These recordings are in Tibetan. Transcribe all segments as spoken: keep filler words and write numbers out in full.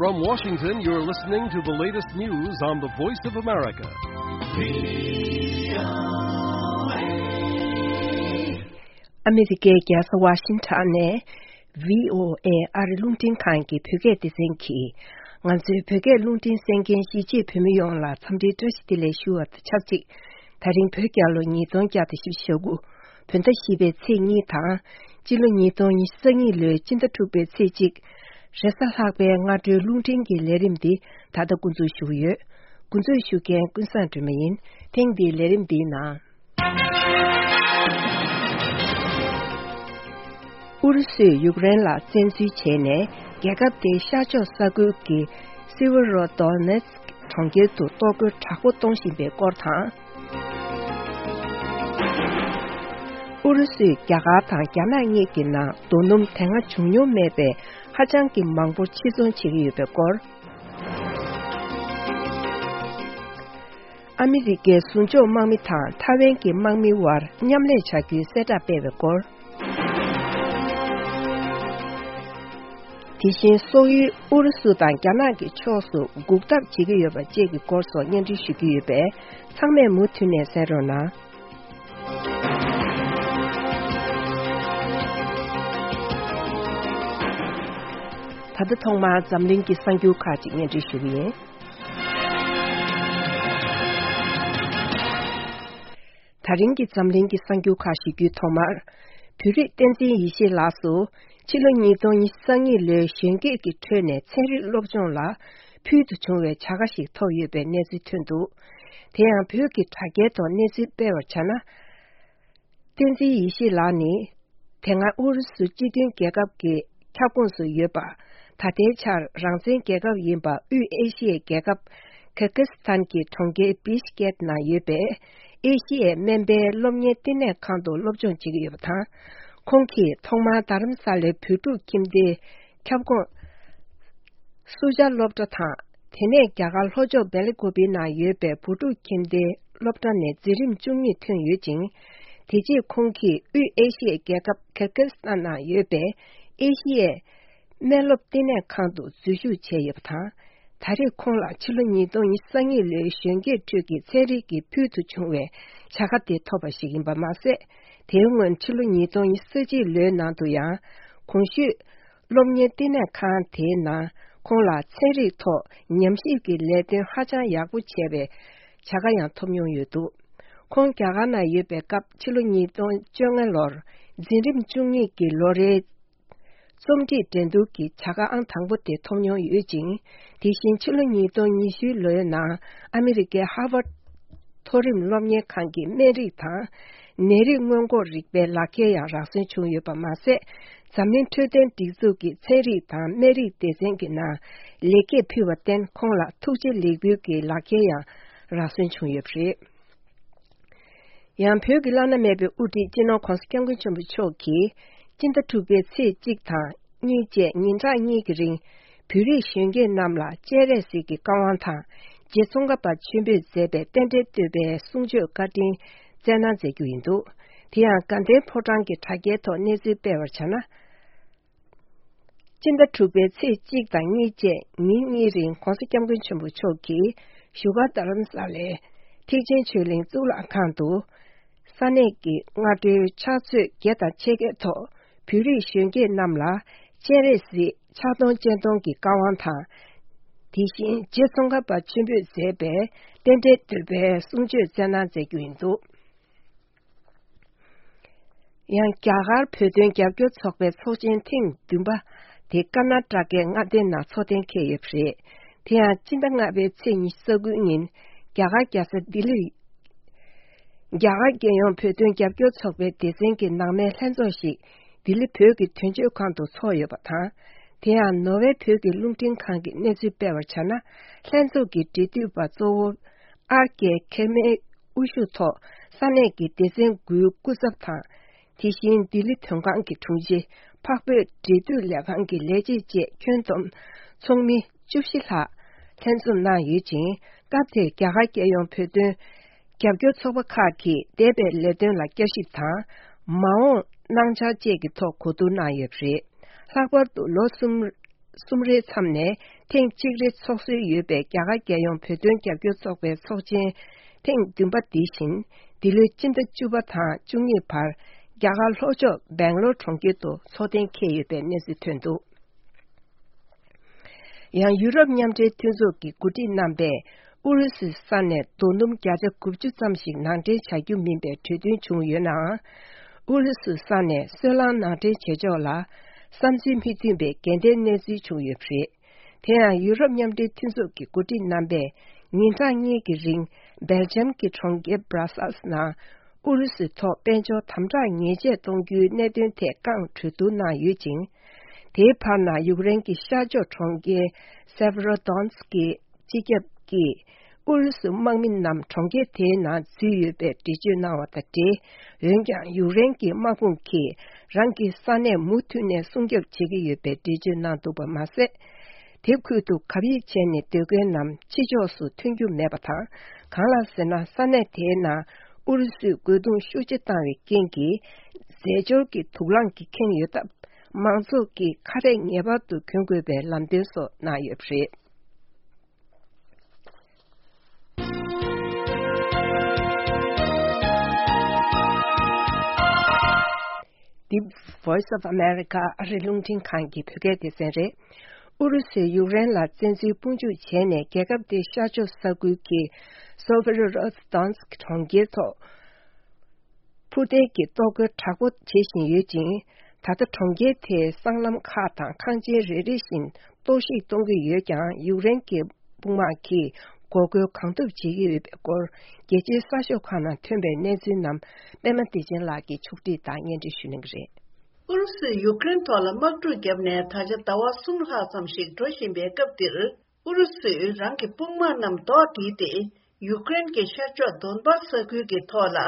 From Washington, you're listening to the latest news on the Voice of America. ཨ་མི་རི་ཀའི་རྒྱལ་ས་ཝ་ཤིང་ཊོན་ནས་བྷི་ཨོ་ཨེ་ཨ་རི་རླུང་འཕྲིན་ཁང་གི་བོད་སྐད་སྡེ་ཚན་གྱིས། ང་ཚོའི་བོད་སྐད་རླུང་འཕྲིན་གསན་མཁན་གཞིས་བྱེས་བོད་མི་ཡོངས་ལ་འཚམས་འདྲིའི་བཀྲ་ཤིས་བདེ་ལེགས་ཞུ་བ་དང་ཆབས་ཅིག་ད་རིང་བོད་རྒྱལ་ལོ་ཉིས་སྟོང་བརྒྱ་དང་བཞི་བཅུ་ཞེ་དགུ། བོད་ཟླ་བཞི་པའི་ཚེས་གཉིས་དང་། སྤྱི་ལོ་ཉིས་སྟོང་ཉི་ཤུ་རྩ་གཉིས་ལོའི་སྤྱི་ཟླ་དྲུག་པའི་ཚེས་གཅིག་རེས་གཟའ་ལྷག་པའི་སྔ་དྲོའི་རླུང་འཕྲིན་གྱི་ལས་རིམ་འདི་ད་ལྟ་འགོ་འཛུགས་ཞུ་གི་ཡོད། འགོ་འཛུགས་ཞུ་མཁན་ཀུན་བཟང་སྒྲོལ་མ་ཡིན། ཐེངས་འདིའི་ལས་རིམ་འདིའི་ནང་། ཨུ་རུ་སུས་ཡུཀ་རེན་ལ་བཙན་འཛུལ་བྱས་ནས། རྒྱལ་ཁབ་དེའི་ཤར་ཕྱོགས་ས་ཁུལ་གྱི་སེ་ཝེ་རོ་དོ་ནེ་སི་ཀི་གྲོང་ཁྱེར་དུ་གཏོར་རྒོལ་དྲག་པོ་གཏོང་བཞིན་པའི་སྐོར་དང་། ཨུ་རུ་སུས་རྒྱ་གར་དང་རྒྱ་ནག་གཉིས་ཀྱི་ནང་རྡོ་སྣུམ་དེ་སྔ་བྱུང་མྱོང་མེད་པའི་ཧ་ཅང་གི་མང་པོ་ཕྱིར་ཚོང་བྱེད་ཀྱི་ཡོད་པའི་སྐོར། ཨ་མི་རི་ཀའི་ཟུར་འཇོག་དམག་མི་དང་ཐའེ་ཝན་གྱི་དམག་མིའི་དབར་མཉམ་ལས་བྱ་རྒྱུའི་གསལ་བསྒྲགས་སྤེལ་བའི་སྐོར། དེ་བཞིན་སོག་ཡུལ་ཨུ་རུ་སུ་དང་རྒྱ་ནག་གི་ཕྱོགས་སུ་འགུག་ཐབས་བྱེད་ཀྱི་ཡོད་པ་བཅས་ཀྱི་སྐོར་སོགས་སྙན་སྒྲོན་ཞུ་རྒྱུ་ཡོད་པས། ཚང་མས་མུ་མཐུད་ནས་གསན་རོགས་གནང་། ད་ལྟ་ཐོག་མར་འཛམ་གླིང་གི་གསར་འགྱུར་ཁག་ཅིག་སྙན་སྒྲོན་ཞུ་གི་ཡིན། ད་རིང་གི་འཛམ་གླིང་གི་གསར་འགྱུར་ཁག་ཞུ་རྒྱུའི་ཐོག་མར། བོད་རིགས་བསྟན་འཛིན་ཡེ་ཤེས་ལགས་སུ། ཕྱི་ལོ་ཉིས་སྟོང་ཉི་ཤུ་རྩ་གཉིས་ལོའི་གཞོན་སྐྱེས་ཀྱི་ཁྲོད་ནས་ཚན་རིག་སློབ་སྦྱོང་ལ་ཕུལ་དུ་བྱུང་བའི་བྱ་དགའ་ཞིག་ཐོབ་ཡོད་པའི་གནས་ཚུལ་ཐོན་འདུག་དེ་ཡང་བོད་ཀྱི་དྲ་རྒྱའི་ཐོག་གནས་ཚུལ་སྤེལ་བར་བྱས་ན། བསྟན་འཛིན་ཡེ་ཤེས་ལགས་ནི། དེ་སྔ་ཨུ་རུ་སུ་སྤྱི་མཐུན་རྒྱལ་ཁབ་ཀྱི་ཁྱབ་ཁོངས་སུ་ཡོད་པ། ད་ལྟའི་ཆར་རང་བཙན་རྒྱལ་ཁབ་ཡིན་པ་དབུས་ཨེ་ཤི་ཡའི་རྒྱལ་ཁབ་ཁིར་ཀི་སི་ཐན་གྱི་གྲོང་ཁྱེར་བིཤ་ཀེད་ནང་ཡོད་པའི་ཨེ་ཤི་ཡའི་སྨན་པའི་སློབ་གཉེར་བསྟི་གནས་ཁང་དུ་སློབ་སྦྱོང་བྱེད་ཀྱི་ཡོད་པ་དང་། ཁོང་གིས་ཐོག་མར་རྡ་རམ་ས་ལའི་བོད་ཕྲུག་ཁྱིམ་སྡེའི་ཁྱབ་ཁོངས་སུ་ཇཱ་སློབ་གྲྭ་དང་། དེ་ནས་རྒྱ་གར་ལྷོ་ཕྱོགས་སྦེལ་ཀོབ་ནང་ཡོད་པའི་བོད་ཕྲུག་ཁྱིམ་སྡེའི་སློབ་གྲྭ་ནས་འཛིན་རིམ་བཅུ་གཉིས་ཐོན་ཡོད་ཅིང་། དེ་རྗེས་ཁོང་གིས་དབུས་ཨེ་ཤི་ཡའི་རྒྱལ་ཁབ་ཁིར་ཀི་སི་ཐན་ནང་ཡོད་པའི་ཨེ་ཤི་ཡའི་སྨན་སློབ་བསྟི་གནས་ཁང་དུ་འཛུལ་ཞུགས་བྱས་ཡོད་པ་དང་། ད་རེས་ཁོང་ལ་ཕྱི་ལོ་ཉིས་སྟོང་ཉི་ཤུ་རྩ་གཉིས་ལོའི་གཞོན་སྐྱེས་ཁྲོད་ཀྱི་ཚན་རིག་གི་ཕུལ་དུ་བྱུང་བའི་བྱ་དགའ་དེ་ཐོབ་པ་ཞིག་ཡིན་པ་མ་ཟད། དེའི་སྔོན་ཕྱི་ལོ་ཉིས་སྟོང་ཉི་ཤུ་རྩ་གཅིག་ལོའི་ནང་དུ་ཡང་། གོང་ཞུས། སློབ་གཉེར་བསྟི་གནས་ཁང་དེའི་ནང་ཁོང་ལ་ཚན་རིག་ཐོག་ཉམས་ཞིབ་ཀྱི་ལས་དོན་ཧ་ཅང་ཡག་པོ་བྱས་པའི་བྱ་དགའ་ཡང་ཐོབ་མྱོང་ཡོད་འདུག་ཁོང་རྒྱ་གར་ནང་ཡོད་པའི་སྐབས་ཕྱི་ལོ་ཉིས་སྟོང་བཅོ་ལྔ་ལོར་འཛིན་རིམ་བཅུ་གཉིས་ཀྱི་ལོ་རེའི་རྩོམ་སྒྲིག་འགྲན་བསྡུར་གྱི་བྱ་དགའ་ཨང་དང་པོ་དེ་ཐོབ་མྱོང་ཡོད་ཅིང་། དེ་བཞིན་ཕྱི་ལོ་ཉིས་སྟོང་ཉི་ཤུ་ལོའི་ནང་ཨ་མི་རི་ཀའི་ཧར་ཝར་མཐོ་རིམ་སློབ་གཉེར་ཁང་གི་སྨན་རིགས་དང་། ནད་རིགས་སྔོན་འགོག་རིག་པའི་ལག་ཁྱེར་ཡང་རག་སོན་བྱུང་ཡོད་པ་མ་ཟད། འཛམ་གླིང་འཕྲོད་བསྟེན་སྒྲིག་འཛུགས་ཀྱི་ཚན་རིག་དང་སྨན་རིགས་སྡེ་ཚན་གྱི་ནང་ལེགས་སྐྱེས་ཕུལ་བར་བརྟེན། ཁོང་ལ་ཐུགས་རྗེ་ལེགས་འབུལ་གྱི་ལག་ཁྱེར་ཡང་རག་སོན་བྱུང་ཡོད་པ་རེད། ཡང་བོད་ཀྱི་བླ་ན་མེད་པའི་དབུ་ཁྲིད་སྤྱི་ནོར་༧གོང་ས་༧སྐྱབས་མགོན་ཆེན་པོ་མཆོག་གིས། སྤྱི་ཟླ་དྲུག་པའི་ཚེས་གཅིག་དང་གཉིས་བཅས་ཉིན་གྲངས་གཉིས་ཀྱི་རིང་། བོད་རིགས་གཞོན་སྐྱེས་རྣམས་ལ་སྤྱན་རས་གཟིགས་ཀྱི་བཀའ་དབང་དང་། རྗེ་ཙོང་ཁ་པ་ཆེན་པོས་མཛད་པའི་རྟེན་འབྲེལ་བསྟོད་པའི་གསུང་ཆོས་བཀའ་དྲིན་སྩལ་གནང་མཛད་རྒྱུ་ཡིན་འདུག་དེ་ཡང་དགའ་ལྡན་ཕོ་བྲང་གི་དྲ་རྒྱའི་ཐོག་གནས་ཚུལ་སྤེལ་བར་བྱས་ན། སྤྱི་ཟླ་དྲུག་པའི་ཚེས་གཅིག་དང་གཉིས་བཅས་ཉིན་གཉིས་རིང་༧གོང་ས་༧སྐྱབས་མགོན་ཆེན་པོ་མཆོག་གིས་བཞུགས་སྒར་རྡ་རམ་ས་ལའི་ཐེག་ཆེན་ཆོས་གླིང་གཙུག་ལག་ཁང་དུ། ས་གནས་ཀྱི་སྔ་དྲོའི་ཕྱག་ཚོད་བརྒྱད་དང་ཕྱེད་ཀའི་ཐོག་བོད་རིགས་གཞོན་སྐྱེས་རྣམས་ལ་སྤྱན་རས་གཟིགས་ཕྱག་སྟོང་སྤྱན་སྟོང་གི་བཀའ་དབང་དང་། དེ་བཞིན་རྗེ་ཙོང་ཁ་པ་ཆེན་པོས་མཛད་པའི་རྟེན་འབྲེལ་བསྟོད་པའི་གསུང་ཆོས་སྩལ་གནང་མཛད་རྒྱུ་ཡིན་འདུག་ཡང་རྒྱ་གར་བོད་དོན་རྒྱབ་སྐྱོར་ཚོགས་པའི་ཚོགས་ཆེན་ཐེངས་བདུན་པ་དེ་ཀར་ན་ཊ་ཀའི་མངའ་སྡེ་ནང་འཚོགས་གཏན་འཁེལ་ཡོད་པ་རེད། དེ་ཡང་སྤྱི་ཟླ་ལྔ་པའི་ཚེས་ཉི་ཤུ་རྩ་དགུའི་ཉིན་རྒྱ་གར་རྒྱལ་ས་ལྡི་ལི། རྒྱ་གར་རྒྱལ་ཡོངས་བོད་དོན་རྒྱབ་སྐྱོར་ཚོགས་པའི་སྡེ་ཚན་གྱི་ནང་མའི་ལྷན་ཚོགས་ཤིག་ལྡི་ལི་བོད་ཀྱི་དོན་གཅོད་ཁང་དུ་འཚོགས་ཡོད་པ་དང་། དེ་ཡང་ནོར་ཝེ་བོད་ཀྱི་རླུང་འཕྲིན་ཁང་གིས་གནས་ཚུལ་སྤེལ་བར་བྱས་ན། ལྷན་ཚོགས་ཀྱི་འབྲེལ་མཐུད་པ་གཙོ་བོ་ཨར་ཀེ་ཁེ་མེའི་དབུ་བཞུགས་ཐོག་ས་གནས་ཀྱི་སྡེ་ཚན་དགུའི་སྐུ་ཚབ་དང་། དེ་བཞིན་ལྡི་ལི་དོན་ཁང་གི་དྲུང་ཆེ། འཕགས་བོད་འབྲེལ་མཐུད་ལས་ཁང་གི་ལས་བྱེད་བཅས་ཁྱོན་བསྡོམས་ཚོགས་མི་བཅུ་བཞི་ལྷག་ལྷན་འཛོམས་གནང་ཡོད་ཅིང་། སྐབས་དེར་རྒྱ་གར་རྒྱལ་ཡོངས་བོད་དོན་རྒྱབ་སྐྱོར་ཚོགས་པ་ཁག་གིས་འདས་པའི་ལས་དོན་ལ་བསྐྱར་ཞིབ་དང་། མ་འོངས་གནང་འཆར་བཅས་ཀྱི་ཐོག་གོ་བསྡུར་གནང་ཡོད་པ་རེད། ལྷག་པར་དུ་ལོ་གསུམ། གསུམ་རེའི་མཚམས་ནས་ཐེངས་གཅིག་རེ་འཚོགས་སྲོལ་ཡོད་པའི་རྒྱ་གར་རྒྱལ་ཡོངས་བོད་དོན་རྒྱབ་སྐྱོར་ཚོགས་པའི་ཚོགས་ཆེན་ཐེངས་བདུན་པ་འདི་བཞིན་འདི་ལོའི་སྤྱི་ཟླ་བཅུ་པ་དང་བཅུ་གཉིས་བར་རྒྱ་གར་ལྷོ་ཕྱོགས་སྦེང་ལོར་གྲོང་ཁྱེར་དུ་འཚོགས་གཏན་འཁེལ་ཡོད་པའི་གནས་ཚུལ་ཐོན་འདུག། ཡང་ཡུ་རོབ་མཉམ་འབྲེལ་མཐུན་ཚོགས་ཀྱི་འགོ་ཁྲིད་རྣམ་པས་ཨུ་རུ་སུའི་ས་ནས་རྡོ་སྣུམ་བརྒྱ་ཆ་དགུ་བཅུ་ཙམ་ཞིག་ནང་འདྲེན་བྱ་རྒྱུ་མིན་པའི་གྲོས་མཐུན་བྱུང་ཡོད་ནའང་། ཨུ་རུ་སུའི་ས་ནས་སོལ་རླངས་ནང་འདྲེན་བྱེད་ཕྱོགས་ལ་བསམ་ཚུལ་མི་མཐུན་པའི་འགལ་ཟླའི་གནས་ཚུལ་བྱུང་ཡོད་པ་རེད། དེ་ཡང་ཡུ་རོབ་མཉམ་འབྲེལ་མཐུན་ཚོགས་ཀྱི་འགོ་ཁྲིད་རྣམ་པས་ཉིན་གྲངས་གཉིས་ཀྱི་རིང་སྦེལ་ཇམ་གྱི་གྲོང་ཁྱེར་སྦྲ་སལ་སི་ནང་ཨུ་རུ་སུའི་ཐོག་དཔལ་འབྱོར་དམ་དྲག་ཉེས་ཆད་གཏོང་རྒྱུའི་གནད་དོན་ཐད་བསྐྱར་གྲོས་བསྡུར་གནང་ཡོད་ཅིང་། དེའི་བར་ན་ཡུཀ་རེན་གྱི་ཤར་ཕྱོགས་གྲོང་ཁྱེར་སེ་བྷ་རོ་དོན་སི་ཀི་སྤྱི་ཁྱབ་ཀྱིས་ཨུ་རུ་སུའི་དམག་མི་རྣམས་གྲོང་ཁྱེར་དེའི་ནང་འཛུལ་ཡོད་པའི་འགྲེལ་བརྗོད་གནང་བ་དང་འབྲེལ། འོན་ཀྱང་ཡུཀ་རེན་གྱི་དམག་དཔུང་གིས་རང་གི་ས་གནས་མུ་མཐུད་ནས་སྲུང་སྐྱོབ་བྱེད་ཀྱི་ཡོད་པའི་འགྲེལ་བརྗོད་གནང་འདུག་པ་མ་ཟད། དེ་ཁུལ་དུ་གབ་ཡིབ་བྱས་ནས་སྡོད་མཁན་རྣམས་ཕྱི་ཕྱོགས་སུ་ཐོན་རྒྱུ་མེད་པ་དང་། གང་ལགས་ཟེར་ན། ས་གནས་དེའི་ནང་ཨུ་རུ་སུས་རྒོལ་རྡུང་ཤུགས་ཆེ་བཏང་བའི་རྐྱེན་གྱིས། རྫས་སྦྱོར་གྱི་དུག་རླངས་ཀྱིས་ཁེངས་ཡོད་སྟབས། མང་ཚོགས་ཀྱིས་ཁ་རས་ངེས་པར་དུ་གྱོན་དགོས་པའི་ལམ་སྟོན་སོགས་གནང་ཡོད་པ་རེད། འདི་Voice of America ཨ་རི་རླུང་འཕྲིན་ཁང་གི་བོད་སྐད་སྡེ་ཚན་རེད། ཨུ་རུ་སུས་ཡུཀ་རེན་ལ་བཙན་འཛུལ་དཔུང་འཇུག་བྱས་ནས། རྒྱལ་ཁབ་དེའི་ཤར་ཕྱོགས་ས་ཁུལ་གྱི་སོ་ཝེ་རོ་སི་ཏོན་སི་ཀི་གྲོང་ཁྱེར་ཐོག་འཕུར་མདེལ་གྱི་གཏོར་རྒོལ་དྲག་པོ་བྱེད་བཞིན་ཡོད་ཅིང་། ད་ལྟ་གྲོང་ཁྱེར་དེའི་སྲང་ལམ་ཁག་དང་ཁང་ཆེན་རེ་རེ་བཞིན་གཏོར་བཤིག་གཏོང་གི་ཡོད་ཀྱང་། ཡུཀ་རེན་གྱི་དཔུང་དམག་གིས་འགོག་རྒོལ་གང་ཐུབ་བྱེད་ཀྱི་ཡོད་པའི་སྐོར། རྒྱལ་སྤྱིའི་གསར་ཤོག་ཁག་ནང་ཐོན་པའི་གནས་ཚུལ་རྣམས་པད་མ་བདེ་ཆེན་ལགས་ཀྱིས་ཕྱོགས་སྒྲིག་དང་སྙན་སྒྲོན་ཞུ་གནང་གི་རེད། ཨུ་རུ་སུས་ཡུཀ་རེན་ཐོག་ལ་དམག་འཁྲུག་བརྒྱབ་ནས་ད་ཆ་ཟླ་བ་གསུམ་ལྷག་ཙམ་ཞིག་འགྲོ་བཞིན་པའི་སྐབས་འདིར། ཨུ་རུ་སུས་རང་གི་དཔུང་དམག་རྣམས་ལྡོག་སྒྲིལ་ཏེ། ཡུཀ་རེན་གྱི་ཤར་ཕྱོགས་དོན་པ་ས་ཁུལ་གྱི་ཐོག་ལ་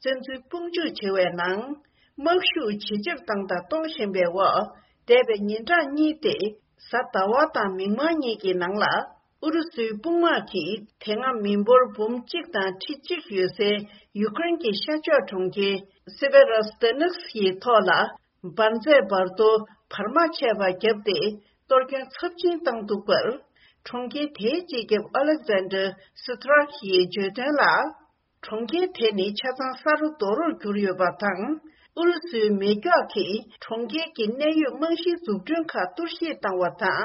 བཙན་འཛུལ་དཔུང་འཇུག་བྱེད་པའི་ནང་། དམག་ཤུགས་ཇེ་ཆེར་བཏང་དང་གཏོང་བཞིན་པའི་འོག་འདས་པའི་ཉིན་གྲངས་གཉིས་ཏེ། གཟའ་ཟླ་བ་དང་མིག་དམར་གཉིས་ཀྱི་ནང་ལ། ཨུ་རུ་སུའི་དཔུང་དམག་གིས་དེ་སྔ་མི་འབོར་འབུམ་གཅིག་དང་ཁྲི་གཅིག་ཡོད་སའི་ཡུཀ་རེན་གྱི་ཤར་ཕྱོགས་གྲོང་ཁྱེར་སེ་བེ་རོ་སི་ཏེ་ནེ་སི་ཡི་ཐོག་ལ། འབར་རྫས་འབར་གཏོར་བར་མ་ཆད་པ་བརྒྱབ་སྟེ། གཏོར་སྐྱོན་ཚབས་ཆེན་བཏང་འདུག་པར། གྲོང་ཁྱེར་དེའི་སྤྱི་ཁྱབ་ཨ་ལེག་ཛན་ཌར་སི་ཐི་རག་ཡིས་བརྗོད་དོན་ལ། གྲོང་ཁྱེར་དེ་ནི་ཆ་ཚང་ས་རུ་རྡོ་རུར་གྱུར་ཡོད་པ་དང་། ཨུ་རུ་སུའི་མེ་སྒྱོགས་ཀྱིས་གྲོང་ཁྱེར་གྱི་གནས་ཡོད་རྨང་གཞིའི་འཛུགས་སྐྲུན་ཁག་གཏོར་བཤིག་བཏང་བ་དང་།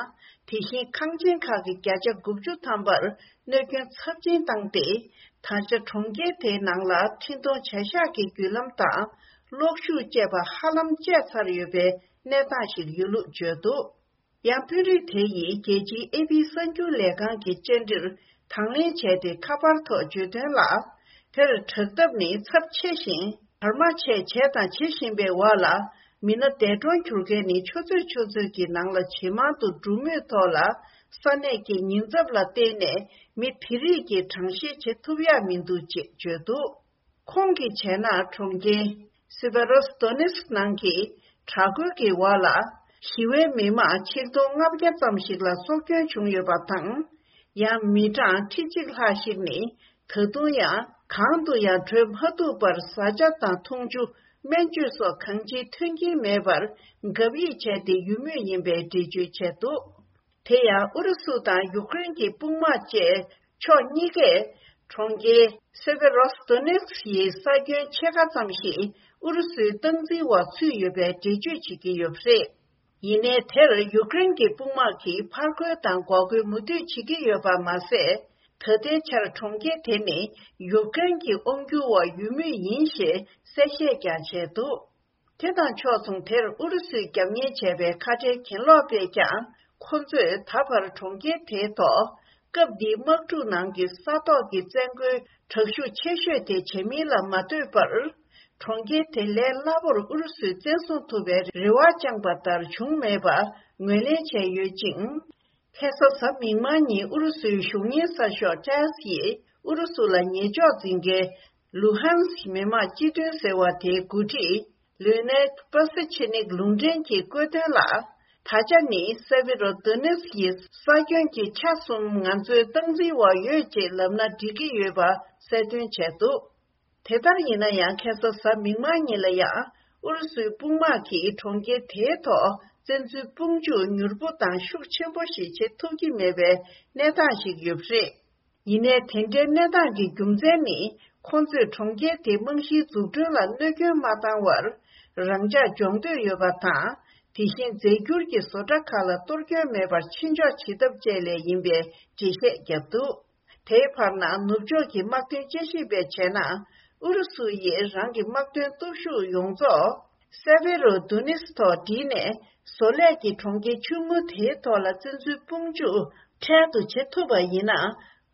དེ་བཞིན་ཁང་ཆེན་ཁག་གི་བརྒྱ་ཆ་དགུ་བཅུ་ཐམ་པར་གནོད་སྐྱོན་ཚབས་ཆེན་བཏང་སྟེ། ད་ཆ་གྲོང་ཁྱེར་དེའི་ནང་ལ་འཕྲིན་གཏོང་བྱ་གཞག་གི་བརྒྱུད་ལམ་དང་གློག་ཤུགས་བཅས་པ་ཧ་ལམ་བཅད་ཚར་ཡོད་པའི་གནས་སྟངས་ཤིག་ཡོད་ལུགས་བརྗོད་འདུག། ཡང་དཔོན་རིགས་དེ་ཡིས་རྒྱལ་སྤྱིའི་ཨེ་པི་གསར་འགྱུར་ལས་ཁང་གི་བཅར་འདྲིར་དང་ལེན་བྱས་ཏེ། ཁ་པར་ཐོག་བརྗོད་དོན་ལ། དེར་དྲག་འཐབ་ནི་ཚབས་ཆེ་ཞིང་། བར་མ་ཆད་བྱས་དང་བྱེད་བཞིན་པའི་འོག་ལ། མི་སྣ་འདས་གྲོངས་གྱུར་མཁན་ནི་ཆུ་ཚོད་ཆུ་ཚོད་ཀྱི་ནང་ལ་ཇེ་མང་དུ་འགྲོ་མུས་ཐོག་ལ། ས་གནས་ཀྱི་ཉེན་ཚབས་ལ་བརྟེན་ནས་མི་དེ་རིགས་ཀྱི་གྲངས་བཤེར་བྱེད་ཐུབ་ཡག་མི་འདུག་ཅེས་བརྗོད་འདུག། ཁོང་གིས་བྱས་ན། གྲོང་ཁྱེར་སེ་བེ་རོ་སི་ཏོ་ནེ་སི་ནང་གི་དྲག་རྒོལ་གྱི་འོག་ལ་ཞི་བའི་མི་མང་ཆིག་སྟོང་ལྔ་བརྒྱ་ཙམ་ཞིག་ལ་སྲོག་སྐྱོན་བྱུང་ཡོད་པ་དང་། ཡང་མི་གྲངས་ཁྲི་གཅིག་ལྷག་ཞིག་ནི་ད་དུང་ཡང་གང་དུ་ཡང་བྲོས་མ་ཐུབ་པར། བཟའ་བཅའ་དང་འཐུང་ཆུ། སྨན་བཅོས་སོགས་གང་ཅིའི་མཐུན་རྐྱེན་མེད་པར་གབ་ཡིབ་བྱས་ཏེ་ཡོད་མུས་ཡིན་པའི་འགྲེལ་བརྗོད་བྱས་འདུག། དེ་ཡང་ཨུ་རུ་སུ་དང་ཡུཀ་རེན་གྱི་དཔུང་དམག་བཅས་ཕྱོགས་གཉིས་ཀས་གྲོང་ཁྱེར་སེ་བེ་རོ་སི་ཏོ་ནེ་སི་ཡི་ས་ཁྱོན་ཕྱེད་ཀ་ཙམ་ཞིག་ཨུ་རུ་སུའི་སྟངས་འཛིན་འོག་ཚུད་ཡོད་པའི་འགྲེལ་བརྗོད་བྱེད་ཀྱི་ཡོད་པ་རེད། ཡིན་ནའི་དེར་ཡུཀ་རེན་གྱི་དཔུང་དམག་གིས་ཕར་རྒོལ་དང་འགོག་རྒོལ་མུ་མཐུད་བྱེད་ཀྱི་ཡོད་པ་མ་ཟད། ད་ལྟའི་ཆར་གྲོང་ཁྱེར་དེ་ནི་ཡུཀ་རེན་གྱི་དབང་སྒྱུར་འོག་ཡོད་མུས་ཡིན་ཞེས་གསལ་བཤད་ཀྱང་བྱས་འདུག། དེ་དང་ཕྱོགས་མཚུངས། དེར་ཨུ་རུ་སུས་རྒྱབ་གཉེར་བྱས་པའི་ཁ་བྲལ་གྱེན་ལོག་པས་ཀྱང་། ཁོ་ཚོས་ད་བར་གྲོང་ཁྱེར་དེའི་ཐོག་སྐབས་འདིའི་དམག་འཁྲུག་ནང་གི་ས་ཐོག་གི་བཙན་རྒོལ་དྲག་ཤུགས་ཆེ་ཤོས་དེ་བྱེད་མིན་ལ་མ་ལྟོས་པར། གྲོང་ཁྱེར་དེ་ལས་སླ་པོར་ཨུ་རུ་སུས་བཙན་བཟུང་ཐུབ་པའི་རེ་བ་བཅངས་པ་ལྟར་བྱུང་མེད་པ་ངོས་ལེན་བྱས་ཡོད་ཅིང་། ཁ་སང་གཟའ་མིག་དམར་ཉིན་ཨུ་རུ་སུའི་གཞུང་གཉེར་གསར་ཤོག་ཊཱས་ཡིས་ཨུ་རུ་སུ་ལ་ཉེས་འཇོག་འཛིན་མཁན་ལུ་ཧན་སི་མི་དམངས་སྤྱི་མཐུན་ཟེར་བ་དེའི་འགོ་ཁྲིད་ལུ་ནེ་པ་སི་ཆེ་ནིག་ལུང་འདྲེན་གྱིས་བཀོད་དོན་ལ། ད་ཆ་ནི་སེ་བི་རོ་དོ་ནེ་སི་ཡི་ས་ཁྱོན་གྱི་ཆ་གསུམ་ང་ཚོའི་སྟངས་འཛིན་འོག་ཡོད་ཅེས་ལབ་ན་འགྲིག་གི་ཡོད་པ་གསལ་སྟོན་བྱས་འདུག། དེ་ལྟར་ཡིན་ན་ཡང་། ཁ་སང་གཟའ་མིག་དམར་ཉིན་ལ་ཡང་ ཨུ་རུ་སུའི་དཔུང་དམག་གིས་གྲོང་ཁྱེར་དེའི་ཐོག་བཙན་འཛུལ་དཔུང་འཇུག་མྱུར་པོ་དང་ཤུགས་ཆེན་པོ་ཞིག་བྱེད་ཐུབ་ཀྱི་མེད་པའི་གནས་སྟངས་ཤིག་ཡོད་པ་རེད། ཡིན་ནའི་དེ་འདྲའི་གནས་སྟངས་ཀྱི་རྒྱུ་མཚན་ནི། ཁོང་ཚོས་གྲོང་ཁྱེར་དེའི་རྨང་གཞིའི་འཛུགས་སྐྲུན་ལ་གནོད་སྐྱོན་མ་བཏང་བར། རང་འཇགས་སྦྱོང་འདོད་ཡོད་པ་དང་། དེ་བཞིན་རྫས་འགྱུར་གྱི་བཟོ་གྲྭ་ཁག་ལ་གཏོར་སྐྱོན་མེད་པར་ཕྱིན་འཇོག་བྱེད་ཐབས་བཅས་ལས་ཡིན་པའི་འགྲེལ་བཤད་བརྒྱབ་འདུག་དེའི་བར་ན། ནུབ་ཕྱོགས་ཀྱི་དམག་དོན་དཔྱད་ཞིབ་པས་བྱས་ན། ཨུ་རུ་སུ་ཡིས་རང་གི་དམག་དོན་སྟོབས་ཤུགས་ཡོངས་རྫོགས་སེ་བེ་རོ་དུ་ནིས་ཐོག་བསྒྲིལ་ནས། བཟོ་ལས་ཀྱི་གྲོང་ཁྱེར་ཆུང་ངུ་དེའི་ཐོག་ལ་བཙན་འཛུལ་དཔུང་འཇུག་འཕྲལ་དུ་བྱེད་ཐུབ་པ་ཡིན་ན།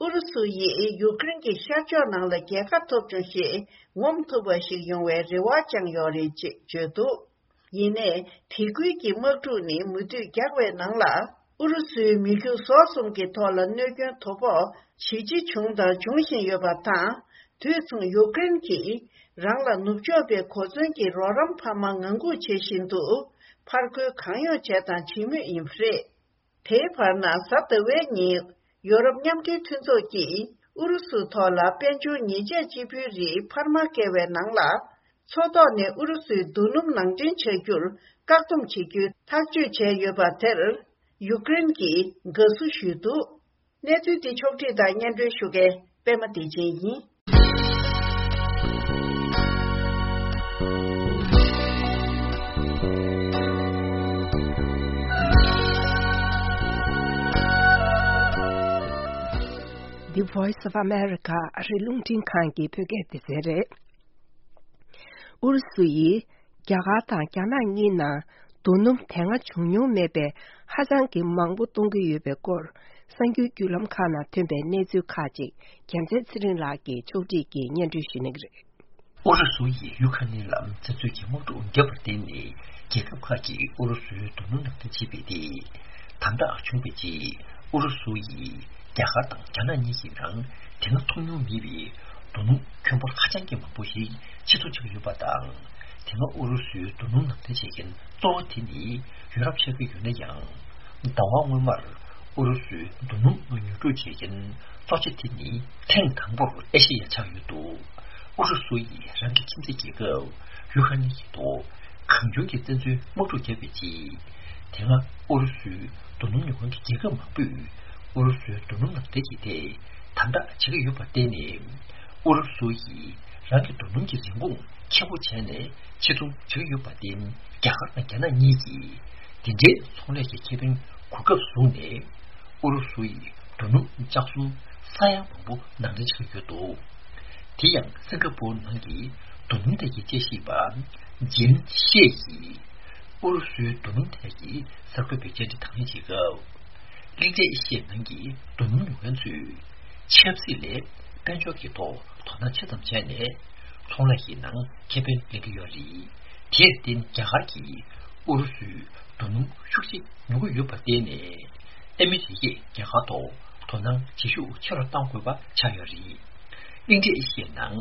ཨུ་རུ་སུ་ཡིས་ཡུཀ་རེན་གྱི་ཤར་ཕྱོགས་ནང་ལ་རྒྱལ་ཁ་ཐོབ་བྱུང་ཞེས་ངོམ་ཐུབ་པ་ཞིག་ཡོང་བའི་རེ་བ་བཅངས་ཡོད་རེད་ཅེས་བརྗོད་འདུག་ཡིན་ནའི། དེ་ཁུལ་གྱི་དམག་འཁྲུག་ནི་མུ་མཐུད་རྒྱག་པའི་ནང་ལ། ཨུ་རུ་སུའི་མི་རྒྱུ་ཟོག་གསུམ་གྱི་ཐོག་ལ་གནོད་སྐྱོན་དོ་ཕོག་ཇེ་ཆེ་བྱུང་དང་འབྱུང་བཞིན་ཡོད་པ་དང་། དུས་མཚུངས་ཡུཀ་རེན་གྱིས་རང་ལ་ནུབ་ཕྱོགས་པའི་གོ་མཚོན་གྱི་རོགས་རམ་འཕར་མ་ངང་སྒུག་བྱེད་བཞིན་དུ། ཕར་རྒོལ་གང་ཡོང་བྱས་དང་བྱེད་མུས་ཡིན་པ་རེད། དེའི་བར་ན། གཟའ་ཟླ་བའི་ཉིན་ཡོ་རོབ་མཉམ་འབྲེལ་མཐུན་ཚོགས་ཀྱིས་ཨུ་རུ་སུའི་ཐོག་ལ་དཔལ་འབྱོར་ཉེས་ཆད་གཅིག་པུའི་རིགས་འཕར་མ་བཀལ་བའི་ནང་ལ། མཚོ་ཐོག་ནས་ཨུ་རུ་སུའི་རྡོ་སྣུམ་ནང་འདྲེན་བྱ་རྒྱུར་བཀག་སྡོམ་བྱེད་རྒྱུའི་ཐག་གཅོད་བྱས་ཡོད་པ་དེར། ཡུཀ་རེན་གྱིས་དགའ་བསུ་ཞུས་འདུག་གནས་ཚུལ་འདི་ཕྱོགས་བསྒྲིགས་དང་སྙན་སྒྲོན་ཞུ་མཁན་པད་མ་བདེ་ཆེན་ཡིན། The Voice of America ཨ་རིའི་རླུང་འཕྲིན་ཁང་གི་བོད་སྐད་སྡེ་ཚན་རེད། ཨུ་རུ་སུ་ཡིས་རྒྱ་གར་དང་རྒྱ་ནག་གཉིས་ནང་རྡོ་སྣུམ་དེ་སྔ་བྱུང་མྱོང་མེད་པའི་ཧ་ཅང་གི་མང་པོ་གཏོང་གི་ཡོད་པའི་སྐོར། གསར་འགྱུར་བརྒྱུད་ལམ་ཁག་ནང་ཐོན་པའི་གནས་ཚུལ་ཁག་ཅིག་རྒྱལ་མཚན་ཚེ་རིང་ལགས་ཀྱིས་ཕྱོགས་སྒྲིག་གིས་སྙན་སྒྲོན་ཞུ་གནང་གི་རེད། ཨུ་རུ་སུ་ཡིས་ཡུ་ཁ་ནི་ལ་བཙན་འཛུལ་གྱི་དམག་འཁྲུག་བརྒྱབ་པར་བརྟེན་ནས། རྒྱལ་ཁབ་ཁག་གིས་ཨུ་རུ་སུའི་རྡོ་སྣུམ་ནང་འདྲེན་བྱས་པའི་ཐད་དམ་དྲག་བྱུང་བའི་རྗེས། ཨུ་རུ་སུ་ཡིས་རྒྱ་གར་དང་རྒྱ་ནག་གཉིས་ཀྱི་ནང་དེ་སྔ་མཐོང་མྱོང་མེད་པའི་རྡོ་སྣུམ་ཁྱོན་འབོར་ཧ་ཅང་གི་མང་པོ་ཞིག་ཕྱིར་ཚོང་བྱེད་ཀྱི་ཡོད་པ་དང་། དེ་སྔ་ཨུ་རུ་སུའི་རྡོ་སྣུམ་ནང་འདྲེན་བྱེད་མཁན་གཙོ་བོ་དེ་ནི་ཡུ་རོབ་ཆགས་ཀྱི་ཡོད་ན་ཡང་། ཟླ་བ་སྔོན་མར་ཨུ་རུ་སུའི་རྡོ་སྣུམ་ཉོ་སྒྲུག་བྱེད་མཁན་གཙོ་ཆེ་དེ་ནི་ཐེངས་དང་པོར་ཨེ་ཤེ་ཡ་ཆགས་ཡོད་འདུག་ཨུ་རུ་སུ་ཡིས་རང་གི་ཁྱིམ་མཚེས་རྒྱལ་ཁབ་ཡུ་ཁ་ནི་ཡི་ཐོག་གང་བྱུང་གིས་བཙན་འཛུལ་དམག་འཁྲུག་བརྒྱབ་པའི་རྗེས། དེ་སྔ་ཨུ་རུ་སུའི་རྡོ་སྣུམ་ཉོ་མཁན་གྱི་རྒྱལ་ཁབ་མང་པོས་ཨུ་རུ་སུའི་རྡོ་སྣུམ་ནང་འདྲེན་གྱི་ཐད་དམ་དྲག་བྱེད་ཀྱི་ཡོད་པར་བརྟེན་ནས། ཨུ་རུ་སུ་ཡིས་རང་གི་རྡོ་སྣུམ་གྱི་རིན་གོང་ཆེན་པོ་བྱས་ནས་ཕྱིར་ཚོང་བྱེད་ཀྱི་ཡོད་པར་བརྟེན། རྒྱ་གར་དང་རྒྱ་ནག་གཉིས་ཀྱིས་འདི་འདྲའི་ཚོང་ལས་ཀྱི་ཁེ་ཕན་གོ་སྐབས་བཟུང་ནས། ཨུ་རུ་སུ་ཡིས་རྡོ་སྣུམ་ལྕགས་གསུམ་ས་ཡ་མང་པོ་ནང་འདྲེན་བྱེད་ཀྱི་ཡོད་འདུག་དེ་ཡང་སིང་ག་པུར་ནང་གི་རྡོ་སྣུམ་ཐད་ཀྱི་དཔྱད་ཞིབ་པ་ཇིན་ཤེ་ཡིས་ཨུ་རུ་སུའི་རྡོ་སྣུམ་ཐད་ཀྱི་གསར་འགོད་པའི་བཅར་འདྲི་དང་ལེན་བྱེད་སྐབས། གླིང་ཕྲན་ཨེ་ཤི་ཡའི་ནང་གི་རྡོ་སྣུམ་ཉོ་མཁན་ཚོས་ཆབ་སྲིད་ལས་དཔལ་འབྱོར་གྱི་ཐོག་དོ་སྣང་ཆེ་ཙམ་བྱས་ནས་ཚོང་ལས་ཀྱི་ནང་ཁེ་ཕན་ལེན་གྱི་ཡོད་རེད། དེར་བརྟེན་རྒྱ་གར་གྱིས་ཨུ་རུ་སུའི་རྡོ་སྣུམ་ཤུགས་ཆེ་ཉོ་གི་ཡོད་པར་བརྟེན་ནས་ཨ་མི་རི་ཀས་རྒྱ་གར་ཐོག་དོ་སྣང་བྱེད་ཤུགས་ཆེ་རུ་གཏང་དགོས་པ་ཆགས་ཡོད་རེད། གླིང་ཕྲན་ཨེ་ཤི་ཡའི་ནང་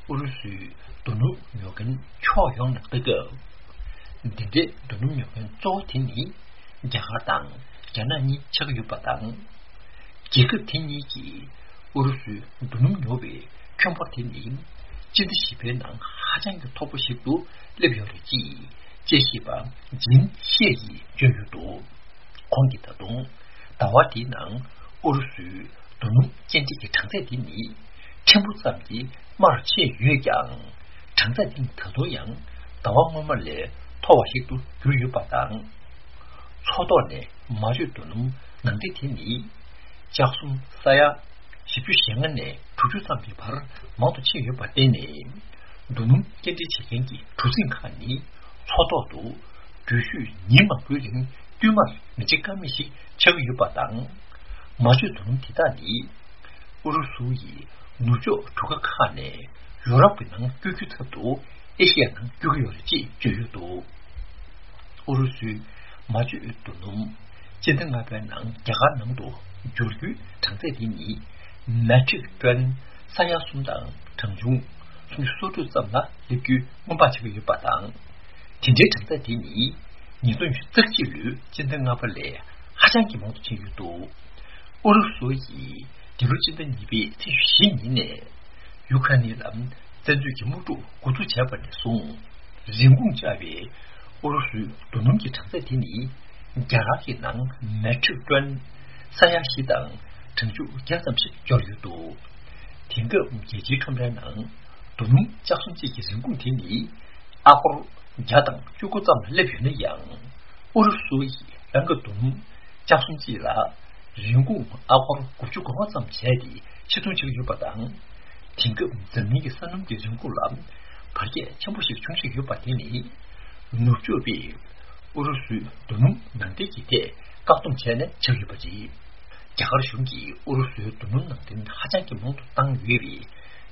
ཨུ་རུ་སུའི་རྡོ་སྣུམ་ཉོ་མཁན་ཕྱོགས་ཡོངས་ནས་ལྟ་སྐབས། འདི་འདྲའི་རྡོ་སྣུམ་ཉོ་མཁན་གཙོ་བོ་དེ་ནི་རྒྱ་གར་དང་རྒྱ་ནག་གཉིས་ཆགས་ཀྱི་ཡོད་པ་དང་། རྒྱལ་ཁབ་དེ་གཉིས་ཀྱིས་ཨུ་རུ་སུའི་རྡོ་སྣུམ་ཉོ་བའི་ཁྱོན་འབོར་དེ་ནི་སྤྱི་ཟླ་བཞི་པའི་ནང་ཧ་ཅང་གི་མཐོ་པོ་ཞིག་ཏུ་སླེབས་ཡོད་རེད་ཅེས་དཔྱད་ཞིབ་པ་ཇིན་ཤེ་ཡིས་བརྗོད་ཡོད་འདུག་ཁོང་གིས་ད་དུང་ཟླ་བ་འདིའི་ནང་ཨུ་རུ་སུའི་རྡོ་སྣུམ་སྐྱེལ་འདྲེན་གྱི་གྲངས་ཚད་འདི་ནི་ཕྲན་བུ་ཙམ་གྱིས་དམའ་རུ་ཕྱིན་ཡོད་ཀྱང་། གྲངས་ཚད་འདི་ནི་ད་དུང་ཡང་ཟླ་བ་སྔོན་མ་ལས་མཐོ་བ་ཞིག་ཏུ་གྱུར་ཡོད་པ་དང་། མཚོ་ཐོག་ནས་མ་བཅོས་རྡོ་སྣུམ་ནང་འདྲེན་དེ་ནི་ལྕགས་གསུམ་ས་ཡ་བཞི་བཅུ་ཞེ་ལྔ་ནས་དྲུག་ཅུ་ཙམ་གྱི་བར་མང་དུ་ཕྱིན་ཡོད་པར་བརྟེན་ནས། རྡོ་སྣུམ་སྐྱེལ་འདྲེན་བྱེད་མཁན་གྱི་གྲུ་གཟིངས་ཁག་ནི་མཚོ་ཐོག་ཏུ་འགྲུལ་བཞུད་ཉིན་མང་པོའི་རིང་བསྟུད་མར་མི་བྱེད་ཀ་མེད་ཞིག་ཆགས་ཀྱི་ཡོད་པ་དང་། མ་བཅོས་རྡོ་སྣུམ་དེ་དག་ནི་ཨུ་རུ་སུ་ཡིས་ནུབ་ཕྱོགས་གྲུ་ཁ་ཁག་ནས་ཡུ་རོབ་ཀྱི་ནང་བསྐྱོད་རྒྱུའི་ཚབ་ཏུ་ཨེ་ཤི་ཡ་ནང་བསྐྱོད་ཀྱི་ཡོད་རེད་ཅེས་བརྗོད་ཡོད་འདུག་ཨུ་རུ་སུའི་མ་བཅོས་རྡོ་སྣུམ་སྤྱི་ཟླ་ལྔ་པའི་ནང་རྒྱ་གར་ནང་དུ་འབྱོར་རྒྱུའི་གྲངས་ཚད་དེ་ཉིད་མེ་ཊྲིག་ཊོན་ས་ཡ་གསུམ་དང་གྲངས་ཆུང་སུམ་ཅུ་སོ་དྲུག་ཙམ་ལ་སླེབས་རྒྱུའི་སྔོན་དཔག་བྱེད་ཀྱི་ཡོད་པ་དང་། དེ་འདྲའི་གྲངས་ཚད་དེ་ནི་ཉིས་སྟོང་ཉི་ཤུ་རྩ་གཅིག་ལོའི་སྤྱི་ཟླ་ལྔ་པ་ལས་ཧ་ཅང་གི་མང་དུ་ཕྱིན་ཡོད་འདུག་ཨུ་རུ་སུ་ཡིས་འདི་ལོ་སྤྱི་ཟླ་གཉིས་པའི་ཚེས་བཞི་ཉིན་ནས་ཡུ་ཁ་ནི་ལ་བཙན་འཛུལ་གྱི་དམག་འཁྲུག་འགོ་འཛུགས་བྱས་པ་ནས་བཟུང་ རིན་གོང་བཅག་པའི་ཨུ་རུ་སུའི་རྡོ་སྣུམ་གྱི་གྲངས་ཚད་དེ་ནི་རྒྱ་གར་གྱི་ནང་མེ་ཊྲིག་ཊོན་ས་ཡ་བཞི་དང་གྲངས་ཆུ་བརྒྱ་ཙམ་ཞིག་འབྱོར་ཡོད་འདུག་དེང་སྐབས་རྒྱལ་སྤྱིའི་ཁྲོམ་རའི་ནང་རྡོ་སྣུམ་བཅག་གསུམ་གཅིག་གི་རིན་གོང་དེ་ནི་ཨ་སྒོར་བརྒྱ་དང་བཅུ་དགུ་ཙམ་ལ་སླེབས་ཡོད་ན་ཡང་། ཨུ་རུ་སུ་ཡིས་རང་གི་རྡོ་སྣུམ་བཅག་གསུམ་གཅིག་ལ་རིན་གོང་ཨ་སྒོར་དགུ་བཅུ་གོ་ལྔ་ཙམ་བྱས་ཏེ་ཕྱིར་ཚོང་བྱེད་ཀྱི་ཡོད་པ་དང་། དེང་སྐབས་འཛམ་གླིང་གི་ས་སྣུམ་གྱི་རིན་གོང་ལ་བར་ཁྱད་ཆེན་པོ་ཞིག་འབྱུང་བཞིན་ཡོད་པ་དེ་ནི། ནུབ་ཕྱོགས་པས་ཨུ་རུ་སུའི་རྡོ་སྣུམ་ནང་འདྲེན་གྱི་ཐད་བཀག་སྡོམ་བྱས་ནས་བྱས་ཡོད་པ་རེད། རྒྱ་གར་གཞུང་གིས་ཨུ་རུ་སུའི་རྡོ་སྣུམ་ནང་འདྲེན་ཧ་ཅང་གི་མང་དུ་བཏང་ཡོད་པའི་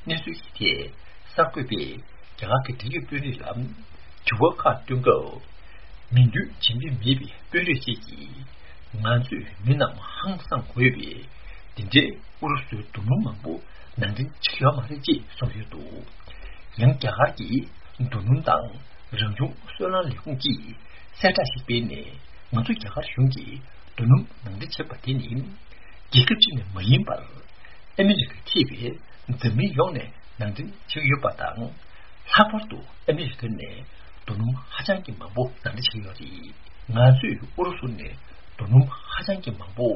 གནས་ཚུལ་གྱི་ཐད། གསར་འགོད་པས་རྒྱ་གར་གྱི་འབྲེལ་ཡོད་དཔོན་རིགས་ལ་དྲི་བ་ཁག་བཏོན་སྐབས། མིང་འདོན་བྱེད་འདོད་མེད་པའི་དཔོན་རིགས་ཤིག་གིས། ང་ཚོས་མི་རྣམས་ཧང་སངས་དགོས་པས། འདི་འདྲའི་ཨུ་རུ་སུའི་རྡོ་སྣུམ་མང་པོ་ནང་འདྲེན་བྱེད་ཀྱི་ཡོད་མ་རེད་ཅེས་གསུངས་ཡོད་འདུག་ཡང་རྒྱ་གར་གྱིས་རྡོ་སྣུམ་དང་རང་བྱུང་སོལ་རླངས་ལས་ཁུངས་ཀྱིས་གསལ་བསྒྲགས་ཤིག་སྤེལ་ནས། ང་ཚོ་རྒྱ་གར་གཞུང་གིས་རྡོ་སྣུམ་ནང་འདྲེན་བྱེད་པ་དེ་ནི། རྒྱལ་ཁབ་གཅིག་ནས་མ་ཡིན་པར། ཨ་མི་རི་ཀ་ཐེ་བའི་འཛམ་གླིང་ཡོངས་ནས་ནང་འདྲེན་བྱེད་ཀྱི་ཡོད་པ་དང་། ལྷག་པར་དུ་ཨ་མི་རི་ཀ་ནས་རྡོ་སྣུམ་ཧ་ཅང་གི་མང་པོ་ནང་འདྲེན་བྱེད་ཀྱི་ཡོད་རེད། ང་ཚོས་ཨུ་རུ་སུ་ནས་རྡོ་སྣུམ་ཧ་ཅང་གི་མང་པོ་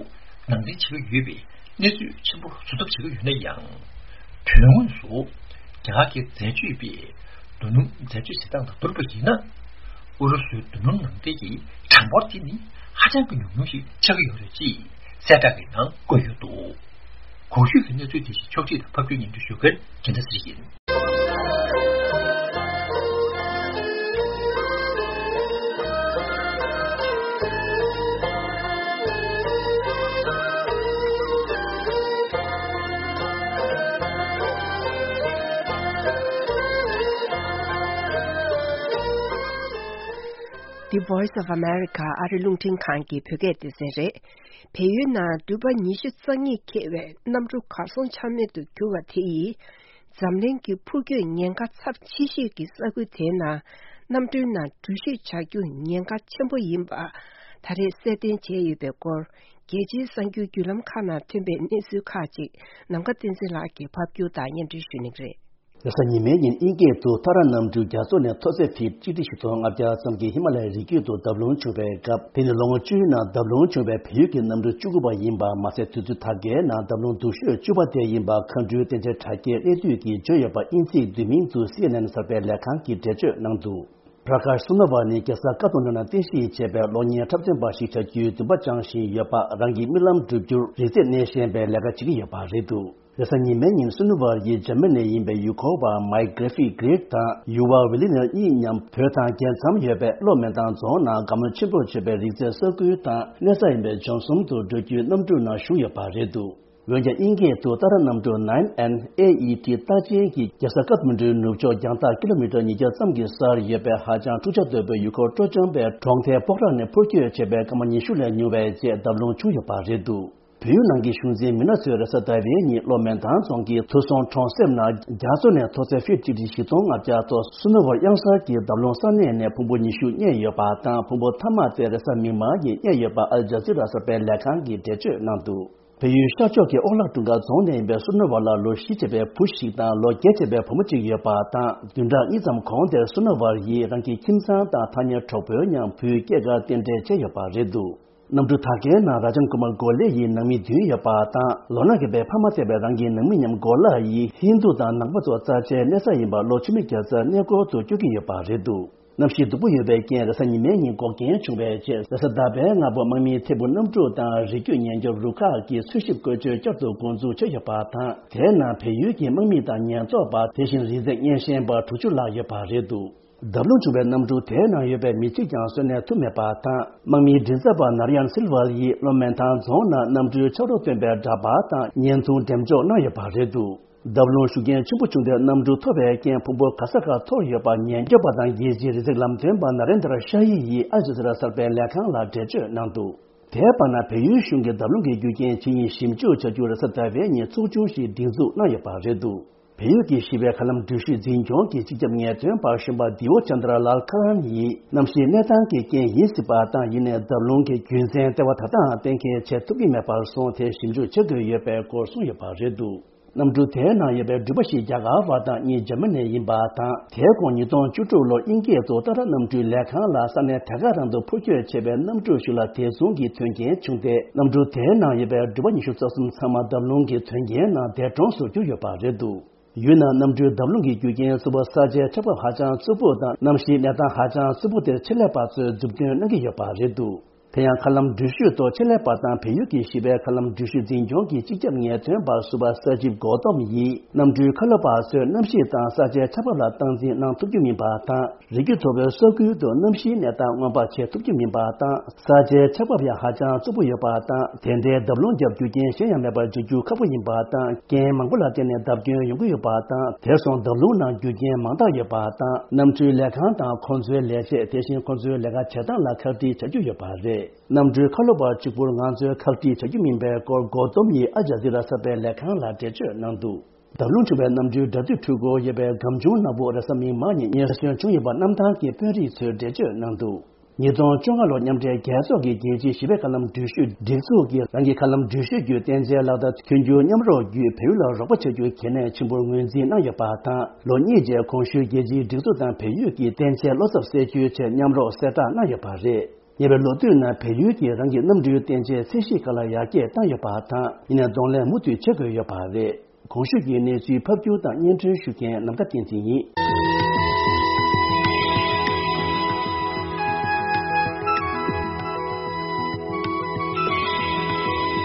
ནང་འདྲེན་བྱེད་ཀྱི་ཡོད་པའི་གནས་ཚུལ་ཆེན་པོ་བཟོ་ཐབས་བྱེད་ཀྱི་ཡོད་ན་ཡང་། དོན་དངོས་སུ་རྒྱ་གར་གྱི་འཛད་སྤྱོད་པས་རྡོ་སྣུམ་འཛད་སྤྱོད་བྱེད་སྟངས་དང་བསྡུར་བ་ཡིན་ན། ཨུ་རུ་སུའི་རྡོ་སྣུམ་ནང་འདྲེན་གྱི་གྲངས་འབོར་དེ་ནི་ཧ་ཅང་གི་ཉུང་ཉུང་ཞིག་ཆགས་ཀྱི་ཡོད་རེད་ཅེས་གསལ་བསྒྲགས་ཀྱི་ནང་བཀོད་ཡོད་འདུག་གོང་ཞུས་ཀྱི་གནས་ཚུལ་དེ་བཞིན་ཕྱོགས་སྒྲིག་དང་ཕབ་སྒྱུར་སྙན་སྒྲོན་ཞུ་མཁན་རྒྱལ་མཚན་ཚེ་རིང་ཡིན། The Voice of America ཨ་རི་རླུང་འཕྲིན་ཁང་གི་བོད་སྐད་སྡེ་ཚན་རེད། བལ་ཡུལ་ནང་དུས་བབ་ཉི་ཤུ་རྩ་གཉིས་འཁེལ་བའི་གནམ་གྲུ་གར་སོང་ཆ་མེད་དུ་གྱུར་བ་དེ་ཡིས། འཛམ་གླིང་གི་འཕུར་སྐྱོད་ཉེན་ཁ་ཚབས་ཆེ་ཤོས་ཀྱི་ས་ཁུལ་དེའི་ནང་གནམ་གྲུའི་ནང་འགྲུལ་བཞུད་བྱ་རྒྱུ་ཉེན་ཁ་ཆེན་པོ་ཡིན་པ་ད་རེས་གསལ་སྟོན་བྱས་ཡོད་པའི་སྐོར། རྒྱལ་སྤྱིའི་གསར་འགྱུར་བརྒྱུད་ལམ་ཁག་ནང་ཐོན་པའི་གནས་ཚུལ་ཁག་ཅིག་ནམ་མཁའ་བསྟན་འཛིན་ལགས་ཀྱིས་ཕབ་སྒྱུར་དང་སྙན་སྒྲོན་ཞུ་གནང་གི་རེད། རེས་གཟའ་ཉི་མའི་ཉིན་དབྱིན་སྐད་དུ་ཐ་ར་གནམ་གྲུ་རྒྱ་མཚོ་ནས་མཐོ་ཚད་ཕིཊ་གཅིག་ཁྲི་བཞི་སྟོང་ལྔ་བརྒྱ་ཙམ་གྱི་ཧི་མ་ལ་ཡའི་རི་རྒྱུད་དུ་བརྡབ་ལྷུང་བྱུང་བའི་སྐབས། དེ་ནི་ལོ་ངོ་བཅུའི་ནང་བརྡབ་ལྷུང་བྱུང་བའི་བལ་ཡུལ་གྱི་གནམ་གྲུ་བཅུ་དགུ་པ་ཡིན་པ་མ་ཟད། དུས་ཚོད་དར་རྒྱས་ནང་བརྡབ་ལྷུང་སྡུག་ཤོས་བཅུ་པ་དེ་ཡིན་པ་མཁའ་འགྲུལ་བསྟན་འཛིན་དྲ་རྒྱའི་གནས་སྡུད་ཀྱིས་བརྗོད་ཡོད་པ་དབྱིན་ཚིག་བསྡུས་མིང་དུ་སི་ཨེན་ཨེན་གསར་པའི་ལས་ཁང་གིས་འགྲེལ་བརྗོད་གནང་འདུག་པྲ་ཀཱཤ་སུ་ནོ་ཝལ་ནི་རྒྱལ་ས་ཀ་ཐ་མན་ཌུ་ནང་རྟེན་གཞི་བྱས་པའི་གློག་བརྙན་འཁྲབ་ཚན་པ་ཞིག་བྱ་རྒྱུའི་འདུན་པ་བཅངས་བཞིན་ཡོད་པ། རང་གི་རྨི་ལམ་འགྲུབ་རྒྱུར་རིག་རྩལ་སྣེ་ཤན་པའི་ལས་ཀ་བྱེད་ཀྱི་ཡོད་པ་རེད་འདུག་རེས་གཟའ་ཉི་མའི་ཉིན་སུ་ནུ་ཝར་ཡིས་འཇར་མ་ནི་ནས་ཡིན་པའི་ཡུལ་སྐོར་བ་མའིག་གྷི་རི་ཕི་ཏི་གྷི་རིག་དང་ཡུ་ཝ་ཝི་ལི་ནི་གཉིས་མཉམ་བོད་དང་རྒྱལ་མཚམས་ཡོད་པའི་གློ་མེ་ཐང་རྫོང་ནང་དགའ་མོས་ཆེན་པོར་བརྗོད་པའི་རིག་རྩལ་ས་ཁུལ་དང་གནས་ས་ཡིན་པའི་ལྗོན་གསུམ་དུ་འགྲོ་རྒྱུའི་གནམ་གྲུ་ནང་ཞུགས་ཡོད་པ་རེད་འདུག་འོན་ཀྱང་དབྱིན་སྐད་དུ་ཏཱ་ར་གནམ་གྲུ་ནའིན་ཨེན་ཨེ་ཨི་ཏི་རྟགས་ཅན་གྱིས་རྒྱལ་ས་ཀ་ཐ་མན་ཌུའི་ནུབ་ཕྱོགས་རྒྱང་ཐག་ཀི་ལོ་མི་ཊར་ཉིས་བརྒྱ་ཙམ་གྱི་སར་ཡོད་པའི་ཧ་ཅང་འཁྲུག་ཆ་དོད་པོའི་ཡུལ་སྐོར་སྤྲོ་འཆམ་པའི་གྲོང་མཐའི་སྤོག་ར་ནས་འཕུར་སྐྱོད་བྱས་པའི་སྐར་མ་ཉི་ཤུ་ལས་ཉུང་བའི་རྗེས་བརྡབ་ལྷུང་བྱུང་ཡོད་པ་རེད་འདུག་བལ་ཡུལ་ནང་གི་གཞུང་འཛིན་མི་སྣ་ཚོས་རེས་གཟའ་ཟླ་བའི་ཉིན་གློ་མེ་ཐང་རྫོང་གི་ཐུ་སོང་གྲོང་གསེབ་ནང་རྒྱ་མཚོ་ནས་མཐོ་ཚད་ཕིཊ་གཅིག་ཁྲི་བཞི་སྟོང་ལྔ་བརྒྱ་ཐོག་སུ་ནུ་ཝར་གཡང་གཟར་གྱི་བརྡབ་ལྷུང་ས་གནས་ནས་ཕུང་པོ་ཉི་ཤུ་རྙེད་ཡོད་པ་དང་། ཕུང་པོ་མཐའ་མ་དེ་རེས་གཟའ་མིག་དམར་ཉིན་རྙེད་ཡོད་པ་ཨལ་ཇ་ཛི་ར་གསར་པའི་ལས་ཁང་གིས་འགྲེལ་བརྗོད་གནང་འདུག་བལ་ཡུལ་ཤར་ཕྱོགས་ཀྱི་ཨོག་ལག་ཀྲུང་དཀར་རྫོང་ནས་ཡིན་པའི་སུ་ནུ་ཝར་ལ་ལོ་བཞི་བྱས་པའི་བུ་ཞིག་དང་ལོ་བརྒྱད་བྱས་པའི་བུ་མོ་གཅིག་ཡོད་པ་དང་། བདུན་ཕྲག་གཉིས་ཙམ་གོང་དེར་སུ་ནུ་ཝར་ཡིས་རང་གི་ཁྱིམ་ཚང་དང་ཐག་ཉེ་གྲོགས་པོའི་མཉམ་བུའི་སྐྱེས་སྐར་རྟེན་འབྲེལ་བྱས་ཡོད་པ་རེད་འདུག་གནམ་གྲུ་དར་རྒྱས་ནང་ར་ཇན་ཀུ་མར་གོ་ལེ་ཡི་ནང་མི་བདུན་ཡོད་པ་དང་། ལོ་ན་རྒས་པའི་ཕ་མ་ཐེ་བའི་རང་གི་ནང་མི་མཉམ་གོ་ལ་ཡིས་ཧིན་རྡུ་དང་ནང་པ་ཚོ་རྩ་ཆེའི་གནས་ས་ཡིན་པ་ལོ་ཆུ་མིག་རྒྱལ་རྩེ་གནས་སྐོར་དུ་བསྐྱོད་ཀྱི་ཡོད་པ་རེད་འདུག་གནམ་གཤིས་སྡུག་པོ་ཡོད་པའི་རྐྱེན་རེས་གཟའ་ཉི་མའི་ཉིན་འགོག་རྐྱེན་བྱུང་བའི་རྗེས། རེས་གཟའ་ཟླ་བའི་སྔ་པོ་དམག་མིའི་ཐད་འཕུར་གནམ་གྲུ་དང་རི་རྒྱུད་ཉེན་སྐྱོབ་རུ་ཁག་གིས་འཚོལ་ཞིབ་བཀོལ་སྤྱོད་བསྐྱར་དུ་འགོ་འཛུགས་བྱས་ཡོད་པ་དང་། དེའི་ནང་བལ་ཡུལ་གྱི་དམག་མི་དང་ཉེན་རྟོག་པ། དེ་བཞིན་རིག་རྩལ་སྙན་ཤན་པ་དྲུག་ཅུ་ལྷག་ཡོད་པ་རེད་འདུག་བརྡབ་ལྷུང་བྱུང་བའི་གནམ་གྲུ་དེའི་ནང་ཡོད་པའི་མི་གཅིག་ཀྱང་གསོན་གནས་ཐུབ་མེད་པ་དང་། དམག་མིའི་མགྲིན་ཚབ་པ་ནར་ཡན་སིལ་ཝར་ཡིས་གློ་མེན་ཐང་རྫོང་ནང་གནམ་གྲུའི་ཆག་རོ་སྟོན་པའི་འདྲ་པར་དང་བརྙན་ཐུང་འགྲེམས་འཇོག་གནང་ཡོད་པ་རེད་འདུག་བརྡབ་ལྷུང་ཤུགས་རྐྱེན་ཆེན་པོ་བྱུང་སྟེ་གནམ་གྲུ་འཐོར་བའི་རྐྱེན་ཕུང་པོ་ག་ས་གར་འཐོར་ཡོད་པ་ཉེན་སྐྱོབ་པ་དང་རྒྱལ་སྤྱིའི་རི་འཛེག་ལམ་སྟོན་པ་ན་རེན་དྲ་ཤ་ཡི་ཡིས་ཨལ་ཇ་ཛི་ར་གསར་པའི་ལས་ཁང་ལ་འགྲེལ་བརྗོད་གནང་འདུག་དེའི་བར་ན་བལ་ཡུལ་གཞུང་གིས་བརྡབ་ལྷུང་གི་རྒྱུ་རྐྱེན་ཇི་ཡིན་ཞིབ་འཇུག་བྱ་རྒྱུར་རེས་གཟའ་ཟླ་བའི་ཉིན་ཚོགས་ཆུང་ཞིག་སྒྲིག་འཛུགས་གནང་ཡོད་པ་རེད་འདུག་བལ་ཡུལ་གྱི་ཞི་བའི་མཁའ་ལམ་འགྲུལ་བཞུད་འཛིན་སྐྱོང་གི་སྤྱི་ཁྱབ་ངེས་སྟོན་པ་གཞོན་པ་དི་ཨོ་ཅན་དྲ་ལཱལ་ཁ་རན་ཡིས། གནམ་གཤིས་གནས་སྟངས་ཀྱི་རྐྱེན་ཡིན་སྲིད་པ་དང་། ཡིན་ནའི་བརྡབ་ལྷུང་གི་རྒྱུ་མཚན་ལྟེ་བ་ད་ལྟའང་གཏན་འཁེལ་བྱེད་ཐུབ་ཀྱི་མེད་པར་སོང་། དེ་ཞིབ་འཇུག་བྱེད་དགོས་ཡོད་པའི་སྐོར་གསུངས་ཡོད་པ་རེད་འདུག་གནམ་གྲུ་དེའི་ནང་ཡོད་པའི་འགྲུལ་པ་ཞིག་རྒྱ་གར་བ་དང་གཉིས་འཇར་མ་ནི་ཡིན་པ་དང་། དེའི་གོང་ཉིས་སྟོང་བཅུ་དྲུག་ལོར་དབྱིན་སྐད་དུ་ཏཱ་ལ་གནམ་གྲུའི་ལས་ཁང་ལ་ས་གནས་དེ་ག་རང་དུ་འཕུར་སྐྱོད་བྱས་པའི་གནམ་གྲུ་ཞིག་ལ་དེ་མཚུངས་ཀྱི་དོན་རྐྱེན་བྱུང་སྟེ། གནམ་གྲུ་དེའི་ནང་ཡོད་པའི་འགྲུལ་པ་ཉི་ཤུ་རྩ་གསུམ་ཚང་མ་འདམ་རླུང་གི་དོན་རྐྱེན་ནང་འདས་གྲོངས་སུ་གྱུར་ཡོད་པ་རེད་འདུག་ཡུལ་ནང་གནམ་གྲུའི་འདམ་རླུང་གི་རྒྱུ་རྐྱེན་གཙོ་བོ་གསར་བརྗེའི་ཆར་འབབ་ཧ་ཅང་རྩུབ་པོ་དང་། གནམ་གཤིས་གནས་སྟངས་ཧ་ཅང་རྩུབ་པོ་དེར་ཆེད་ལས་པ་ཚོས་མཛུབ་སྟོན་གནང་གི་ཡོད་པ་རེད་འདུག་དེ་ཡང་། མཁའ་ལམ་འགྲུལ་བཞུད་ཐོག་ཆེད་ལས་པ་དང་བལ་ཡུལ་གྱིས་བཞེས་པའི་མཁའ་ལམ་འགྲུལ་བཞུད་འཛིན་སྐྱོང་གི་སྤྱི་ཁྱབ་ངེས་སྟོན་པ་ཟུར་པ་ས་ཇིབ་གོ་ཏོམ་ཡིས། གནམ་གྲུའི་ཁ་ལོ་པ་ཚོས་གནམ་གཤིས་དང་གསར་བརྗེའི་ཆར་འབབ་ལ་སྟངས་འཛིན་གནང་ཐུབ་རྒྱུ་མིན་པ་དང་། རི་རྒྱུད་མཐོ་པོའི་ས་ཁུལ་དུ་གནམ་གཤིས་གནས་སྟངས་སྔོན་དཔག་བྱེད་ཐུབ་རྒྱུ་མིན་པ་དང་། གསར་བརྗེའི་ཆར་འབབ་ཡང་ཧ་ཅང་རྩུབ་པོ་ཡོད་པ་དང་། དེ་འདྲའི་འདབ་རླུང་རྒྱབ་རྒྱུ་རྐྱེན་གཞན་ཡང་མེད་པར་འཇོག་རྒྱུ་ཁག་པོ་ཡིན་པ་དང་། རྐྱེན་མང་པོ་ལ་བརྟེན་ནས་བརྡབ་སྐྱོན་ཡོང་གི་ཡོད་པ་དང་། དེ་སོང་འདབ་རླུང་ནང་རྒྱུ་རྐྱེན་མང་དག་ཡོད་པ་དང་། གནམ་གྲུའི་ལས་ཁང་དང་ཁོང་ཚོའི་ལས་བྱེད། དེ་བཞིན་ཁོང་ཚོའི་ལས་ཀ་བྱེད་སྟངས་ལ་ཁག་དཀྲི་བྱ་རྒྱུ་ཡོད་པ་རེད། གནམ་གྲུའི་ཁ་ལོ་པ་གཅིག་པུར་ང་ཚོས་ཁག་དཀྲི་བྱ་རྒྱུ་མིན་པའི་སྐོར་གོ་ཏོམ་ཡིས་ཨལ་ཇ་ཛི་ར་གསར་པའི་ལས་ཁང་ལ་འགྲེལ་བརྗོད་གནང་འདུག་འདབ་རླུང་འཁྲུག་པའི་གནམ་གྲུའི་འགྲམ་དུ་འཕུར་འགོ་ཡོད་པའི་སྒམ་ཆུང་ནག་པོ་རེས་གཟའ་མིག་དམར་ཉིན་ཉེན་ཁ་ཆེན་བྱུང་ཡོད་པ་གནམ་ཐང་གི་དཔོན་རིགས་ཚོས་འགྲེལ་བརྗོད་གནང་འདུག་ཉིས་སྟོང་བཅོ་ལྔ་ལོར་མཉམ་འབྲེལ་རྒྱལ་ཚོགས་ཀྱི་རྒྱལ་སྤྱིའི་ཞི་བའི་མཁའ་ལམ་འགྲུལ་བཞུད་སྒྲིག་འཛུགས་ཀྱིས་རང་གི་མཁའ་ལམ་འགྲུལ་བཞུད་བརྒྱུད་བརྟན་ཆའི་ལག་བསྟར་མཐུན་འགྱུར་མཉམ་རོགས་བརྒྱུད་བལ་ཡུལ་ལ་རོགས་པ་བྱ་རྒྱུའི་གལ་གནད་ཆེན་པོར་ངོས་འཛིན་གནང་ཡོད་པ་དང་། ལོ་གཉིས་རྗེས་གོང་ཞུས་རྒྱལ་སྤྱིའི་སྒྲིག་འཛུགས་དང་བལ་ཡུལ་གྱིས་བརྟན་ཆའི་བློ་འཚབ་སེལ་རྒྱུའི་ཆེད་མཉམ་རོགས་གསལ་བསྒྲགས་གནང་ཡོད་པ་རེད། ཉེ་བའི་ལོ་དུས་ནང་བལ་ཡུལ་གྱིས་རང་གི་གནམ་གྲུའི་བརྟན་ཆའི་ཚད་གཞི་ཁག་ལ་ཡར་རྒྱས་བཏང་ཡོད་པ་དང་། ཡིན་ནའི་གདོང་ལེན་མུ་མཐུད་བྱེད་དགོས་ཡོད་པ་རེད། གོང་ཞུས་ཀྱི་གནས་ཚུལ་ཕབ་སྒྱུར་དང་སྙན་སྒྲོན་ཞུ་མཁན་ནམ་མཁའ་བསྟན་འཛིན་ཡིན།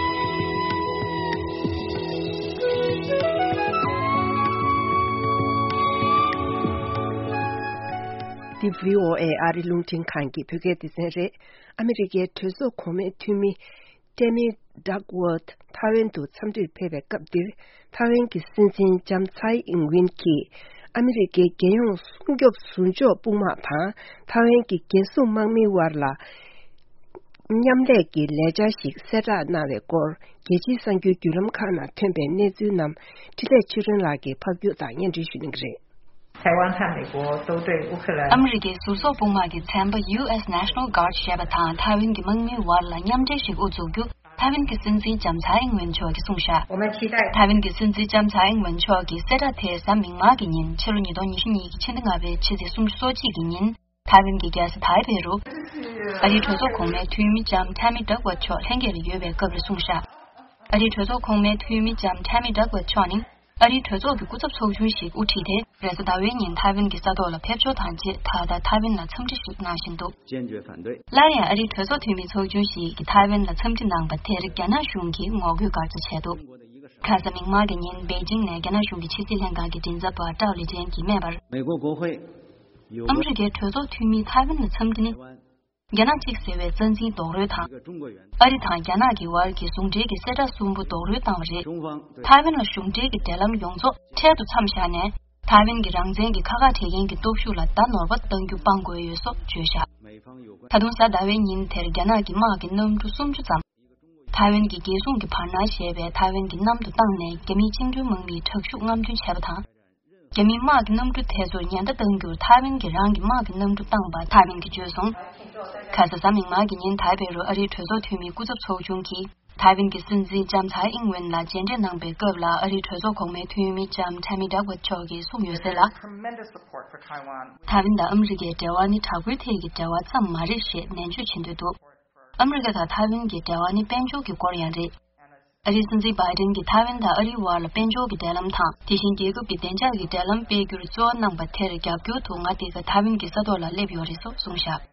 འདི་བྷི་ཨོ་ཨེ་ཨ་རི་རླུང་འཕྲིན་ཁང་གི་བོད་སྐད་སྡེ་ཚན་རེད། ཨ་མི་རི་ཀའི་གྲོས་ཚོགས་གོང་མའི་འཐུས་མི་ཏེ་མི་ཌག་ཝོརྡ་ཐའེ་ཝན་དུ་འཚམས་འདྲིར་ཕེབས་པའི་སྐབས་འདིར། ཐའེ་ཝན་གྱི་སྲིད་འཛིན་ལྕམ་ཚའེ་ཨིང་ཝིན་གྱིས་ཨ་མི་རི་ཀའི་རྒྱལ་ཡོངས་སྲུང་སྐྱོབ་ཟུར་འཇོག་དཔུང་དམག་དང་ཐའེ་ཝན་གྱི་རྒྱལ་སྲུང་དམག་མིའི་དབར་ལ་མཉམ་ལས་ཀྱི་ལས་འཆར་ཞིག་གསལ་བསྒྲགས་གནང་བའི་སྐོར། རྒྱལ་སྤྱིའི་གསར་འགྱུར་བརྒྱུད་ལམ་ཁག་ནང་ཐོན་པའི་གནས་ཚུལ་རྣམས་འཕྲིན་ལས་ཆོས་སྒྲོན་ལགས་ཀྱིས་ཕབ་སྒྱུར་དང་སྙན་སྒྲོན་ཞུ་གནང་གི་རེད། 台湾和美国都对乌克兰 ཨ་མི་རི་ཀའི་ཟུར་བཟོ་དཔུང་དམག་གི་ཚན་པ་ཡུ་ཨེས་National Guard ཞེས་པ་དང་ཐའེ་ཝན་གྱི་དམག་མིའི་དབར་ལ་མཉམ་འབྲེལ་ཞིག་དབུ་འཛུགས་རྒྱུ་ཐའེ་ཝན་གྱི་སྲིད་འཛིན་ལྕམ་ཚའེ་ཨིང་ཝེན་མཆོག་གིས་གསུངས་བཞག 我们期待 ཐའེ་ཝན་གྱི་སྲིད་འཛིན་ལྕམ་ཚའེ་ཨིང་ཝེན་མཆོག་གིས་གསལ་བསྒྲགས་དེ་གཟའ་མིག་དམར་གྱི་ཉིན་ཕྱི་ལོ་ཉིས་སྟོང་ཉི་ཤུ་གཉིས་ཀྱི་ཕྱི་ཟླ་ལྔ་པའི་ཕྱི་ཚེས་སུམ་ཅུ་སོ་གཅིག་གི་ཉིན། ཐའེ་ཝན་གྱི་རྒྱལ་ས་ཐའེ་པེ་རུ། ཨ་རིའི་གྲོས་ཚོགས་གོང་མའི་འཐུས་མི་ལྕམ་ཐ་མི་ཌག་ཝརྡ་མཆོག་ལྷན་རྒྱས་ལ་ཡོད་པའི་སྐབས་ལ་གསུངས་བཞག་ཨ་རིའི་གྲོས་ཚོགས་གོང་མའི་འཐུས་མི་ལྕམ་ཐ་མི་ཌག་ཝརྡ་མཆོག་ནི། ཨ་རིའི་གྲོས་ཚོགས་ཀྱི་སྐུ་ཚབ་ཚོགས་ཆུང་ཞིག་དབུ་ཁྲིད་དེ། རེས་གཟའ་ཟླ་བའི་ཉིན་ཐའེ་ཝན་གྱི་ས་ཐོག་ལ་ཕེབས་འབྱོར་དང་རྗེས་ད་ལྟ་ཐའེ་ཝན་ལ་འཚམས་འདྲི་ཞིག་གནང་བཞིན་འདུག 坚决反对。 སླར་ཡང་ཨ་རིའི་གྲོས་ཚོགས་འཐུས་མི་ཚོགས་ཆུང་ཞིག་གིས་ཐའེ་ཝན་ལ་འཚམས་འདྲི་གནང་པ་དེར་རྒྱ་ནག་གཞུང་གིས་ངོ་རྒོལ་སྐར་ཆ་བྱས་འདུག་ཁ་སང་མིག་དམར་གྱི་ཉིན་པེ་ཅིང་ནས་རྒྱ་ནག་གཞུང་གི་ཕྱི་སྲིད་ལྷན་ཁང་གི་མགྲིན་ཚབ་པ་ཀྲའོ་ལི་ཅན་གྱིས་སྨྲས་པར། 美国国会有 ཨ་མི་རི་ཀའི་གྲོས་ཚོགས་འཐུས་མིས་ཐའེ་ཝན་ལ་འཚམས་འདྲི་ནི། རྒྱ་ནག་གཅིག་ཟེར་བའི་རྩ་འཛིན་རྡོག་རོལ་དང་། ཨ་རི་དང་རྒྱ་ནག་གི་དབར་གྱི་ཟུང་འབྲེལ་གྱི་གསལ་བསྒྲགས་གསུམ་པོ་རྡོག་རོལ་བཏང་བ་རེད། ཐའེ་ཝན་ལ་གཞུང་འབྲེལ་གྱི་འབྲེལ་ལམ་ཡོངས་རྫོགས་འཕྲལ་དུ་མཚམས་བཞག་ནས། ཐའེ་ཝན་གྱི་རང་བཙན་གྱི་ཁ་ཁ་བྲལ་མཁན་གྱི་སྟོབས་ཤུགས་ལ་བརྡ་ནོར་བ་གཏང་རྒྱུ་སྤང་དགོས་ཡོད་སོགས་བརྗོད་བཞག་ད་དུང་གཟའ་ཟླ་བའི་ཉིན་དེར་རྒྱ་ནག་གི་དམག་གི་གནམ་གྲུ་སུམ་ཅུ་ཙམ། ཐའེ་ཝན་གྱི་རྒྱལ་སྲུང་གི་བར་སྣང་ཞེས་པའི་ཐའེ་ཝན་གྱི་གནམ་དུ་བཏང་ནས་རྒྱ་མིའི་བཅིངས་འགྲོལ་དམག་མིའི་དྲག་ཤུགས་རྔམ་སྟོན་བྱས་པ་དང་། རྒྱ་མིའི་དམག་གི་གནམ་གྲུ་དེ་ཚོར་ཉེན་བརྡ་གཏང་རྒྱུར་ཐའེ་ཝན་གྱིས་རང་གི་དམག་གི་གནམ་གྲུ་བཏང་པ་ཐའེ་ཝན་གྱིས་བརྗོད་སོང་། ཁ་སང་གཟའ་མིག་དམར་གྱི་ཉིན་ཐའེ་པེ་རུ་ཨ་རིའི་གྲོས་ཚོགས་འཐུས་མིའི་སྐུ་ཚབ་ཚོགས་ཆུང་གིས་ཐའེ་ཝན་གྱི་སྲིད་འཛིན་ལྕམ་ཚའེ་ཨིང་ཝེན་ལ་མཇལ་འཕྲད་གནང་པའི་སྐབས་ལ་ཨ་རིའི་གྲོས་ཚོགས་གོང་མའི་འཐུས་མི་ལྕམ་ཐ་མི་ཌག་ཝརྡ་མཆོག་གིས་གསུངས་ཡོད་ཟེར་ལ། ཐའེ་ཝན་དང་ཨ་མི་རི་ཀའི་འབྲེལ་བ་ནི་དྲག་པོའི་ཐད་ཀྱི་འབྲེལ་བ་ཙམ་མ་རེད་ཞེས་ནན་བརྗོད་བྱེད་འདོད་འདུག་ཨ་མི་རི་ཀ་དང་ཐའེ་ཝན་གྱི་འབྲེལ་བ་ནི་དཔལ་འབྱོར་གྱི་སྐོར་ཡང་རེད། ཨ་རིའི་སྲིད་འཛིན་བྷའི་ཌེན་གྱིས་ཐའེ་ཝན་དང་ཨ་རིའི་དབར་ལ་དཔལ་འབྱོར་གྱི་འབྲེལ་ལམ་དང་། དེ་བཞིན་རྒྱལ་ཁབ་ཀྱི་བདེ་འཇགས་ཀྱི་འབྲེལ་ལམ་སྤེལ་རྒྱུར་གཙོ་བོ་གནང་པ་དེར་རྒྱབ་སྐྱོར་དུ་ང་འདི་ག་ཐའེ་ཝན་གྱི་ས་ཐོག་ལ་སླེབས་ཡོད་རེད་སོགས་གསུངས་བཞག་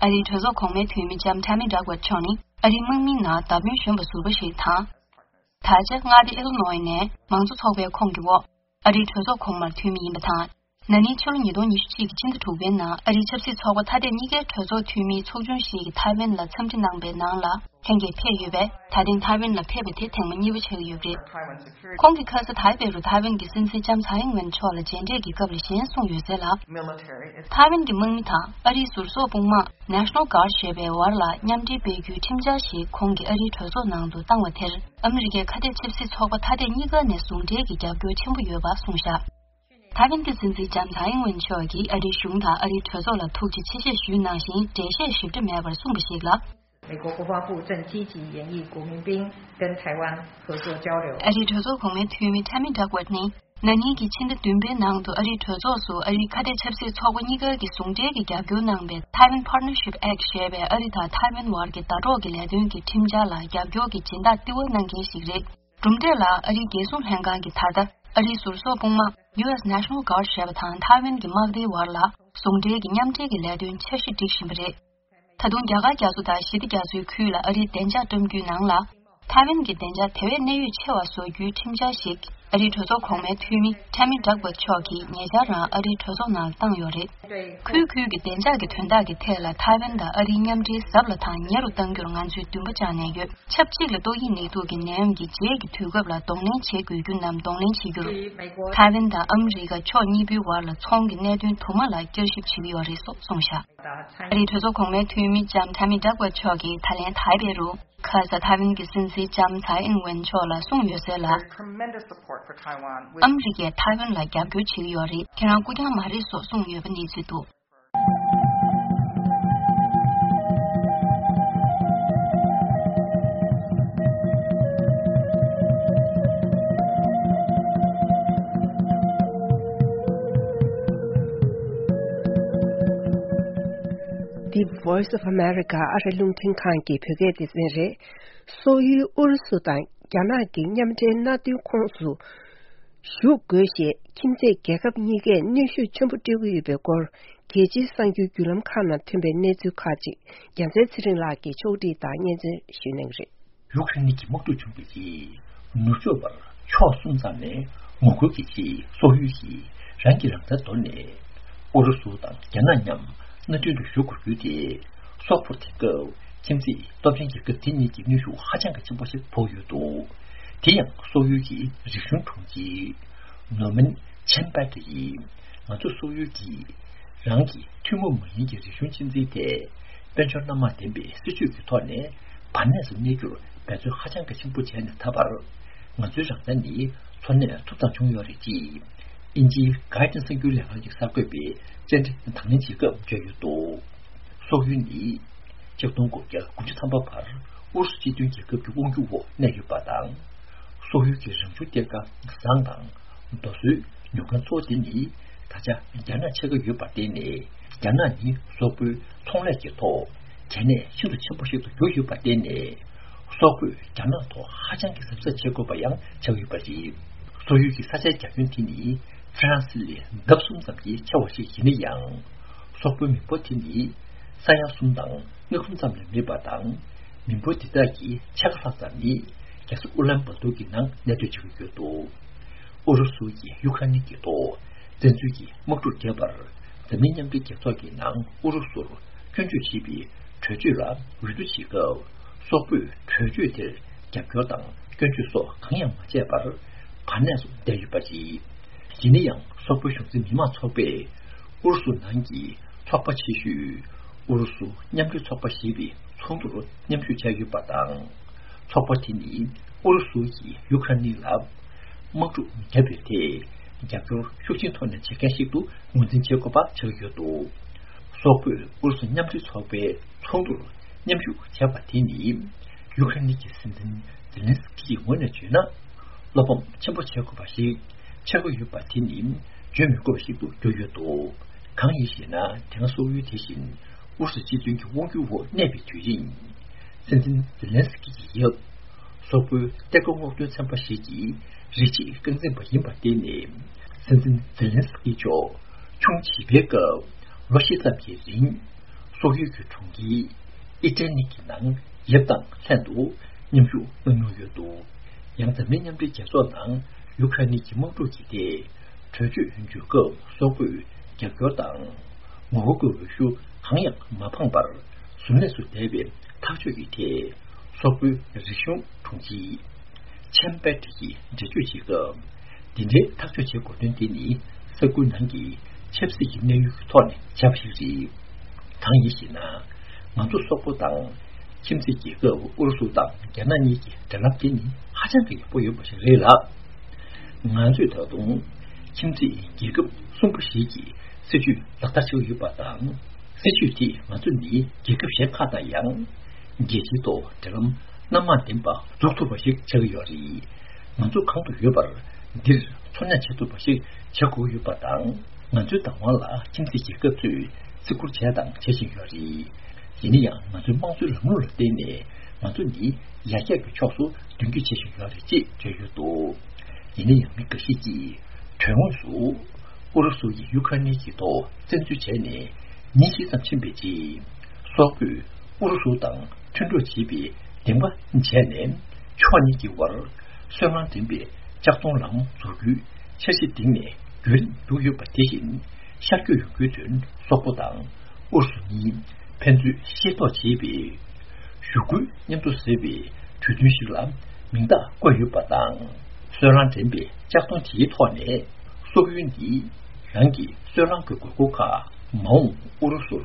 ཨ་རིའི་གྲོས་ཚོགས་གོང་མའི་འཐུས་མི་ལྕམ་ཐ་མི་ཌག་ཝརྡ་མཆོག་ནི་ཨ་རིའི་དམག་མིའི་ནང་བརྡ་དོན་གཞོན་པ་ཟུར་པ་ཞིག་དང་། ད་ཆ་མངའ་སྡེ་ཨེ་ལི་ནོའི་ནས་མང་གཙོ་ཚོགས་པའི་ཁོངས་ཀྱི་འོག་ཨ་རིའི་གྲོས་ཚོགས་གོང་མར་འཐུས་མི་ཡིན་པ་དང་། ན་ནིང་ཕྱི་ལོ་ཉིས་སྟོང་ཉི་ཤུ་གཅིག་གི་ཕྱི་ཟླ་དྲུག་པའི་ནང་ཨ་རིའི་ཆབ་སྲིད་ཚོགས་པ་ཐ་དད་གཉིས་ཀའི་གྲོས་ཚོགས་འཐུས་མིའི་ཚོགས་ཆུང་ཞིག་གིས་ཐའེ་ཝན་ལ་འཚམས་འདྲི་གནང་པའི་ནང་ལ་ལྷན་རྒྱས་ཕེབས་ཡོད་པས། ད་ཐེངས་ཐའེ་ཝན་ལ་ཕེབས་པ་དེ་ཐེངས་མ་གཉིས་པ་ཆགས་ཀྱི་ཡོད་པ་རེད། ཁོང་གིས་ཁ་ས་ཐའེ་པེ་རུ་ཐའེ་ཝན་གྱི་སྲིད་འཛིན་ལྕམ་ཚའེ་ཨིང་ཝེན་མཆོག་ལ་མཇལ་འཕྲད་ཀྱི་སྐབས་ལ་གཞན་གསུངས་ཡོད་ཟེར་ལ། ཐའེ་ཝན་གྱི་དམག་མི་དང་ཨ་རིའི་ཟུར་བཟོ་དཔུང་དམག་National Guard ཞེས་པའི་བར་ལ་མཉམ་འབྲེལ་སྤེལ་རྒྱུའི་ཁྲིམས་འཆར་ཞིག་ཁོང་གིས་ཨ་རིའི་གྲོས་ཚོགས་ནང་དུ་བཏང་བ་དེར་ཨ་མི་རི་ཀའི་ཁ་གཏད་ཆབ་སྲིད་ཚོགས་པ་ཐ་དད་གཉིས་ཀ་ནས་ཟུང་འབྲེལ་གྱི་རྒྱབ་སྐྱོར་ཆེན་པོ་ཡོད་པ་གསུངས་བཞག་ཐའེ་ཝན་གྱི་སྲིད་འཛིན་ལྕམ་ཚའེ་ཨིང་ཝེན་མཆོག་གིས་ཨ་རིའི་གཞུང་དང་ཨ་རིའི་གྲོས་ཚོགས་ལ་ཐུགས་རྗེ་ཆེ་ཞེས་ཞུས་གནང་ཞིང་། འགྲེལ་བཤད་ཞིབ་ཕྲ་མེད་པར་གསུངས་པ་ཞིག་ལ། 美国国防部正积极研议国民兵跟台湾合作交流。 ཨ་རིའི་གྲོས་ཚོགས་གོང་མའི་འཐུས་མི་Tammy Duckworth་ནི། ན་ནིང་གི་ཕྱི་ཟླ་བདུན་པའི་ནང་དུ་ཨ་རིའི་གྲོས་ཚོགས་སུ་ཨ་རིའི་ཁ་གཏད་ཆབ་སྲིད་ཚོགས་པ་གཉིས་ཀ་གི་ཟུང་འབྲེལ་གྱི་རྒྱབ་སྐྱོར་གནང་བའི་Taiwan Partnership Act་ཞེས་པའི་ཨ་རི་དང་ཐའེ་ཝན་བར་གྱི་ཟླ་གྲོགས་ཀྱི་ལས་དོན་གྱི་ཁྲིམས་འཆར་ལ་རྒྱབ་སྐྱོར་གྱི་སྦྱིན་བདག་ལྟེ་བ་གནང་མཁན་ཞིག་རེད། གྲུབ་འབྲས་ལ་ཨ་རིའི་རྒྱལ་སྲུང་ལྷན་ཁང་གིས་ད་ལྟ་ཨ་རིའི་ཟུར་སོག་དཔུང་དམག་U S National Guard་ཞེས་པ་དང་ཐའེ་ཝན་གྱི་དམག་སྡེའི་བར་ལ་ཟུང་འབྲེལ་གྱི་མཉམ་འབྲེལ་གྱི་ལས་དོན་འཆར་གཞི་སྒྲིག་བཞིན་པ་རེད། ད་དུང་རྒྱ་གར་རྒྱ་མཚོ་དང་ཞི་བདེ་རྒྱ་མཚོའི་ཁུལ་ལ་ཨ་རིའི་བདེ་འཇགས་བཀྲམ་རྒྱུའི་ནང་ལ། ཐའེ་ཝན་གྱི་བདེ་འཇགས་དེ་བས་གནད་ཡོད་ཆེ་བ་བཟོ་རྒྱུའི་ཁྲིམས་འཆར་ཞིག་ཨ་རིའི་གྲོས་ཚོགས་གོང་མའི་འཐུས་མི་Tammy Duckworth་མཆོག་གིས་ཉེ་ཆར་རང་ཨ་རིའི་གྲོས་ཚོགས་ནང་ལ་བཏང་ཡོད་རེད། ཁུལ་ཁུལ་གྱི་བདེ་འཇགས་ཀྱི་དོན་དག་གི་ཐད་ལ་ཐའེ་ཝན་དང་ཨ་རིའི་མཉམ་འབྲེལ་ཟབ་ལ་དང་ཉེ་རུ་གཏང་རྒྱུར་ང་ཚོས་འདུན་པ་བཅངས་ནས་ཡོད། ཆབས་ཅིག་ལ་ཏོག་དབྱིབས་ནད་དུག་གི་ནད་ཡམས་ཀྱི་རྗེས་ཀྱི་དུས་སྐབས་ལ་གདོང་ལེན་བྱེད་དགོས་རྒྱུ་རྣམས་གདོང་ལེན་བྱེད་རྒྱུར། ཐའེ་ཝན་དང་ཨ་མི་རི་ཀ་ཕྱོགས་གཉིས་པོའི་བར་ལ་ཚོང་གི་གནད་དོན་དུ་མ་ལ་བསྐྱར་ཞིབ་བྱེད་ཀྱི་ཡོད་རེད་སོགས་གསུངས་བཞག་ཨ་རིའི་གྲོས་ཚོགས་གོང་མའི་འཐུས་མི་ལྕམ་Tammy Duckworth་མཆོག་གིས་ད་ལན་ཐའེ་པེ་རུ། ཁ་ས་ཐའེ་ཝན་གྱི་སྲིད་འཛིན་ལྕམ་ཚའེ་ཨིན་ཝེན་མཆོག་ལ་གསུངས་ཡོད་ཟེར་ལ། There is tremendous support for Taiwan with ཨ་མི་རི་ཀས་ཐའེ་ཝན་ལ་རྒྱབ་སྐྱོར་བྱེད་ཀྱི་ཡོད་རེད། ཁྱེད་རང་སྐུ་རྐྱང་མ་རེད་སོགས་གསུངས་ཡོད་པ་གནས་ཚུལ་འདུག་འདི་Voice of America་ཨ་རི་རླུང་འཕྲིན་ཁང་གི་བོད་སྐད་སྡེ་ཚན་རེད། སོག་ཡུལ་ཨུ་རུ་སུ་དང་རྒྱ་ནག་གི་མཉམ་འབྲེལ་མནའ་མཐུན་ཁོངས་སུ་ཞུགས་དགོས་ཞེས་ཁྱིམ་མཚེས་རྒྱལ་ཁབ་གཉིས་ཀས་གནོན་ཤུགས་ཆེན་པོ་སྤྲོད་ཀྱི་ཡོད་པའི་སྐོར། རྒྱལ་སྤྱིའི་གསར་འགྱུར་བརྒྱུད་ལམ་ཁག་ནང་ཐོན་པའི་གནས་ཚུལ་ཁག་ཅིག་རྒྱལ་མཚན་ཚེ་རིང་ལགས་ཀྱིས་ཕྱོགས་སྒྲིག་དང་སྙན་སེང་ཞུ་གནང་གི་རེད། ཡུཀ་རེན་གྱི་དམག་འཁྲུག་བྱུང་བའི་རྗེས། ནུབ་ཕྱོགས་པར་ཕྱོགས་གསུམ་ཙམ་ནས་ངོ་རྒོལ་གྱི་རྗེས་སོག་ཡུལ་གྱིས་རང་གི་རང་བཙན་དོར་ནས། ཨུ་རུ་སུ་དང་རྒྱ་ནག་མཉམ་མནའ་མཐུན་དུ་ཞུགས་དགོས་རྒྱུ་དེ། སོག་པོར་དེ་སྐབས་ཁྱིམ་མཚེས་སྟོབས་ཆེན་རྒྱལ་ཁབ་དེ་གཉིས་ཀྱི་གནོན་ཤུགས་ཧ་ཅང་གི་ཆེན་པོ་ཞིག་ཕོག་ཡོད་འདུག་དེ་ཡང་སོག་ཡུལ་གྱི་རིག་གཞུང་དྲུང་ཆེ་ནོར་མན་ཆན་པེ་ཏི་ཡིས། ང་ཚོ་སོག་ཡུལ་གྱིས་རང་གི་ཐུན་མོང་མ་ཡིན་གྱི་རིག་གཞུང་གཅེས་འཛིན་དེ། དཔལ་འབྱོར་སྣ་མང་ལྡན་པའི་སྲིད་ཇུས་ཀྱི་ཐོག་ནས་བར་གནས་སུ་གནས་རྒྱུར་འབད་བརྩོན་ཧ་ཅང་གི་ཆེན་པོ་བྱས་ནས་ད་བར། ང་ཚོའི་རང་བཙན་ནི་འཚོ་གནས་ཐུབ་ཐང་བྱུང་ཡོད་རེད་ཅེས། དབྱིན་ཇིའི་Guardian་གསར་འགྱུར་ལས་ཁང་གི་གསར་འགོད་པས་བཅར་འདྲི་དང་ལེན་བྱེད་སྐབས་བརྗོད་ཡོད་འདུག་སོག་ཡུལ་ནི་ཆིག་སྟོང་དགུ་བརྒྱ་དགུ་བཅུ་ཐམ་པ་བར་ཨུ་རུ་སུ་སྤྱི་མཐུན་རྒྱལ་ཁབ་ཀྱི་དབང་སྒྱུར་འོག་གནས་ཡོད་པ་དང་། སོག་ཡུལ་གྱི་རང་བྱུང་གཏེར་ཁ་ཟངས་དང་རྡོ་སོལ་ཉོ་མཁན་གཙོ་བོ་དེ་ནི་ད་ཆ་རྒྱ་ནག་ཕྱེད་ཀ་ཡོད་པར་བརྟེན་ནས། རྒྱ་ནག་ནི་སོག་པོའི་ཚོང་ལས་ཀྱི་ཐོག་གལ་གནད་ཤིན་ཏུ་ཆེན་པོ་ཞིག་ཏུ་གྱུར་ཡོད་པར་བརྟེན་ནས། སོག་པོས་རྒྱ་ནག་ཐོག་ཧ་ཅང་གི་གཟབ་གཟབ་བྱེད་དགོས་པ་ཡང་ཆགས་ཡོད་པ་རེད། སོག་ཡུལ་གྱི་ས་ཆའི་རྒྱ་ཁྱོན་དེ་ནི་ཧྥ་རན་སི་ལས་ལྡབ་གསུམ་ཙམ་གྱིས་ཆེ་བ་ཞིག་ཡིན་ན་ཡང་། སོག་པོའི་མི་འབོར་དེ་ནི་ས་ཡ་གསུམ་དང་སྔགས་ཁུང་ཙམ་ལས་མེད་པ་དང་། མི་འབོར་འདི་དག་གི་ཕྱེད་ཀ་ལྷག་ཙམ་ནི་རྒྱལ་ས་ཨུ་ལན་བཱ་ཏུར་གྱི་ནང་གནས་སྡོད་བྱེད་ཀྱི་ཡོད་འདུག་ཨུ་རུ་སུ་ཡིས་ཡུ་ཁ་ནི་གི་ཐོག་བཙན་འཛུལ་གྱི་དམག་འཁྲུག་བརྒྱབ་པར། འཛམ་གླིང་མཉམ་འབྲེལ་རྒྱལ་ཚོགས་ཀྱི་ནང་ཨུ་རུ་སུར་སྐྱོན་བརྗོད་བྱེད་པའི་གྲོས་ཆོད་ལ་འོས་བསྡུ་བྱེད་སྐབས། སོག་པོས་གྲོས་ཆོད་དེར་རྒྱབ་སྐྱོར་དང་སྐྱོན་བརྗོད་སོགས་གང་ཡང་མ་བྱས་པར། བར་གནས་སུ་བསྡད་ཡོད་པ་རེད། ཡིན་ན་ཡང་སོག་པོའི་གཞུང་འཛིན་མི་དམངས་ཚོགས་པས། ཨུ་རུ་སུ་ནང་གི་ཚོགས་པ་ཆེ་ཤོས་ཨུ་རུ་སུ་མཉམ་འབྲེལ་ཚོགས་པ་ཞེས་པའི་ཚོགས་འདུར་མཉམ་ཞུགས་བྱས་ཡོད་པ་དང་། ཚོགས་པ་དེ་ནི་ཨུ་རུ་སུ་ཡིས་ཡུ་ཁ་ནི་ལ་དམག་འཁྲུག་བརྒྱབ་པའི་ཐད་རྒྱབ་སྐྱོར་ཤུགས་ཆེན་ཐོག་ནས་བྱེད་མཁན་ཞིག་ཏུ་ངོས་འཛིན་བྱེད་དགོས་པ་ཆགས་ཡོད་འདུག་སོག་པོས་ཨུ་རུ་སུ་མཉམ་འབྲེལ་ཚོགས་པའི་ཚོགས་འདུར་མཉམ་ཞུགས་བྱས་པ་དེ་ནི། ཡུ་ཁ་ནི་གི་སྲིད་འཛིན་ཛེ་ལན་སི་ཀི་ཡི་ངོས་ནས་བརྗོད་ན། བློ་ཕམ་ཆེན་པོ་བྱེད་དགོས་པ་ཞིག་ཆགས་ཀྱི་ཡོད་པ་དེ་ནི་བརྗོད་མི་དགོས་པ་ཞིག་ཏུ་གྱུར་ཡོད་འདུག་གང་ཡིན་ཞེ་ན། དེ་སྔ་སོག་ཡུལ་དེ་བཞིན་ཨུ་རུ་སུ་སྤྱི་མཐུན་གྱི་དབང་སྒྱུར་འོག་གནས་པའི་དུས་ཡིན། སྲིད་འཛིན་ཛེ་ལན་སི་ཀི་ཡི་ཡབ། སོག་པོའི་གཏེར་ཁ་སྔོག་འདོན་ཚན་པ་ཞིག་གི་རིགས་གཅིག་རྐང་འཛིན་པ་ཡིན་པར་བརྟེན་ནས། སྲིད་འཛིན་ཛེ་ལན་སི་ཀི་མཆོག་ཆུང་བྱིས་པའི་སྐབས་ལོ་བཞི་ཙམ་གྱི་རིང་། སོག་ཡུལ་གྱི་གྲོང་ཁྱེར་ཨི་ཏྲ་ནི་གི་ནང་ཡབ་དང་ལྷན་དུ་མཉམ་ཞུགས་གནང་མྱོང་ཡོད་འདུག་ཡང་འཛམ་གླིང་མཉམ་འབྲེལ་རྒྱལ་ཚོགས་ནང་ཡུ་ཁ་ནི་གྱི་དམག་འཁྲུག་གི་ཐད་གྲོས་ཆོད་འཇོག་སྐབས་སོག་པོས་རྒྱབ་སྐྱོར་དང་ངོ་རྒོལ་གྱི་འོས་ཤུགས་གང་ཡང་མ་འཕངས་པར་གཟུར་གནས་སུ་བསྡད་པའི་ཐག་གཅོད་ཀྱི་ཐད་སོག་པོའི་རིག་གཞུང་དྲུང་ཆེ་ཆན་པེ་ཏི་ཡིས་འགྲེལ་བརྗོད་བྱེད་སྐབས། འདི་འདྲའི་ཐག་གཅོད་བྱེད་དགོས་དོན་དེ་ནི་ས་ཁུལ་ནང་གི་ཆབ་སྲིད་ཀྱི་གནས་ཡུལ་གྱི་ཐོག་ནས་བྱས་པ་ཞིག་རེད། གང་ཡིན་ཞེ་ན། ང་ཚོ་སོག་པོ་དང་ཁྱིམ་མཚེས་རྒྱལ་ཁབ་ཨུ་རུ་སུ་དང་རྒྱ་ནག་གཉིས་ཀྱི་འབྲེལ་ལམ་དེ་ནི་ཧ་ཅང་གི་ཡག་པོ་ཡོད་པ་ཞིག་རེད་ལ། ང་ཚོས་ད་དུང་ཁྱིམ་མཚེས་རྒྱལ་ཁབ་གསུམ་པ་ཞིག་གི་སྲིད་ཇུས་ལག་བསྟར་བྱེད་ཀྱི་ཡོད་པ་དང་། སྲིད་ཇུས་དེས་ང་ཚོ་ནི་རྒྱལ་ཁབ་གཞན་ཁག་དང་ཡང་ རྒྱལ་སྤྱིའི་ཐོག་འབྲེལ་ལམ་སྣ་མང་ལྡན་པ་འཛུགས་ཐུབ་པ་ཞིག་ཆགས་ཀྱི་ཡོད་རེད། ང་ཚོ་གང་དུ་ཡོད་པར་འདིར་འཚོ་སྣོན་བྱེད་ཐུབ་པ་ཞིག་བྱེད་དགོས་ཡོད་པ་དང་། ང་ཚོའི་བདག་དབང་ལ་ཁྱིམ་མཚེས་རྒྱལ་ཁབ་ཚོས་བརྩི་བཀུར་བྱས་དང་བྱེད་བཞིན་ཡོད་རེད། ཡིན་ན་ཡང་ང་ཚོའི་དམངས་གཙོའི་ལམ་ལུགས་ལ་བརྟེན་ནས་ང་ཚོ་ནི་ཡར་རྒྱས་ཀྱི་ཕྱོགས་སུ་མདུན་སྐྱོད་བྱེད་བཞིན་ཡོད་རེད་ཅེས་བརྗོད་ཡོད་འདུག་ཡིན་ན་ཡང་མི་འགའ་ཤས་ཀྱིས་དོན་དངོས་སུ་ཨུ་རུ་སུ་ཡིས་ཡུ་ཁ་ནི་གྱི་ཐོག་བཙན་འཛུལ་བྱས་ནས་ཉིན་ཤས་ཙམ་ཕྱིན་པའི་རྗེས། སོག་པོས་ཨུ་རུ་སུ་དང་མཐུན་གྲོགས་བྱེད་པའི་འདེམས་ཀ་བྱས་ནས། ཕྱོགས་གཉིས་ཀྱི་དབར་སོལ་རླངས་ལྡན་པའི་ལྕགས་མཐོང་ལམ་འཛུགས་རྒྱུའི་འཆར་གཞི་བཏིང་ནས་རྒྱུན་རིང་བསྡད་ཡོད་པ་དེ་བཞིན་ཤར་བསྐྱོད་ཡོང་རྒྱུའི་དོན་སོག་པོ་དང་ཨུ་རུ་སུ་གཉིས་ཕན་ཚུན་ཤེས་རྟོགས་བྱེད་པའི་ཞུ་སྐུལ་མཉམ་དུ་ཟེར་བའི་གྲོས་མཐུན་ཞིག་ལ་མིང་རྟགས་བཀོད་ཡོད་པ་དང་། སོལ་རླངས་འདྲེན་པའི་ལྕགས་མཐོང་དེའི་ཐོག་ནས་སོག་ཡུལ་ནི་རང་གི་སོལ་རླངས་ཀྱི་དགོས་མཁོ་ཁག་མ་འོངས་ཨུ་རུ་སུར་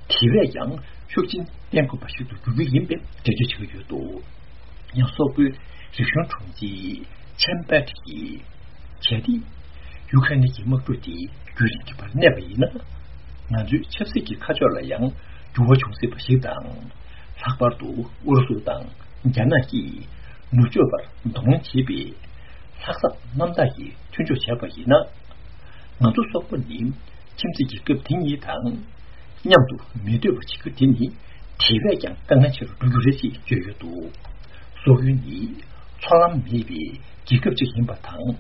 དེ་བས་ཀྱང་ཤུགས་ཆེན་བསྟན་དགོས་པ་ཞིག་ཏུ་འགྱུར་རྒྱུ་ཡིན་པའི་འགྲེལ་བརྗོད་བྱེད་ཀྱི་ཡོད་འདུག་ཡང་སོག་པོའི་རིག་གཞུང་དྲུང་ཆེ་ཆན་པེ་ཊི་ཡིས། གལ་ཏེ་ཡུ་ཁ་རེན་གྱི་དམག་འཁྲུག་དེ་རྒྱུན་རིང་གི་བར་གནས་པ་ཡིན་ན། ང་ཚོའི་ཆབ་སྲིད་ཀྱི་ཁ་ཕྱོགས་ལ་ཡང་འགྱུར་བ་འབྱུང་སྲིད་པ་ཞིག་དང་། ལྷག་པར་དུ་ཨུ་རུ་སུ་དང་རྒྱ་ནག་གིས་ནུབ་ཕྱོགས་པར་གདོང་ལེན་བྱེད་པའི་ལྷག་བསམ་རྣམ་དག་གིས་མཐུན་སྦྱོར་བྱས་པ་ཡིན་ན། ང་ཚོ་སོག་པོ་ནི་ཁྱིམ་མཚེས་རྒྱལ་ཁབ་དེ་གཉིས་དང་མཉམ་དུ་མི་སྡོད་པ་བྱེད་རྒྱུ་དེ་ནི་དེ་བས་ཀྱང་དཀའ་ངལ་ཆེ་རུ་འགྲོ་རྒྱུ་རེད་ཅེས་བརྗོད་ཡོད་འདུག་སོག་ཡུལ་ནི་མཚོ་ལམ་མེད་པའི་རྒྱལ་ཁབ་ཅིག་ཡིན་པ་དང་།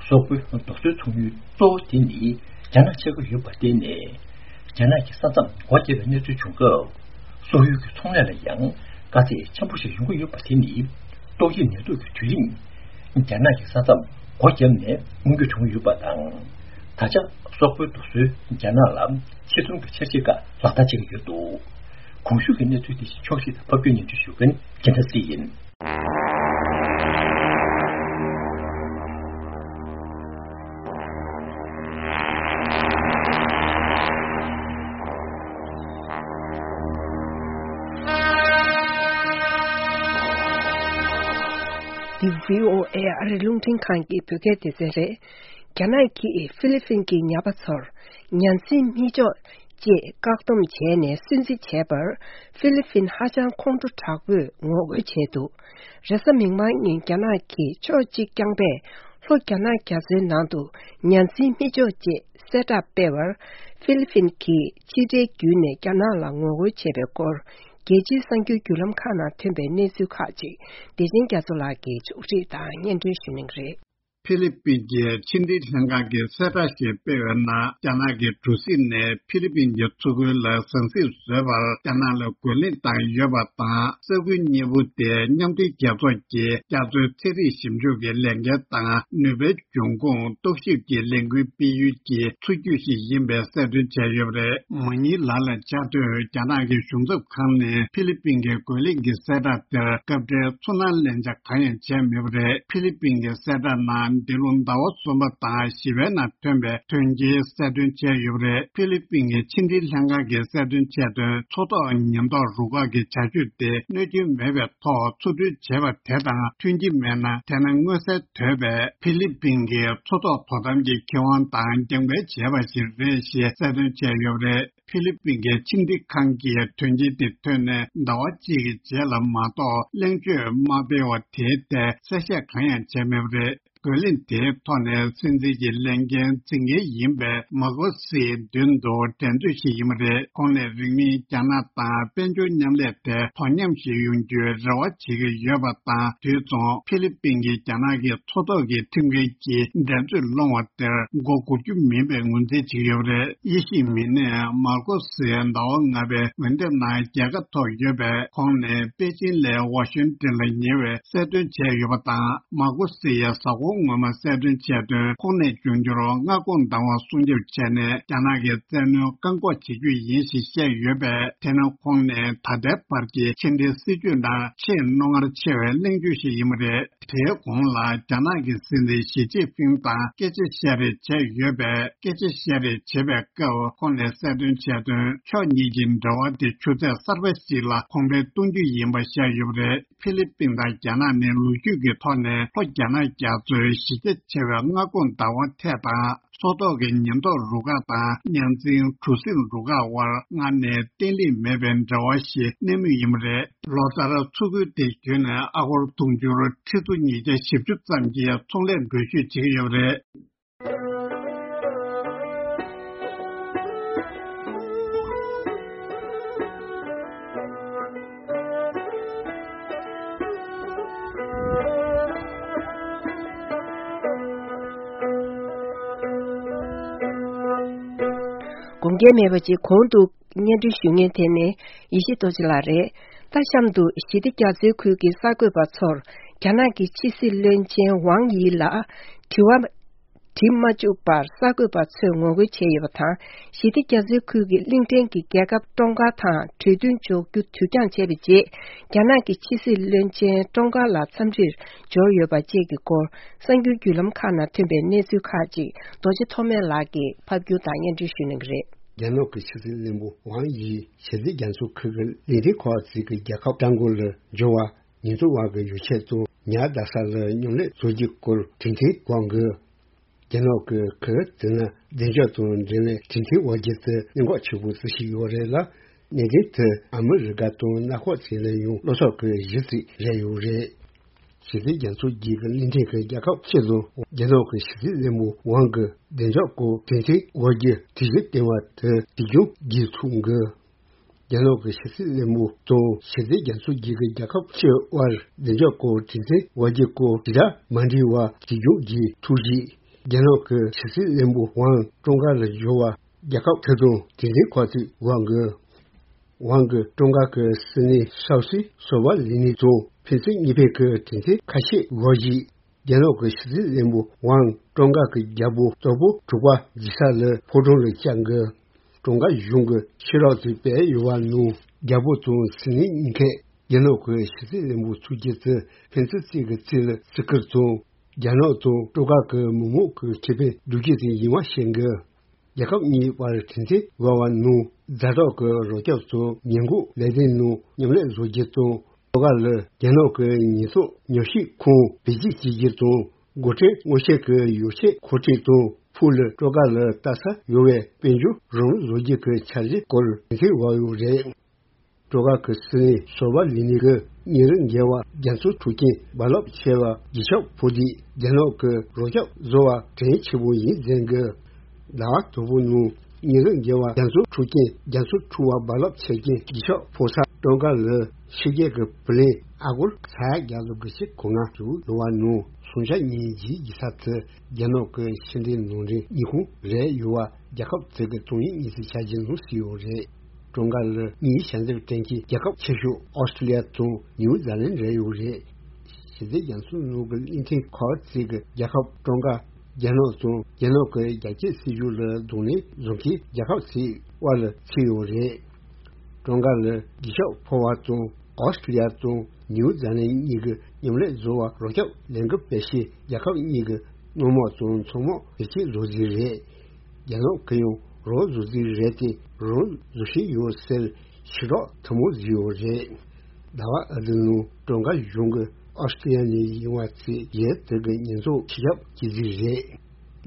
སོག་པོའི་རྡོ་སོལ་ཚོང་ཡུལ་གཙོ་བོ་དེ་ནི་རྒྱ་ནག་ཆགས་ཀྱི་ཡོད་པར་བརྟེན་ནས། རྒྱ་ནག་གི་ས་མཚམས་སྒོ་བརྒྱབ་པའི་གནས་ཚུལ་བྱུང་སྐབས། སོག་ཡུལ་གྱི་ཚོང་ལས་ལ་ཡང་དཀའ་ཚེགས་ཆེན་པོ་ཞིག་ཡོང་གི་ཡོད་པ་དེ་ནི། ཏོག་དབྱིབས་ནད་དུག་གི་དུས་རིང་རྒྱ་ནག་གི་ས་མཚམས་སྒོ་བརྒྱབ་ནས་སྔོན་འགོག་བྱུང་ཡོད་པ་དང་། ད་ཆ་སོག་པོའི་རྡོ་སོལ་རྒྱ་ནག་ལ་ཕྱིར་ཚོང་གི་འཆར་གཞི་ཁག་ལག་བསྟར་བྱེད་ཀྱི་ཡོད་འདུག་གོང་ཞུས་ཀྱི་གནས་ཚུལ་དེ་བཞིན་ཕྱོགས་བཞི་དང་ཕབ་སྒྱུར་སྙན་སྒྲོན་ཞུ་མཁན་རྒྱལ་མཚན་སྲིད་ཡིན། འདི་བྷི་ཨོ་ཨེ་ཨ་རི་རླུང་འཕྲིན་ཁང་གི་བོད་སྐད་སྡེ་ཚན་རེད། རྒྱ་ནག་གིས་ཧྥི་ལི་ཕིན་གྱི་ཉ་པ་ཚོར་ཉ་འཛིན་མི་ཆོག་ཅེས་བཀག་སྡོམ་བྱས་ནས་སུན་གཙེར་བྱས་པར། ཧྥི་ལི་ཕིན་ཧ་ཅང་ཁོང་ཁྲོ་དྲག་པོས་ངོ་རྒོལ་བྱས་འདུག་རེས་གཟའ་མིག་དམར་ཉིན་རྒྱ་ནག་གི་ཕྱོགས་གཅིག་རྐྱང་པས་ལྷོ་རྒྱ་ནག་རྒྱ་མཚོའི་ནང་དུ་ཉ་འཛིན་མི་ཆོག་ཅེས་གསལ་བསྒྲགས་སྤེལ་བར། ཧྥི་ལི་ཕིན་གྱིས་ཕྱི་འབྲེལ་བརྒྱུད་ནས་རྒྱ་ནག་ལ་ངོ་རྒོལ་བྱས་པའི་སྐོར། རྒྱལ་སྤྱིའི་གསར་འགྱུར་བརྒྱུད་ལམ་ཁག་ནང་ཐོན་པའི་གནས་ཚུལ་ཁག་ཅིག་བདེ་ཆེན་རྒྱ་མཚོ་ལགས་ཀྱིས་ཕྱོགས་སྒྲིག་དང་སྙན་སྒྲོན་ཞུ་གནང་གི་རེད། ཧྥི་ལི་པིན་གྱི་ཕྱི་འབྲེལ་ལྷན་ཁང་གིས་གསལ་བསྒྲགས་ཤིག་སྤེལ་བའི་ནང་། རྒྱ་ནག་གི་གྲུ་གཟིངས་ནས་ཧྥི་ལི་པིན་གྱི་མཚོ་ཁུལ་ལ་ཟང་ཟིང་བཟོས་པར་རྒྱ་ནག་ལ་རྒོལ་ལན་བཏང་ཡོད་པ་དང་། ས་ཁུལ་གཉིས་པོ་དེ་མཉམ་འབྲེལ་རྒྱལ་ཚོགས་ཀྱི་རྒྱ་མཚོའི་ཚན་རིག་ཞིབ་འཇུག་གི་ལས་འགན་དང་ནུས་པའི་འབྱུང་ཁུངས་རྟོག་ཞིབ་ཀྱི་ལས་འགུལ་སྤེལ་ཡུལ་གྱི་མཚོ་རྒྱུད་ཞིག་ཡིན་པའི་གསལ་སྟོན་བྱས་ཡོད་པ་རེད། མ་ཉིན་ལ་ལ་བཅར་དུས་རྒྱ་ནག་གི་གཞུང་ཚབ་ཁང་ནས་ཧྥི་ལི་པིན་གྱི་རྒོལ་ལན་གྱི་གསལ་བསྒྲགས་དེར་སྐབས་འཕྲལ་ཚུར་སྣང་ལན་ཆགས་གང་ཡང་བྱས་མེད་པ་རེད། ཧྥི་ལི་པིན་གྱི་གསལ་བསྒྲགས་ནང་འདི་ལོ་ཟླ་བ་གསུམ་པ་དང་བཞི་པའི་ནང་ཐོན་པའི་དོན་རྐྱེན་གསལ་སྟོན་བྱས་ཡོད་པ་རེད། ཧྥི་ལི་པིན་གྱི་ཕྱི་འབྲེལ་ལྷན་ཁང་གིས་གསལ་སྟོན་བྱས་དོན། མཚོ་ཐོག་ཉེན་རྟོག་རུ་ཁག་གི་བྱ་སྤྱོད་དེ་གནོད་སྐྱོན་མེད་པའི་ཐོག་འཚོ་སྡོད་བྱས་པ་དེ་དང་མཐུན་གྱི་མེད་ན། དེ་ནི་མངོན་གསལ་དོད་པའི་ཧྥི་ལི་པིན་གྱི་མཚོ་ཐོག་དོ་དམ་གྱི་ཁེ་དབང་དང་རྒྱང་འཕེན་བྱས་པ་ཞིག་རེད་ཞེས་གསལ་སྟོན་བྱས་ཡོད་པ་རེད། ཧྥི་ལི་པིན་གྱི་ཕྱི་འབྲེལ་ཁང་གིས་དོན་རྐྱེན་དེ་ཐོན་ནས་ཟླ་བ་གཅིག་གི་རྗེས་ལ་མ་གཏོགས་གླེང་བརྗོད་མ་སྤེལ་བ་དེའི་ཐད་གསལ་བཤད་གང་ཡང་བྱས་མེད་པ་རེད། རྒོལ་ལན་དེའི་ཐོག་ནས་སྲིད་འཛིན་གྱི་ལས་འགན་འཛིན་མཁན་ཡིན་པའི་མཱ་ཀོ་སིའི་མདུན་དུ་འགྲན་རྩོད་ཞིག་ཡིན་པ་རེད། ཁོང་ནས་རིང་མིན་རྒྱ་ནག་དང་དཔལ་འབྱོར་མཉམ་ལས་ཐད་དོ་མཉམ་ཞིག་ཡོང་རྒྱུའི་རེ་བ་བྱེད་ཀྱི་ཡོད་པ་དང་། དུས་མཚུངས་ཧྥི་ལི་པིན་གྱིས་རྒྱ་ནག་གི་མཚོ་ཐོག་གི་ཁྲིམས་འགལ་གྱི་འགྲན་རྩོད་སློང་བ་དེར་མགོ་སྒུར་རྒྱུ་མིན་པའི་ངོས་འཛིན་བྱེད་ཀྱི་ཡོད་པ་རེད། དབྱེ་ཞིབ་མི་སྣས་མཱ་ཀོ་སིའི་ཟླ་བ་ལྔ་པའི་འོས་འདེམས་ནང་རྒྱལ་ཁ་ཐོབ་ཡོད་པས། ཁོང་ནས་པེ་ཅིན་ལས་ཝ་ཤིང་ཏན་ལ་ཉེ་བའི་གསལ་སྟོན་བྱས་ཡོད་པ་དང་། མཱ་ཀོ་སི་ཡིས་གཟའ་འཁོར་སྔོན་མ་གསལ་སྟོན་བྱས་དོན། ཁོང་ནས་འབྱུང་འགྱུར་མངའ་ཁོངས་བདག་དབང་སྲུང་སྐྱོབ་བྱས་ནས་རྒྱ་ནག་གི་བཙན་གནོན་བཀག་འགོག་བྱེད་རྒྱུ་ཡིན་ཞེས་བཤད་ཡོད་པས། དེ་ནི་ཁོང་ནས་ད་ལྟའི་བར་གྱི་ཕྱི་འབྲེལ་སྲིད་ཇུས་ནང་ཆེས་རྣོ་ངར་ཆེ་བའི་གླེང་བརྗོད་ཞིག་ཡིན་པ་རེད། དེའི་གོང་ལ་རྒྱ་ནག་གི་སྲིད་འཛིན་ཞི་ཅིན་ཕིང་དང་སྐད་ཆ་བཤད་རེས་བྱས་ཡོད་པས། སྐད་ཆ་བཤད་རེས་བྱེད་པའི་སྐབས་ཁོང་ནས་གསལ་སྟོན་བྱས་དོན། ཕྱོགས་གཉིས་ཀྱི་འབྲེལ་བ་དེ་ཆུ་ཚད་གསར་པ་ཞིག་ལ་གོང་འཕེལ་གཏོང་རྒྱུ་ཡིན་པ་བཤད་ཡོད་པ་རེད། ཧྥི་ལི་པིན་དང་རྒྱ་ནག་ནི་ལོ་རྒྱུས་ཀྱི་ཐོག་ནས་ལྷོ་རྒྱ་ནག་རྒྱ་མཚོའི་གཞི་རྒྱ་ཆེ་བའི་མངའ་ཁོངས་བདག་དབང་ཐད་དང་། མཚོ་ཐོག་གི་ཉེན་རྟོག་རུ་ཁག་དང་མཉམ་འཛིན་གྲུ་གཟིངས་རུ་ཁག་དབར་སྔར་ནས་བརྟན་ལྷིང་མེད་པའི་འབྲེལ་བ་ཞིག་གནས་མུས་ཡིན་པ་རེད། ལོ་ལྟར་མཚོ་ཁུལ་དེ་བརྒྱུད་ནས་ཨ་སྒོར་དུང་ཕྱུར་ཁྲི་ཚོ་ཉིས་བརྒྱ་བཞི་བཅུ་ཙམ་གྱི་ཚོང་ལས་འགྲུལ་བཞུད་བྱེད་ཀྱི་ཡོད་པ་རེད། དགོངས་འགལ་མེད་པ་ཅིག་གོང་དུ་སྙན་སྒྲོན་ཞུ་མཁན་དེ་ནི་ཡེ་ཤེས་རྡོ་རྗེ་ལགས་རེད། ད་གཤམ་དུ་ཞི་བདེ་རྒྱ་མཚོའི་ཁུལ་གྱི་གསར་འགོད་པ་ཚོར་རྒྱ་ནག་གི་ཕྱི་སྲིད་བློན་ཆེན་ཝང་དབྱི་ལ་དྲི་བ་དྲི་མ་བཅུག་པར་གསར་འགོད་པ་ཚོས་ངོ་རྒོལ་བྱས་ཡོད་པ་དང་། ཞི་བདེ་རྒྱ་མཚོའི་ཁུལ་གྱི་གླིང་ཕྲན་གྱི་རྒྱལ་ཁབ་ཀྲོང་ཀ་དང་གྲོས་མཐུན་འཇོག་རྒྱུ་དུས་འགྱངས་བྱས་པའི་རྗེས། རྒྱ་ནག་གི་ཕྱི་སྲིད་བློན་ཆེན་ཀྲོང་ཀ་ལ་འཚམས་འདྲིར་འབྱོར་ཡོད་པ་བཅས་ཀྱི་སྐོར། གསར་འགྱུར་བརྒྱུད་ལམ་ཁག་ནང་ཐོན་པའི་གནས་ཚུལ་ཁག་ཅིག་རྡོ་རྗེ་ཐོགས་མེད་ལགས་ཀྱིས་ཕབ་སྒྱུར་དང་སྙན་སྒྲོན་ཞུ་གནང་གི་རེད། རྒྱ་ནག་གི་ཕྱི་སྲིད་བློན་པོ་ཝང་དབྱི་ཞི་བདེ་རྒྱ་མཚོ་ཁུལ་གྱི་གླིང་ཕྲན་ཁག་ཅིག་གི་རྒྱལ་ཁབ་ཀྲང་གོ་ལ་འབྱོར་བ། ཉེན་རྟོག་པ་གི་ཡོ་བྱད་དང་ཉ་བདའ་ས་ལ་མཉམ་ལས་བཟོ་རྒྱུའི་སྐོར་གྲོས་མཐུན་བཀག་འགོག་རྒྱ་ནག་གི་ཁུལ་དེ་ན་བདེ་འཇགས་དང་འབྲེལ་བའི་གྲོས་མཐུན་དབར་གྱི་དེ་གནད་འགག་ཆེ་པོ་བརྩི་བཞིན་ཡོད་རེད་ལ། གནད་དོན་དེ་ཨ་མི་རི་ཀ་དང་མངའ་ཁོངས་ཚོ་ལ་ཡང་བློ་འཚབ་ཀྱི་གཞི་རྩ་རེད་ཡོད་རེད། ཞི་བདེ་རྒྱ་མཚོ་བརྒྱུད་ཀྱི་གླིང་ཕྲན་གྱི་རྒྱལ་ཁབ་ཆེད་དུ་རྒྱ་ནག་གི་ཕྱི་སྲིད་བློན་པོ་ཝང་གི་བདེ་འཇགས་སྐོར་གྲོས་མཐུན་དབར་གྱི་གྲོས་གཞི་བཏོན་པ་དེ་དུས་འགྱངས་བགྱིས་ཐུབ་འགོ། རྒྱ་ནག་གི་ཕྱི་སྲིད་བློན་པོ་དང་ཞི་བདེ་རྒྱ་མཚོ་བརྒྱུད་ཀྱི་རྒྱལ་ཁབ་ཕྱི་དབར་བདེ་འཇགས་སྐོར་གྲོས་མཐུན་དབར་གྱི་སྐོར་དྲིལ་བསྒྲགས་མ་འགྲིག་པ་དུས་འགྱངས་བགྱིས་ཐུབ་རྗེས། རྒྱ་ནག་གི་ཕྱི་སྲིད་བློན་པོ་ཝང་ཀྲུང་ག་ལ་འབྱོར་བ་རྒྱལ་ཁབ་ཁག་དང་གྲོས་མཐུན་ཁག་ཅིག་དབར་གྱི་ཝང་གི་ཀྲུང་ག་གི་སྲིད་བློན་ཞའོ་སི་སོ་པ་ལི་ནི་དང་ཕན་ཚུན་གཉིས་ཕན་གྱི་གྲོས་མཐུན་ཁ་ཤས་དབར་གྱི། རྒྱ་ནག་གི་ཕྱི་སྲིད་བློན་པོ་ཝང་ཀྲུང་ག་གི་རྒྱལ་པོ་གཙོ་བོ་དྲུག་པ་རྒྱལ་ས་ལ་ཕོ་བྲང་ལ་བཅར་འགོ། ཀྲུང་ག་གཞུང་གི་ཤེས་རབ་ཅིག་སྤེལ་ཡོད་པ་ནང་རྒྱལ་པོ་དང་སྲིད་བློན་གཉིས་ཀས་རྒྱ་ནག་གི་ཕྱི་སྲིད་བློན་པོ་ཚོ་བརྒྱད་ཀྱི་ཕན་ཚུན་གཅིག་གི་རྩིས་ལ་བརྩི་བཀུར་དང་། རྒྱ་ནག་དང་ཀྲུང་ག་གི་མི་མང་གི་ཁེ་ཕན་སྒྲུབ་རྒྱུ་དེ་ཡིན་པ་བཤད་འགོ། རྒྱལ་ཁབ་གཉིས་བར་གྲོས་མཐུན་འབྱོར་བ་ནང་ཛ་དྲག་གི་རོགས་སྐྱོར་དང་ཉེན་འགོག་ལས་དོན་ནང་མཉམ་ལས་བཟོ་རྒྱུ་དང་། ཀྲུང་ག་ལ་རྒྱ་ནག་གི་ཉེན་སྲུང་ཉམས་ཞིབ་ཁང་བེད་སྤྱོད་བྱེད་རྒྱུ་དང་། འགོ་ཁྲིད་མངོན་གསལ་གྱི་ཡོ་བྱད་མཁོ་སྤྲོད་དང་ཕུགས་ལ་ཀྲུང་ག་ལ་ལྟ་ས་ཡོད་པའི་དཔལ་འབྱོར་རང་དབང་བཟོ་རྒྱུ་གི་འཆར་གཞི་སྐོར་གྲོས་མཐུན་འབྱོར་ཡོད་རེད། ཀྲུང་ག་གི་སྲིད་བློན་སོ་པ་ལི་ནི་གིས་ཉིན་རེ་འགལ་བ་རྒྱ་མཚོ་འཕྲོག་མཁན་རྦ་རླབས་ཆེ་བ་གྱི་ཤོག་ཕོ་དེ་རྒྱ་ནག་གི་རོགས་སྐྱོར་བཟོ་བ་དྲན་ཆེ་བོ་ཡིན་ཟེར་གི། ཟླ་བ་དང་པོ་ནང་ཉིན་རེ་འགལ་བ་རྒྱ་མཚོ་འཕྲོག་མཁན་རྒྱ་མཚོ་འཕྲོག་པ་རྦ་རླབས་ཆེ་མཁན་གྱི་ཤོག་ཕོ་ས་ཀྲུང་ག་ལ་ཕྱི་རྒྱལ་གྱི་བུ་ལོན་ཨ་སྒོར་ས་ཡ་བརྒྱ་དང་དགུ་བཅུ་གོ་ལྔ་བཅུག་ཡོད་པ་ནང་སུང་ཤ་ཉིན་རྗེས་ཀྱི་ས་ཚུ་རྒྱ་ནག་གི་ཕྱི་འབྲེལ་ནང་འབྲེལ་གཉིས་ཁོངས་རེད་ཡོད་པ་རྒྱལ་ཁབ་ཚོ་གི་དོན་ཡིག་གཉིས་ཀྱི་འཆར་གཞི་ནང་གསལ་ཡོད་རེད། ཀྲུང་ག་ལ་དངུལ་ཞལ་འཛོམས་སྟེང་གི་རྒྱལ་ཁབ་ཆེ་ཤོས་ཨོ་སི་ཀྲི་ལི་ཡ་དང་ནིའུ་ཛི་ལན་རེད་ཡོད་རེད། ཞི་བདེ་རྒྱ་མཚོ་ནང་གི་གླིང་ཕྲན་ཁག་ཅིག་གི་རྒྱལ་ཁབ་ཀྲུང་ག་རྒྱ་ནག་དང་རྒྱ་ནག་གི་རྒྱ་སྐྱེད་སྲིད་ཇུས་ལ་གདོང་ལེན་བཟོ་མཁན་རྒྱལ་ཁབ་ཚོའི་དབར་ལ་ཚུད་ཡོད་རེད། ཀྲུང་ག་ལ་གྱི་ཤོག་ཕོ་བ་དང་ཨོ་སི་ཀྲི་ལི་ཡ་དང་ནིའུ་ཛི་ལན་གཉིས་ཀྱི་མཉམ་ལས་བཟོ་བ་རོགས་སྐྱོར་ལས་འགུལ་སྤེལ་ཆེད་རྒྱལ་ཁབ་གཉིས་ཀྱི་དངུལ་དམག་དང་མཚོ་དམག་བེད་སྤྱོད་བཟོ་རྩིས་རེད། རྒྱ་ནག་གི་ཡང་རང་བཟོ་རྩིས་རེད་དེ་རང་བཟོ་བཞིན་ཡོད་ཟེར་ཞུ་རོགས་ཐུ་མོ་བཟོས་ཡོད་རེད། ཟླ་བ་ཨ་དི་ནང་ཀྲུང་ག་གཞུང་གིས་ཨོ་སི་ཀྲི་ལི་ཡ་ནས་ཡིན་པ་ཚོས་རྒྱལ་དེ་གི་ཉེན་ཚབས་ཞི་རྒྱབ་ཀྱི་རྩིས་རེད།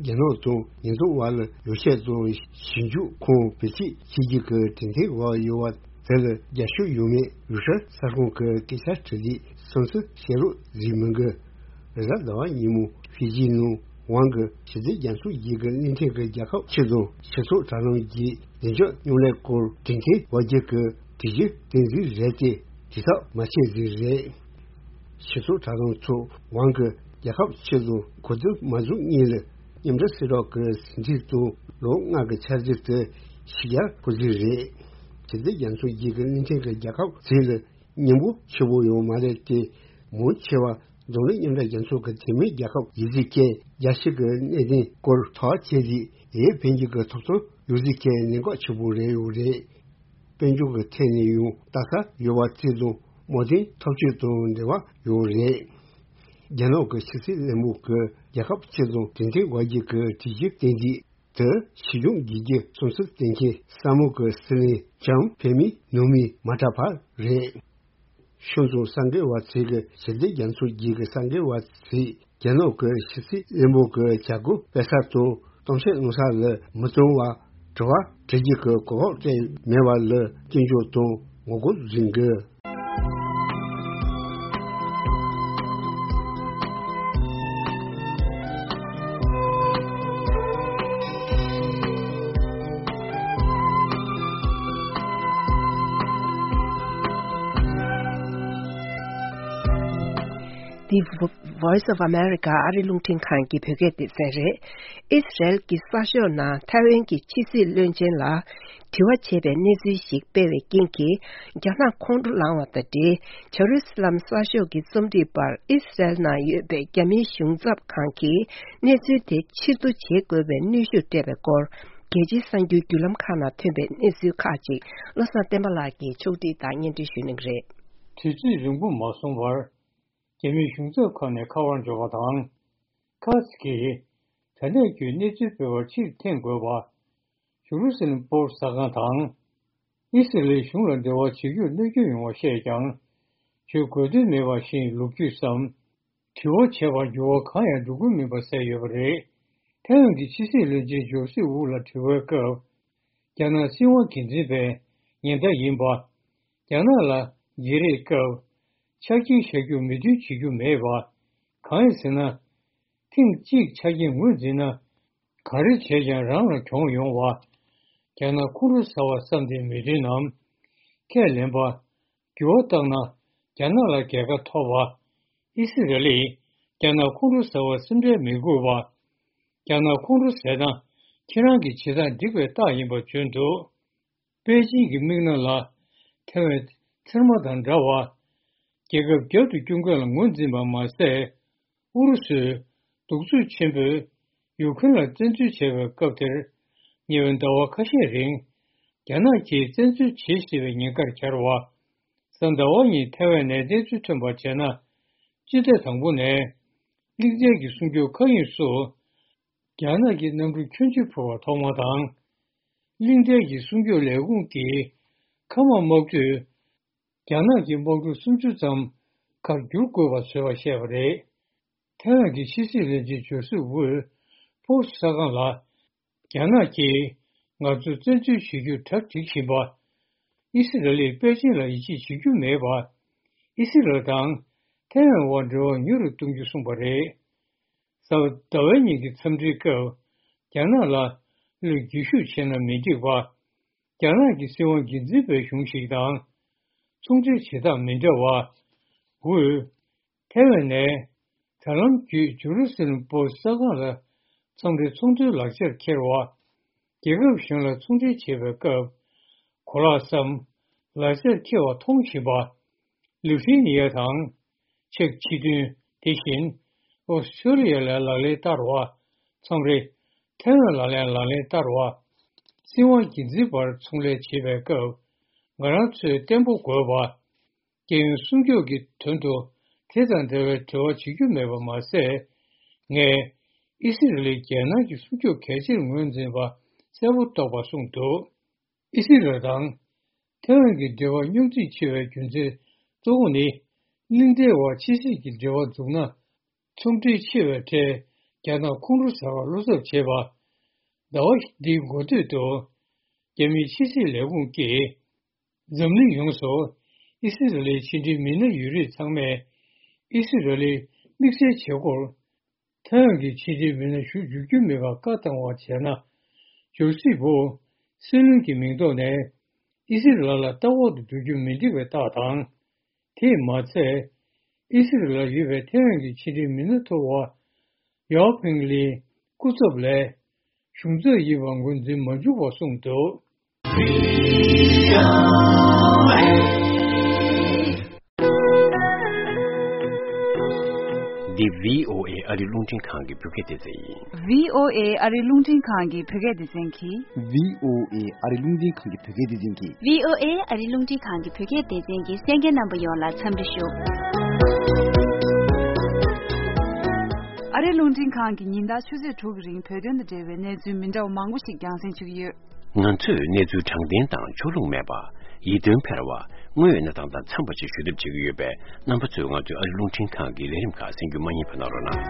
རྒྱ་ནག་དང་ཉེན་ཚབས་བར་ལ་ཡོ་བྱད་དང་ཞིབ་འཇུག་ཁང་བེད་སྤྱོད་བྱེད་རྒྱུ་གི་གྲོས་མཐུན་བར་ཡོད་པ་དེ་ལ་རྒྱབ་སྐྱོར་ཡོད་མེད་ཡུལ་ཤུལ་གསར་ཁང་གི་སྐད་ཆ་དྲི་ལན་སུམ་ཅུ་བཤད་རོགས་བཟོས་མི་འགི། རེས་གཟའ་ཟླ་བ་ཉིན་མོ་ཧྥི་ཇི་ནང་ཝང་གི་ཞི་བདེ་རྒྱ་མཚོ་བརྒྱུད་ཀྱི་གླིང་ཕྲན་གྱི་རྒྱལ་ཁབ་ཆེད་དུ་སྤྱི་ཚོགས་དྲ་ལམ་བརྒྱུད་བདེ་འཇགས་མཉམ་ལས་སྐོར་གྲོས་མཐུན་བར་བརྒྱུད་ཀྱི་གྲོས་གཞི་གཏན་འཛིན་རེད་དེ་དྲི་ཐག་མ་ཆད་ཟིག་རེད། སྤྱི་ཚོགས་དྲ་ལམ་ཚོ་ཝང་གི་རྒྱལ་ཁབ་ཆེད་དུ་གོ་བསྡུར་མ་བཟོ་སྔོན་ལ་མཉམ་འབྲེལ་སྲིད་རོགས་ཀྱི་ཟིན་བྲིས་དང་ལོ་ལྔ་གི་འཆར་གཞི་དེ་ཕྱི་རྒྱལ་ཁོ་ཚོའི་རེད། ཞི་བདེ་རྒྱ་མཚོ་བརྒྱུད་ཀྱི་གླིང་ཕྲན་གྱི་རྒྱལ་ཁབ་ཚོ་ལ་སྙིང་པོ་ཆེ་བོ་ཡོད་མ་རེད་དེ། མང་ཆེ་བ་འཛམ་གླིང་མཉམ་འབྲེལ་རྒྱལ་ཚོགས་ཀྱི་འཐུས་མི་རྒྱལ་ཁབ་ཡིན་ཚུལ་བཅས་རྒྱལ་སྤྱི་གི་གནད་དོན་སྐོར་ཐག་བཅད་རྗེས་ཡོན་ཕན་གྱི་གི་ཐོབ་ཐང་ཡོད་ཚུལ་བཅས་གནད་འགག་ཆེ་བོ་རེད་ཡོད་རེད། དཔལ་འབྱོར་གྱི་ཐད་ནས་ཡང་ལྟ་ས་ཡོད་པ་བཅས་དང་མོ་དེ་འཐབ་ཇུས་དང་འབྲེལ་བ་ཡོད་རེད། རྒྱ་ནག་གི་ཕྱི་སྲིད་བློན་པོ་གིས་རྒྱལ་ཁབ་ཆེད་དུ་གྲོས་མཐུན་བར་བརྒྱུད་ཀྱི་གྲོས་གཞི་གཏན་འཇགས་དེ་ཞི་འཇམ་རྒྱལ་རྒྱུ་སོང་ཚུལ་བསྟན་མཁན་ས་མོ་གི་སྲིད་བློན་ལྕམ་ཕེ་མི་ནུ་མི་མ་ཏྲ་ཕ་རེད། ཤོང་ཙང་གསར་འགོད་པ་ཚོས་ཀྱི་ཞི་བདེ་རྒྱ་མཚོ་བརྒྱུད་ཀྱི་གསར་འགོད་པ་ཚོས་རྒྱ་ནག་གི་ཕྱི་སྲིད་བློན་པོ་གི་བྱ་སྒོ་སྤེལ་ས་དང་ གཏམ་བཤད་གནང་ས་ལ་མི་གཏོང་བ། དྲི་བ་དྲི་རྒྱུ་གི་གོ་སྐབས་ཅིག་མེད་པ་ལ་སྐྱོན་བརྗོད་དང་ངོ་རྒོལ་འཛིན་དགོས། འདི་Voice of America ཨ་རི་རླུང་འཕྲིན་ཁང་གི་བོད་སྐད་སྡེ་ཚན་རེད། ཨི་སི་རལ་གྱི་གསར་ཤོག་ནང་ཐའེ་ཝན་གྱི་ཕྱི་སྲིད་བློན་ཆེན་ལ་དྲི་བ་བྱས་པའི་གནས་ཚུལ་ཞིག་སྤེལ་བའི་རྐྱེན་གྱིས། རྒྱ་ནག་ཁོང་ཁྲོ་ལངས་བ་དང་འབྲེལ། ཇེ་རུ་སི་ལམ་གསར་ཤོག་གི་རྩོམ་སྒྲིག་པར་ཨི་སི་རལ་ནང་ཡོད་པའི་རྒྱ་མིའི་གཞུང་ཚབ་ཁང་གིས་གནས་ཚུལ་དེ་ཕྱིར་བསྡུ་བྱེད་དགོས་པའི་གནོན་ཤུགས་སྤྲད་པའི་སྐོར། རྒྱལ་སྤྱིའི་གསར་འགྱུར་བརྒྱུད་ལམ་ཁག་ནང་ཐོན་པའི་གནས་ཚུལ་ཁག་ཅིག་བློ་བཟང་བསྟན་པ་ལགས་ཀྱིས་ཕྱོགས་སྒྲིག་དང་སྙན་སྒྲོན་ཞུ་གནང་གི་རེད། དུས་ཚོད་རིང་པོ་མ་སོང་བར། རྒྱ་མིའི་གཞུང་ཚབ་ཁང་ནས་ཁ་པར་འབྱོར་བ་དང་། ཁ་སི་ཀྱིས་ད་ལྟའི་བརྒྱུད་གནས་ཚུལ་སྤེལ་བར་ཕྱིར་འཐེན་དགོས་པ། ཇེ་རུ་སི་ལམ་པོ་སི་གསར་ཁང་དང་། ཨི་སི་རེལ་གཞུང་ལ་འབྲེལ་བ་བྱེད་རྒྱུར་གནོད་སྐྱོན་ཡོང་བ་ཤེས་ཀྱང་། བྱེད་དགོས་དོན་མེད་པ་བཞིན་ལོ་རྒྱུས་སམ། དྲི་བ་བྱས་པར་འགྱུར་བ་གང་ཡང་འགྲོ་གི་མིན་པ་གསལ་ཡོད་པ་རེད། ཐའེ་ཝན་གྱི་ཕྱི་སྲིད་བློན་ཆེན་ཇོ་སི་ཝུ་ལ་དྲི་བའི་སྐབས། རྒྱ་ནག་སྲིད་དབང་སྒེར་འཛིན་པའི་ཉེན་བརྡ་ཡིན་པ། རྒྱ་ནག་ལ་བརྗེ་རེས་སྐབས་ཆ་རྐྱེན་བཞག་རྒྱུར་མོས་མཐུན་བྱེད་རྒྱུ་མེད་པ། གང་ཡིན་ཟེར་ན། ཐེངས་གཅིག་ཆ་རྐྱེན་ངོས་འཛིན་ན། ག་རེ་བྱས་ཀྱང་རང་ལ་གྱོང་ཡོང་བ། རྒྱ་ནག་ཁོང་ཁྲོ་ཟ་བ་བསམ་སྟེ་མོས་མཐུན་ནམ། ཁས་ལེན་པ། འགྱུར་བ་བཏང་ན་རྒྱ་ནག་ལ་རྒྱལ་ཁ་ཐོབ་པ། ཨི་སི་རེ་ལིས་རྒྱ་ནག་ཁོང་ཁྲོ་ཟ་བར་སེམས་ཁྲལ་མི་དགོས་པ། རྒྱ་ནག་ཁོང་ཁྲོ་ཟས་ན་ཁྱེད་རང་གི་བྱེད་སྟངས་འགྲིག་པའི་རྟགས་ཡིན་པ་བརྗོད་འདུག་པེ་ཅིང་གི་མིག་ནང་ལ་ཐའེ་ཝན་ཚེར་མ་དང་འདྲ་བ། རྒྱལ་ཁབ་རྒྱབ་ཏུ་སྐྱོར་མཁན་ལ་ངོས་འཛིན་པ་མ་ཟད། ཨུ་རུ་སུས་གདུག་རྩུབ་ཆེན་པོས་ཡུ་ཁུན་ལ་བཙན་འཛུལ་བྱས་པའི་སྐབས་དེར། ཉེ་བའི་ཟླ་བ་ཁ་ཤས་རིང་རྒྱ་ནག་གིས་བཙན་འཛུལ་བྱེད་སྲིད་པའི་ཉེན་ཁར་གྱར་བ། གཟའ་ཟླ་བ་ཉིན་ཐའེ་ཝན་ནས་གནས་ཚུལ་ཐོན་པར་བྱས་ན། སྤྱི་ཟླ་དང་པོ་ནས་གླིང་ཕྲན་གྱི་སྲུང་སྐྱོབ་མཁའ་དབྱིངས་སུ་རྒྱ་ནག་གི་གནམ་གྲུ་ཁྱུ་མཆུ་འཕུར་བ་ཐོག་མ་དང་། གླིང་ཕྲན་གྱི་སྲུང་སྐྱོབ་ལས་ཁུངས་ཀྱིས་མཁའ་དམག་དམག་གྲུ་རྒྱ་ནག་གི་དམག་གྲུ་སུམ་ཅུ་ཙམ་ཁར་བསྒྱུར་དགོས་པ་བཟོས་པ་བཤད་པ་རེད། ཐའེ་ཝན་གྱི་ཕྱི་སྲིད་བློན་ཆེན་ཇོ་སི་ཝུས་ཕོ་སི་གསར་ཁང་ལ། རྒྱ་ནག་གིས་ང་ཚོ་བཙན་འཛུལ་བྱེད་རྒྱུར་གྲ་སྒྲིག་བཞིན་པ། ཨི་སི་རལ་ལས་པེ་ཅིང་ལ་ཡིད་ཆེས་བྱེད་རྒྱུ་མེད་པ། ཨི་སི་རལ་དང་ཐའེ་ཝན་དབར་འབྲེལ་བ་མྱུར་དུ་གཏོང་རྒྱུ་གསུངས་པ་རེད། གཟའ་ཟླ་བའི་ཉིན་གྱི་འཚམས་འདྲིའི་སྐབས། རྒྱ་ནག་ལ་བློས་འགྱོད་ཤུགས་ཆེ་ན་མི་འགྲིག་པ། རྒྱ་ནག་གི་སྲིད་དབང་སྒེར་འཛིན་པའི་གཞུང་ཞིག་དང་། ཚོང་འབྲེལ་བྱེད་སྟངས་མི་འདྲ་བ། ཝུས། ཐའེ་ཝན་ནས། དྲ་ལམ་བརྒྱུད་ཇུ་རུ་སི་ལམ་པོ་སི་གསར་ཁང་ལ། མཚམས་རེ་ཚོང་དོན་ལག་ཆར་འཁྱེར་བ། རྒྱལ་ཁབ་གཞན་ལ་ཚོང་འབྲེལ་བྱེད་པའི་སྐབས། གོ་ལག་སམ། ལག་ཆར་འཁྱེར་བ་མཐོང་བཞིན་པ། ལི་ཐི་ནི་ཡ་དང་། ཆེག་སྤྱི་མཐུན། དེ་བཞིན། ཨོ་སི་ཁྲུ་ལི་ཡ་ལ་ལག་ལེན་བསྟར་བ། མཚམས་རེ། ཐའེ་ཝན་ལ་ལན་ལག་ལེན་བསྟར་བ། སྲིད་དབང་སྒེར་འཛིན་བར་ཚོང་ལས་བྱེད་པའི་སྐབས། ང་རང་ཚོས་བརྟན་པོ་དགོས་པ། རྒྱལ་ཡོངས་སྲུང་སྐྱོབ་ཀྱི་དོན་དུ་དེ་དང་འབྲེལ་བའི་འབྲེལ་བ་བྱེད་རྒྱུ་མེད་པ་མ་ཟད། ངས་ཨི་སི་རེལ་རྒྱལ་ནང་གི་སྲུང་སྐྱོབ་གལ་ཆེར་ངོས་འཛིན་པ་གསལ་པོ་རྟོགས་པ་གསུངས་འདུག་ཨི་སི་རེལ་དང་ཐའེ་ཝན་གྱི་འབྲེལ་བ་རྙོག་འཛིང་ཆེ་བའི་རྒྱུ་མཚན་གཙོ་བོ་ནི། གླིང་ཕྲན་དབར་ཕྱི་སྲིད་ཀྱི་འབྲེལ་བ་འཛུགས་ན། ཚོང་འབྲེལ་ཆེ་བའི་གྲས་རྒྱ་ནག་ཁོང་ཁྲོ་ཟ་བར་བློ་འཚབ་བྱེད་པ། ཟླ་བ་འདིའི་འགོ་སྟོད་དུ། རྒྱ་མིའི་ཕྱི་སྲིད་ལས་ཁུངས་ཀྱིས། འཛམ་གླིང་ཡོངས་སུ་ཨི་སི་རེལ་ལའི་ཕྱི་འབྲེལ་མི་སྣ་ཡོད་རིགས་ཚང་མས་ཨི་སི་རེལ་ལའི་དམིགས་བསལ་བྱེད་སྒོར་ཐའེ་ཝན་གྱི་ཕྱི་འབྲེལ་མི་སྣ་ཞུ་འཇུག་རྒྱུ་མེད་པར་བཀའ་བཏང་བ་བྱས་ན། ཇོ་སི་ཝུ་སྲིད་བློན་གྱི་མིང་ཐོག་ནས་ཨི་སི་རེལ་ལ་ལྟ་འོག་ཏུ་འགྲོ་རྒྱུ་མི་འགྲིག་པའི་རྟགས་དང་། དེས་མ་ཚད། ཨི་སི་རེལ་ལ་ཡོད་པའི་ཐའེ་ཝན་གྱི་ཕྱི་འབྲེལ་མི་སྣ་ཐོར་བ་ཡའོ་ཕིང་ལིའི་སྐུ་ཚབ་ལས། གཞུང་ཚབ་ཡིན་པ་ངོས་འཛིན་མ་བྱུང་བ་གསུངས་འདུག་འདི་བྷི་ཨོ་ཨེ་ཨ་རི་རླུང་འཕྲིན་ཁང་གི་བོད་སྐད་སྡེ་ཚན་ཡིན། བྷི་ཨོ་ཨེ་ཨ་རི་རླུང་འཕྲིན་ཁང་གི་བོད་སྐད་སྡེ་ཚན་གྱིས། བྷི་ཨོ་ཨེ་ཨ་རི་རླུང་འཕྲིན་ཁང་གི་བོད་སྐད་སྡེ་ཚན་གྱིས། བྷི་ཨོ་ཨེ་ཨ་རི་རླུང་འཕྲིན་ཁང་གི་བོད་སྐད་སྡེ་ཚན་གྱི་གསན་མཁན་རྣམ་པ་ཡོངས་ལ་འཚམས་འདྲི་ཞུ། ཨ་རི་རླུང་འཕྲིན་ཁང་གིས་ཉིན་ལྟར་ཆུ་ཚོད་དྲུག་གི་རིང་བོད་དོན་དང་འབྲེལ་བའི་གནས་ཚུལ་མི་འདྲ་བ་མང་པོ་ཞིག་རྒྱང་སྲིང་ཞུ་གི་ཡོད། ང་ཚོས་གནས་ཚུལ་དྲང་བདེན་དང་ཕྱོགས་ལྷུང་མེད་པ། ཡིད་རྟོན་འཕེར་བ། དངོས་ཡོད་གནས་སྟངས་དང་འཚམས་པ་ཞིག་ཞུ་ཐབས་བྱེད་ཀྱི་ཡོད་པས། རྣམ་པ་ཚོས་ང་ཚོའི་ཨ་རི་རླུང་འཕྲིན་ཁང་གི་ལས་རིམ་ཁག་གསན་རྒྱུ་མ་བསྙེལ་བ་གནང་རོགས་གནང་།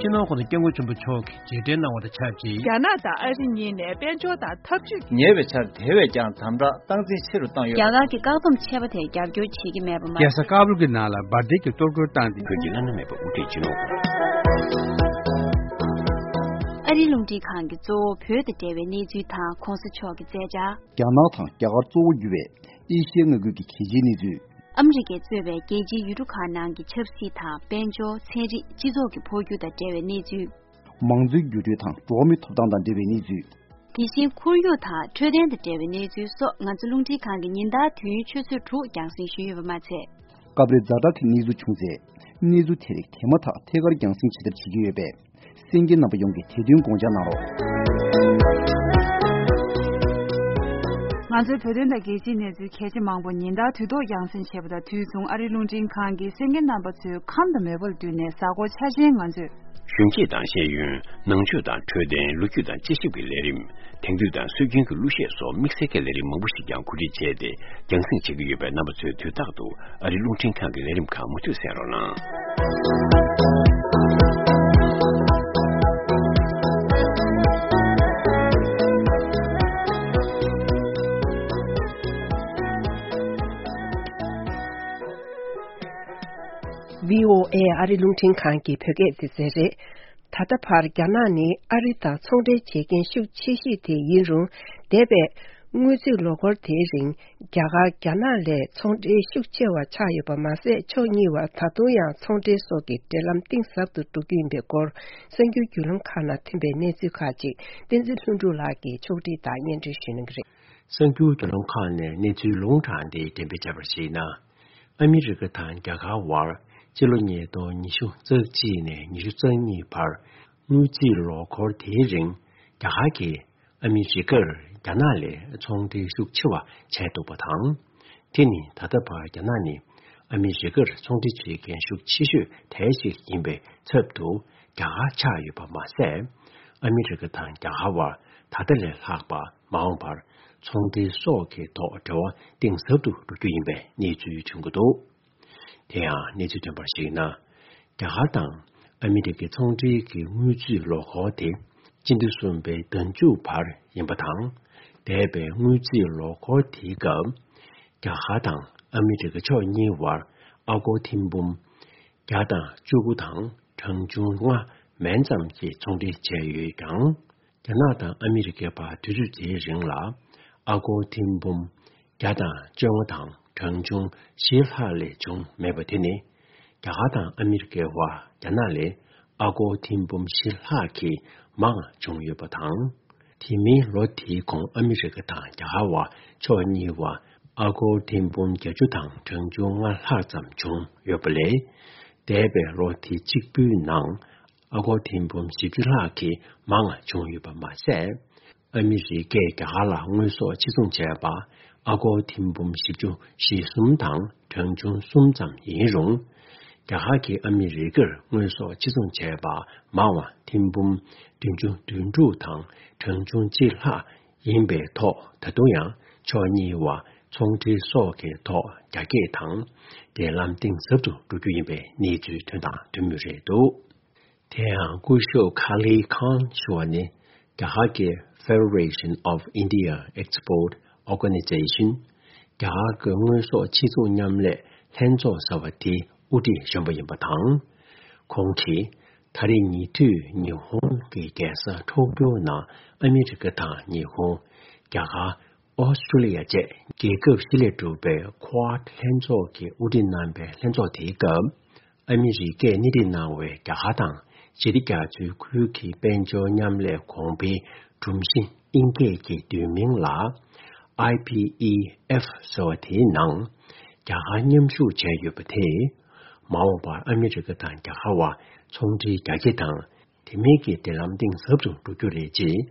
སྤྱི་ནོར་༸གོང་ས་༸སྐྱབས་མགོན་ཆེན་པོ་མཆོག་གིས་རྗེས་དྲན་གནང་བ་དང་ཆབས་ཅིག་རྒྱ་ནག་དང་ཨ་རི་གཉིས་ནས་དཔལ་འབྱོར་དང་འཐབ་ཇུས་ཉེ་བའི་ཆར་དེ་བས་ཀྱང་དམ་དྲག་སྟངས་འཛིན་ཆེ་རུ་བཏང་ཡོད། རྒྱ་གར་གྱི་བཀག་སྡོམ་ཆད་པ་དེ་རྒྱབ་སྐྱོར་བྱེད་ཀྱི་མེད་པ་མ་རྒྱལ་ས་ཀ་བུལ་གྱི་ནང་ལ་འབར་མདེལ་གྱི་གཏོར་རྒོལ་བཏང་སྟེ། བོད་ཀྱི་བླ་ན་མེད་པ་དབུ་ཁྲིད་སྤྱི་ནོར་༸གོང་ས། ཨ་རིའི་རླུང་འཕྲིན་ཁང་གིས་གཙོ་བོ་བོད་དང་འབྲེལ་བའི་གནས་ཚུལ་དང་གོང་ས་མཆོག་གི་མཛད་འཆར། རྒྱ་ནག་དང་རྒྱ་གར་གཙོ་བོ་གྱུར་བའི་ཨེ་ཤི་ཡའི་མངའ་ཁུལ་གྱི་གལ་ཆེའི་གནས་ཚུལ། ཨ་མི་རི་ཀས་གཙོས་པའི་རྒྱལ་སྤྱིའི་ཡུལ་གྲུ་ཁག་ནང་གི་ཆབ་སྲིད་དང་དཔལ་འབྱོར། ཚན་རིག་སྤྱི་ཚོགས་ཀྱི་འཕོ་འགྱུར་དང་འབྲེལ་བའི་གནས་ཚུལ། མང་གཙོའི་འགྱུར་འགྲོས་དང་འགྲོ་བ་མིའི་ཐོབ་ཐང་དང་འབྲེལ་བའི་གནས་ཚུལ། དེ་བཞིན་ཁོར་ཡུག་དང་འཕྲོད་བསྟེན་དང་འབྲེལ་བའི་གནས་ཚུལ་སོགས་ང་ཚོ་རླུང་འཕྲིན་ཁང་གི་ཉིན་ལྟར་དུས་ཡུན་ཆུ་ཚོད་དྲུག་རྒྱང་སྲིང་ཞུས་ཡོད་པ་མ་ཚད། སྐབས་རེ་ཛ་དྲག་གི་གནས་ཚུལ་བྱུང་ཚེ། གནས་ཚུལ་དེ་རིགས་དེ་མ་ཐག་ཐད་ཀར་རྒྱང་སྲིང་བྱེད་ཐབས་བྱེད་ཀྱི་ཡོད་པས། གསན་མཁན་རྣམ་པ་ཡོངས་ཀྱིས་དེ་དོན་དགོངས་འཇགས་གནང་རོགས། ང་ཚོའི་བོད་དོན་དང་རྒྱལ་སྤྱིའི་གནས་ཚུལ་གལ་ཆེ་མང་པོ་ཉིན་ལྟར་དུས་ཐོག་རྒྱང་སྲིང་བྱེད་པ་དང་དུས་མཚུངས་ཨ་རིའི་རླུང་འཕྲིན་ཁང་གིས་གསན་མཁན་རྣམ་པ་ཚོའི་ཁམས་དང་མོས་པ་ལ་བསྟུན་ནས་གཟའ་འཁོར་འཆར་ཅན་ང་ཚོས། གཞོན་སྐྱེས་དང་ཤེས་ཡོན། ནང་ཆོས་དང་འཕྲོད་བསྟེན། ལོ་རྒྱུས་དང་དཔྱད་ཞིབ་ཀྱི་ལས་རིམ། དེང་དུས་དང་སྲོལ་རྒྱུན་གྱི་གླུ་གཞས་སོགས་དམིགས་བསལ་གྱི་ལས་རིམ་མང་པོ་ཞིག་ཀྱང་གོ་སྒྲིག་བྱས་ཏེ་རྒྱང་སྲིང་བྱེད་ཀྱི་ཡོད་པས། རྣམ་པ་ཚོས་དུས་རྟག་ཏུ་ཨ་རིའི་རླུང་འཕྲིན་ཁང་གི་ལས་རིམ་ཁག་མུ་མཐུད་གསན་རོགས་གནང་། བྷི་ཨོ་ཨེ་ཨ་རིའི་རླུང་འཕྲིན་ཁང་གི་བོད་སྐད་སྡེ་ཚན་རེད། ད་ལྟ་བར་རྒྱ་ནག་ནི་ཨ་རི་དང་ཚོང་འབྲེལ་བྱེད་མཁན་ཤུགས་ཆེ་ཤོས་དེ་ཡིན་རུང་། འདས་པའི་དངུལ་རྩིས་ལོ་འཁོར་དེའི་རིང་རྒྱ་གར་རྒྱ་ནག་ལས་ཚོང་འབྲེལ་ཤུགས་ཆེ་བ་ཆགས་ཡོད་པ་མ་ཟད། ཕྱོགས་གཉིས་བར་ད་དུང་ཡང་ཚོང་འབྲེལ་སོགས་ཀྱི་འབྲེལ་ལམ་གཏིང་ཟབ་ཏུ་འགྲོ་རྒྱུ་ཡིན་པའི་སྐོར། གསར་འགྱུར་བརྒྱུད་ལམ་ཁག་ནང་ཐོན་པའི་གནས་ཚུལ་ཁག་ཅིག་བསྟན་འཛིན་ལྷུན་གྲུབ་ལགས་ཀྱིས་ཕྱོགས་སྒྲིག་དང་སྙན་སྒྲོན་ཞུ་གནང་གི་རེད། གསར་འགྱུར་བརྒྱུད་ལམ་ཁག་ནས་གནས་ཚུལ་ལུང་དྲངས་ཏེ་འགྲེམས་སྤེལ་བྱས་པར་གཞིགས་ན། ཨ་མི་རི་ཀ་དང་རྒྱ་གར་དབར་ཕྱི་ལོ་ཉིས་སྟོང་ཉི་ཤུ་རྩ་གཅིག་ནས་ཉི་ཤུ་རྩ་གཉིས་བར་དངུལ་རྩིས་ལོ་འཁོར་དེའི་རིང་རྒྱ་གར་གྱིས་ཨ་མི་རི་ཀར་རྒྱ་ནག་ལས་ཚོང་འབྲེལ་ཤུགས་ཆེ་བ་བྱས་འདུག་པ་དང་། དེ་ནི་ད་ལྟ་བར་རྒྱ་ནག་ནི་ཨ་མི་རི་ཀར་ཚོང་འབྲེལ་བྱེད་མཁན་ཤུགས་ཆེ་ཤོས་གྲས་ཤིག་ཡིན་པའི་ཚབ་ཏུ་རྒྱ་གར་ཆགས་ཡོད་པ་མ་ཟད། ཨ་མི་རི་ཀ་དང་རྒྱ་གར་བར་ད་ལྟ་ལས་ལྷག་པ་མ་འོངས་པར་ཚོང་འབྲེལ་སོགས་ཀྱི་ཐོག་འབྲེལ་བ་གཏིང་ཟབ་ཏུ་འགྲོ་རྒྱུ་ཡིན་པའི་གནས་ཚུལ་ཐོན་གྱི་འདུག་དེ་ཡང་གནས་ཚུལ་ཐོན་པར་གཞིགས་ན། རྒྱ་གར་དང་ཨ་མི་རི་ཀའི་ཚོང་འབྲེལ་གྱི་དངུལ་རྩིས་ལོ་འཁོར་དེ་སྤྱི་ཟླ་གསུམ་པའི་ཟླ་མཇུག་བར་ཡིན་པ་དང་། འདས་པའི་དངུལ་རྩིས་ལོ་འཁོར་དེའི་སྐབས། རྒྱ་གར་དང་ཨ་མི་རི་ཀ་ཕྱོགས་གཉིས་བར་ཨ་སྒོར་ཐེར་འབུམ་བརྒྱ་དང་བཅུ་དགུ་དང་གྲངས་ཆུང་ལྔ་མན་ཙམ་གྱི་ཚོང་འབྲེལ་བྱས་ཡོད་ཀྱང་། རྒྱ་ནག་དང་ཨ་མི་རི་ཀའི་བར་དུས་ཚོད་དེའི་རིང་ལ་ཨ་སྒོར་ཐེར་འབུམ་བརྒྱ་དང་བཅོ་ལྔ་དང་གྲངས་ཆུང་བཞི་ལྷག་ལས་བྱུང་མེད་པ་དེ་ནི། རྒྱ་གར་དང་ཨ་མི་རི་ཀའི་བར་རྒྱ་ནག་ལས་ཨ་སྒོར་ཐེར་འབུམ་བཞི་ལྷག་གིས་མང་བ་བྱུང་ཡོད་པ་དང་། དེ་མིན་ལོ་དེའི་གོང་ཨ་མི་རི་ཀ་དང་རྒྱ་གར་བར་ཕྱོགས་གཉིས་བར་ཨ་སྒོར་ཐེར་འབུམ་བརྒྱད་ཅུ་དང་གྲངས་ཆུང་ལྔ་ལྷག་ཙམ་བྱུང་ཡོད་པ་ལས། འདས་པའི་ལོ་དེ་གཅིག་པུའི་ནང་ཨ་སྒོར་ཐེར་འབུམ་བཞི་བཅུ་ལྷག་གིས་མང་བ་བྱུང་ཡོད་པ་མ་ཟད། ཨ་མི་རི་ཀས་རྒྱ་གར་ལ་དངོས་ཟོག་ཕྱིར་ཚོང་བྱས་པ་ཨ་སྒོར་ཐེར་འབུམ་བཞི་བཅུ་ཞེ་གསུམ་དང་གྲངས་ཆུང་གསུམ་ཙམ་ཡིན་རུང་། རྒྱ་གར་གྱིས་ཨ་མི་རི་ཀར་དངོས་ཟོག་ཕྱིར་ཚོང་བྱས་པ་མང་བ་ཐེར་འབུམ་བདུན་ཅུ་དོན་དྲུག་དང་གྲངས་ཆུང་གཅིག་ལྷག་ཡིན་པའི་ཐོག་ད་དུང་ཡང་ཕྱོགས་གཉིས་བར་ཚོང་འབྲེལ་སོགས་ཀྱི་ཐོག་རྒྱ་སྐྱེད་དང་འབྲེལ་ལམ་གཏིང་ཟབ་ཏུ་འགྲོ་རྒྱུ་ཡིན་པའི་གནས་ཚུལ་ཐོན་དང་ཐོན་མུས་རེད་འདུག་དེ་ཡང་སྐུ་ཞབས་ཁ་ལི་ཁཱན་ཞུ་བ་ནི་རྒྱ་གར་གྱི་Federation of India Export Organization། རྒྱ་གར་གྱི་དངོས་ཟོག་ཕྱིར་ཚོང་མཉམ་ལས་ལྷན་ཚོགས་ཟེར་བ་དེའི་དབུ་ཁྲིད་གཞོན་པ་ཡིན་པ་དང་། ཁོང་གིས་ད་རེས་ཉེ་དུས་ཉི་ཧོང་གི་རྒྱལ་ས་ཊོ་ཀྱོ་ནང་ཨ་མི་རི་ཀ་དང་ཉི་ཧོང་། རྒྱ་གར། ཨོ་སི་ཀྲོ་ལི་ཡ་བཅས་རྒྱལ་ཁབ་བཞི་ལས་གྲུབ་པའི་Quad་ལྷན་ཚོགས་ཀྱི་དབུ་ཁྲིད་གནང་པའི་ལྷན་ཚོགས་དེའི་སྐབས། ཨ་མི་རི་ཀས་སྣེ་ཁྲིད་གནང་བའི་རྒྱ་གར་དང་ཞི་བདེ་རྒྱ་མཚོའི་ཁུལ་གྱི་དཔལ་འབྱོར་མཉམ་ལས་གོང་འཕེལ་སྒྲོམ་གཞི་ཨིན་སྐད་ཀྱི་བསྡུས་མིང་ལ་ཨའི་པི་ཨི་ཨེཕ་ཟེར་བ་དེའི་ནང་རྒྱ་གར་མཉམ་ཞུགས་བྱས་ཡོད་པ་དེས། མ་འོངས་པར་ཨ་མི་རི་ཀ་དང་རྒྱ་གར་བར་ཚོང་འབྲེལ་རྒྱ་སྐྱེད་དང་། དེ་མིན་གྱི་འབྲེལ་ལམ་གཏིང་ཟབ་ཏུ་འགྲོ་རྒྱུ་རེད་ཅེས།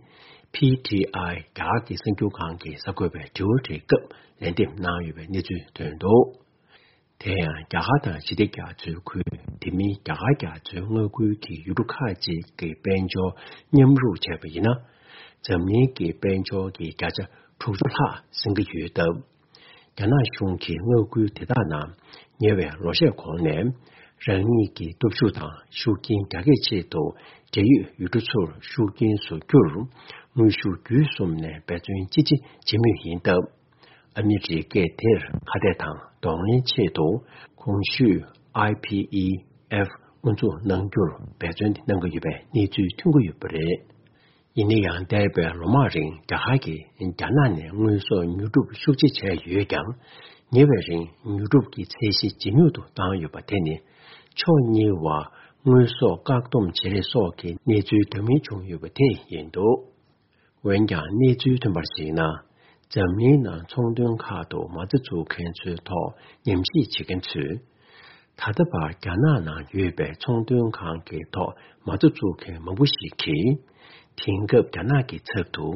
ཕི་ཊི་ཨའི་རྒྱ་གར་གྱི་གསར་འགྱུར་ཁང་གིས་གསར་འགོད་པའི་དྲི་བ་དྲིས་སྐབས་ལན་འདེབས་གནང་ཡོད་པའི་གནས་ཚུལ་ཐོན་འདུག་དེ་ཡང་རྒྱ་གར་དང་ཞི་བདེ་རྒྱ་མཚོའི་ཁུལ། དེ་མིན་རྒྱ་གར་རྒྱ་མཚོའི་མངའ་ཁུལ་གྱི་ཡུལ་གྲུ་ཁག་ཅིག་གི་དཔལ་འབྱོར་མཉམ་རུབ་བྱས་པ་ཡིན་ན། འཛམ་གླིང་གི་དཔལ་འབྱོར་གྱི་བརྒྱ་ཆ་དྲུག་ཅུ་ལྷག་ཟིན་གྱི་ཡོད་སྟབས། རྒྱ་ནག་གཞུང་གིས་མངའ་ཁུལ་དེ་དག་ནང་ཉེ་བའི་ལོ་ཤས་གོང་ནས་ རང་ཉིད་ཀྱི་སྟོབས་ཤུགས་དང་ཤུགས་རྐྱེན་རྒྱ་སྐྱེད་ཆེད་དུ། འབྲེལ་ཡོད་ཡུལ་གྲུ་ཚོར་ཤུགས་རྐྱེན་བཟོ་རྒྱུར། དངོས་ཤུགས་བརྒྱུད་གསུམ་ནས་འབད་བརྩོན་ཅི་ཆེ་བྱེད་མུས་ཡིན་སྟབས། ཨ་མི་རི་ཀས་དེར་ཁ་གཏད་དང་གདོང་ལེན་ཆེད་དུ། གོང་ཞུས་ཨའི་པི་ཨི་ཨེཕ་དབུ་འཛུགས་གནང་རྒྱུར་འབད་བརྩོན་གནང་གི་ཡོད་པའི་གནས་ཚུལ་ཐོན་གྱི་ཡོད་པ་རེད། ཡིན་ན་ཡང་། འདས་པའི་ལོ་མང་རིང་རྒྱ་གར་གྱིས་རྒྱ་ནག་ནས་དངོས་ཟོག་ཉོ་སྒྲུབ་ཤུགས་ཆེ་བྱས་ཡོད་ཀྱང་། ཉེ་བའི་རིང་ཉོ་སྒྲུབ་ཀྱི་ཚད་གཞི་ཇེ་ཉུང་དུ་བཏང་ཡོད་པ་དེ་ནི། ཕྱོགས་གཉིས་བར་དངོས་ཟོག་བཀག་སྡོམ་བྱེད་རེས་སོགས་ཀྱི་གནས་ཚུལ་འདྲ་མིན་བྱུང་ཡོད་པ་དེ་ཡིན་འདུག་འོན་ཀྱང་། གནས་ཚུལ་ཐོན་པར་གཞིགས་ན། འཛམ་གླིང་ནང་ཚོང་དོན་ཁག་ཏུ་མ་རྩ་བཙུགས་མཁན་ཚོའི་ཐོག་ཉམས་ཞིབ་བྱེད་མཁན་ཚོས། ད་ལྟ་བར་རྒྱ་ནག་ནང་ཡོད་པའི་ཚོང་དོན་ཁང་གི་ཐོག་མ་རྩ་བཙུགས་མཁན་མང་པོ་ཞིག་གིས། དེང་སྐབས་རྒྱ་ནག་གི་ཚབ་ཏུ་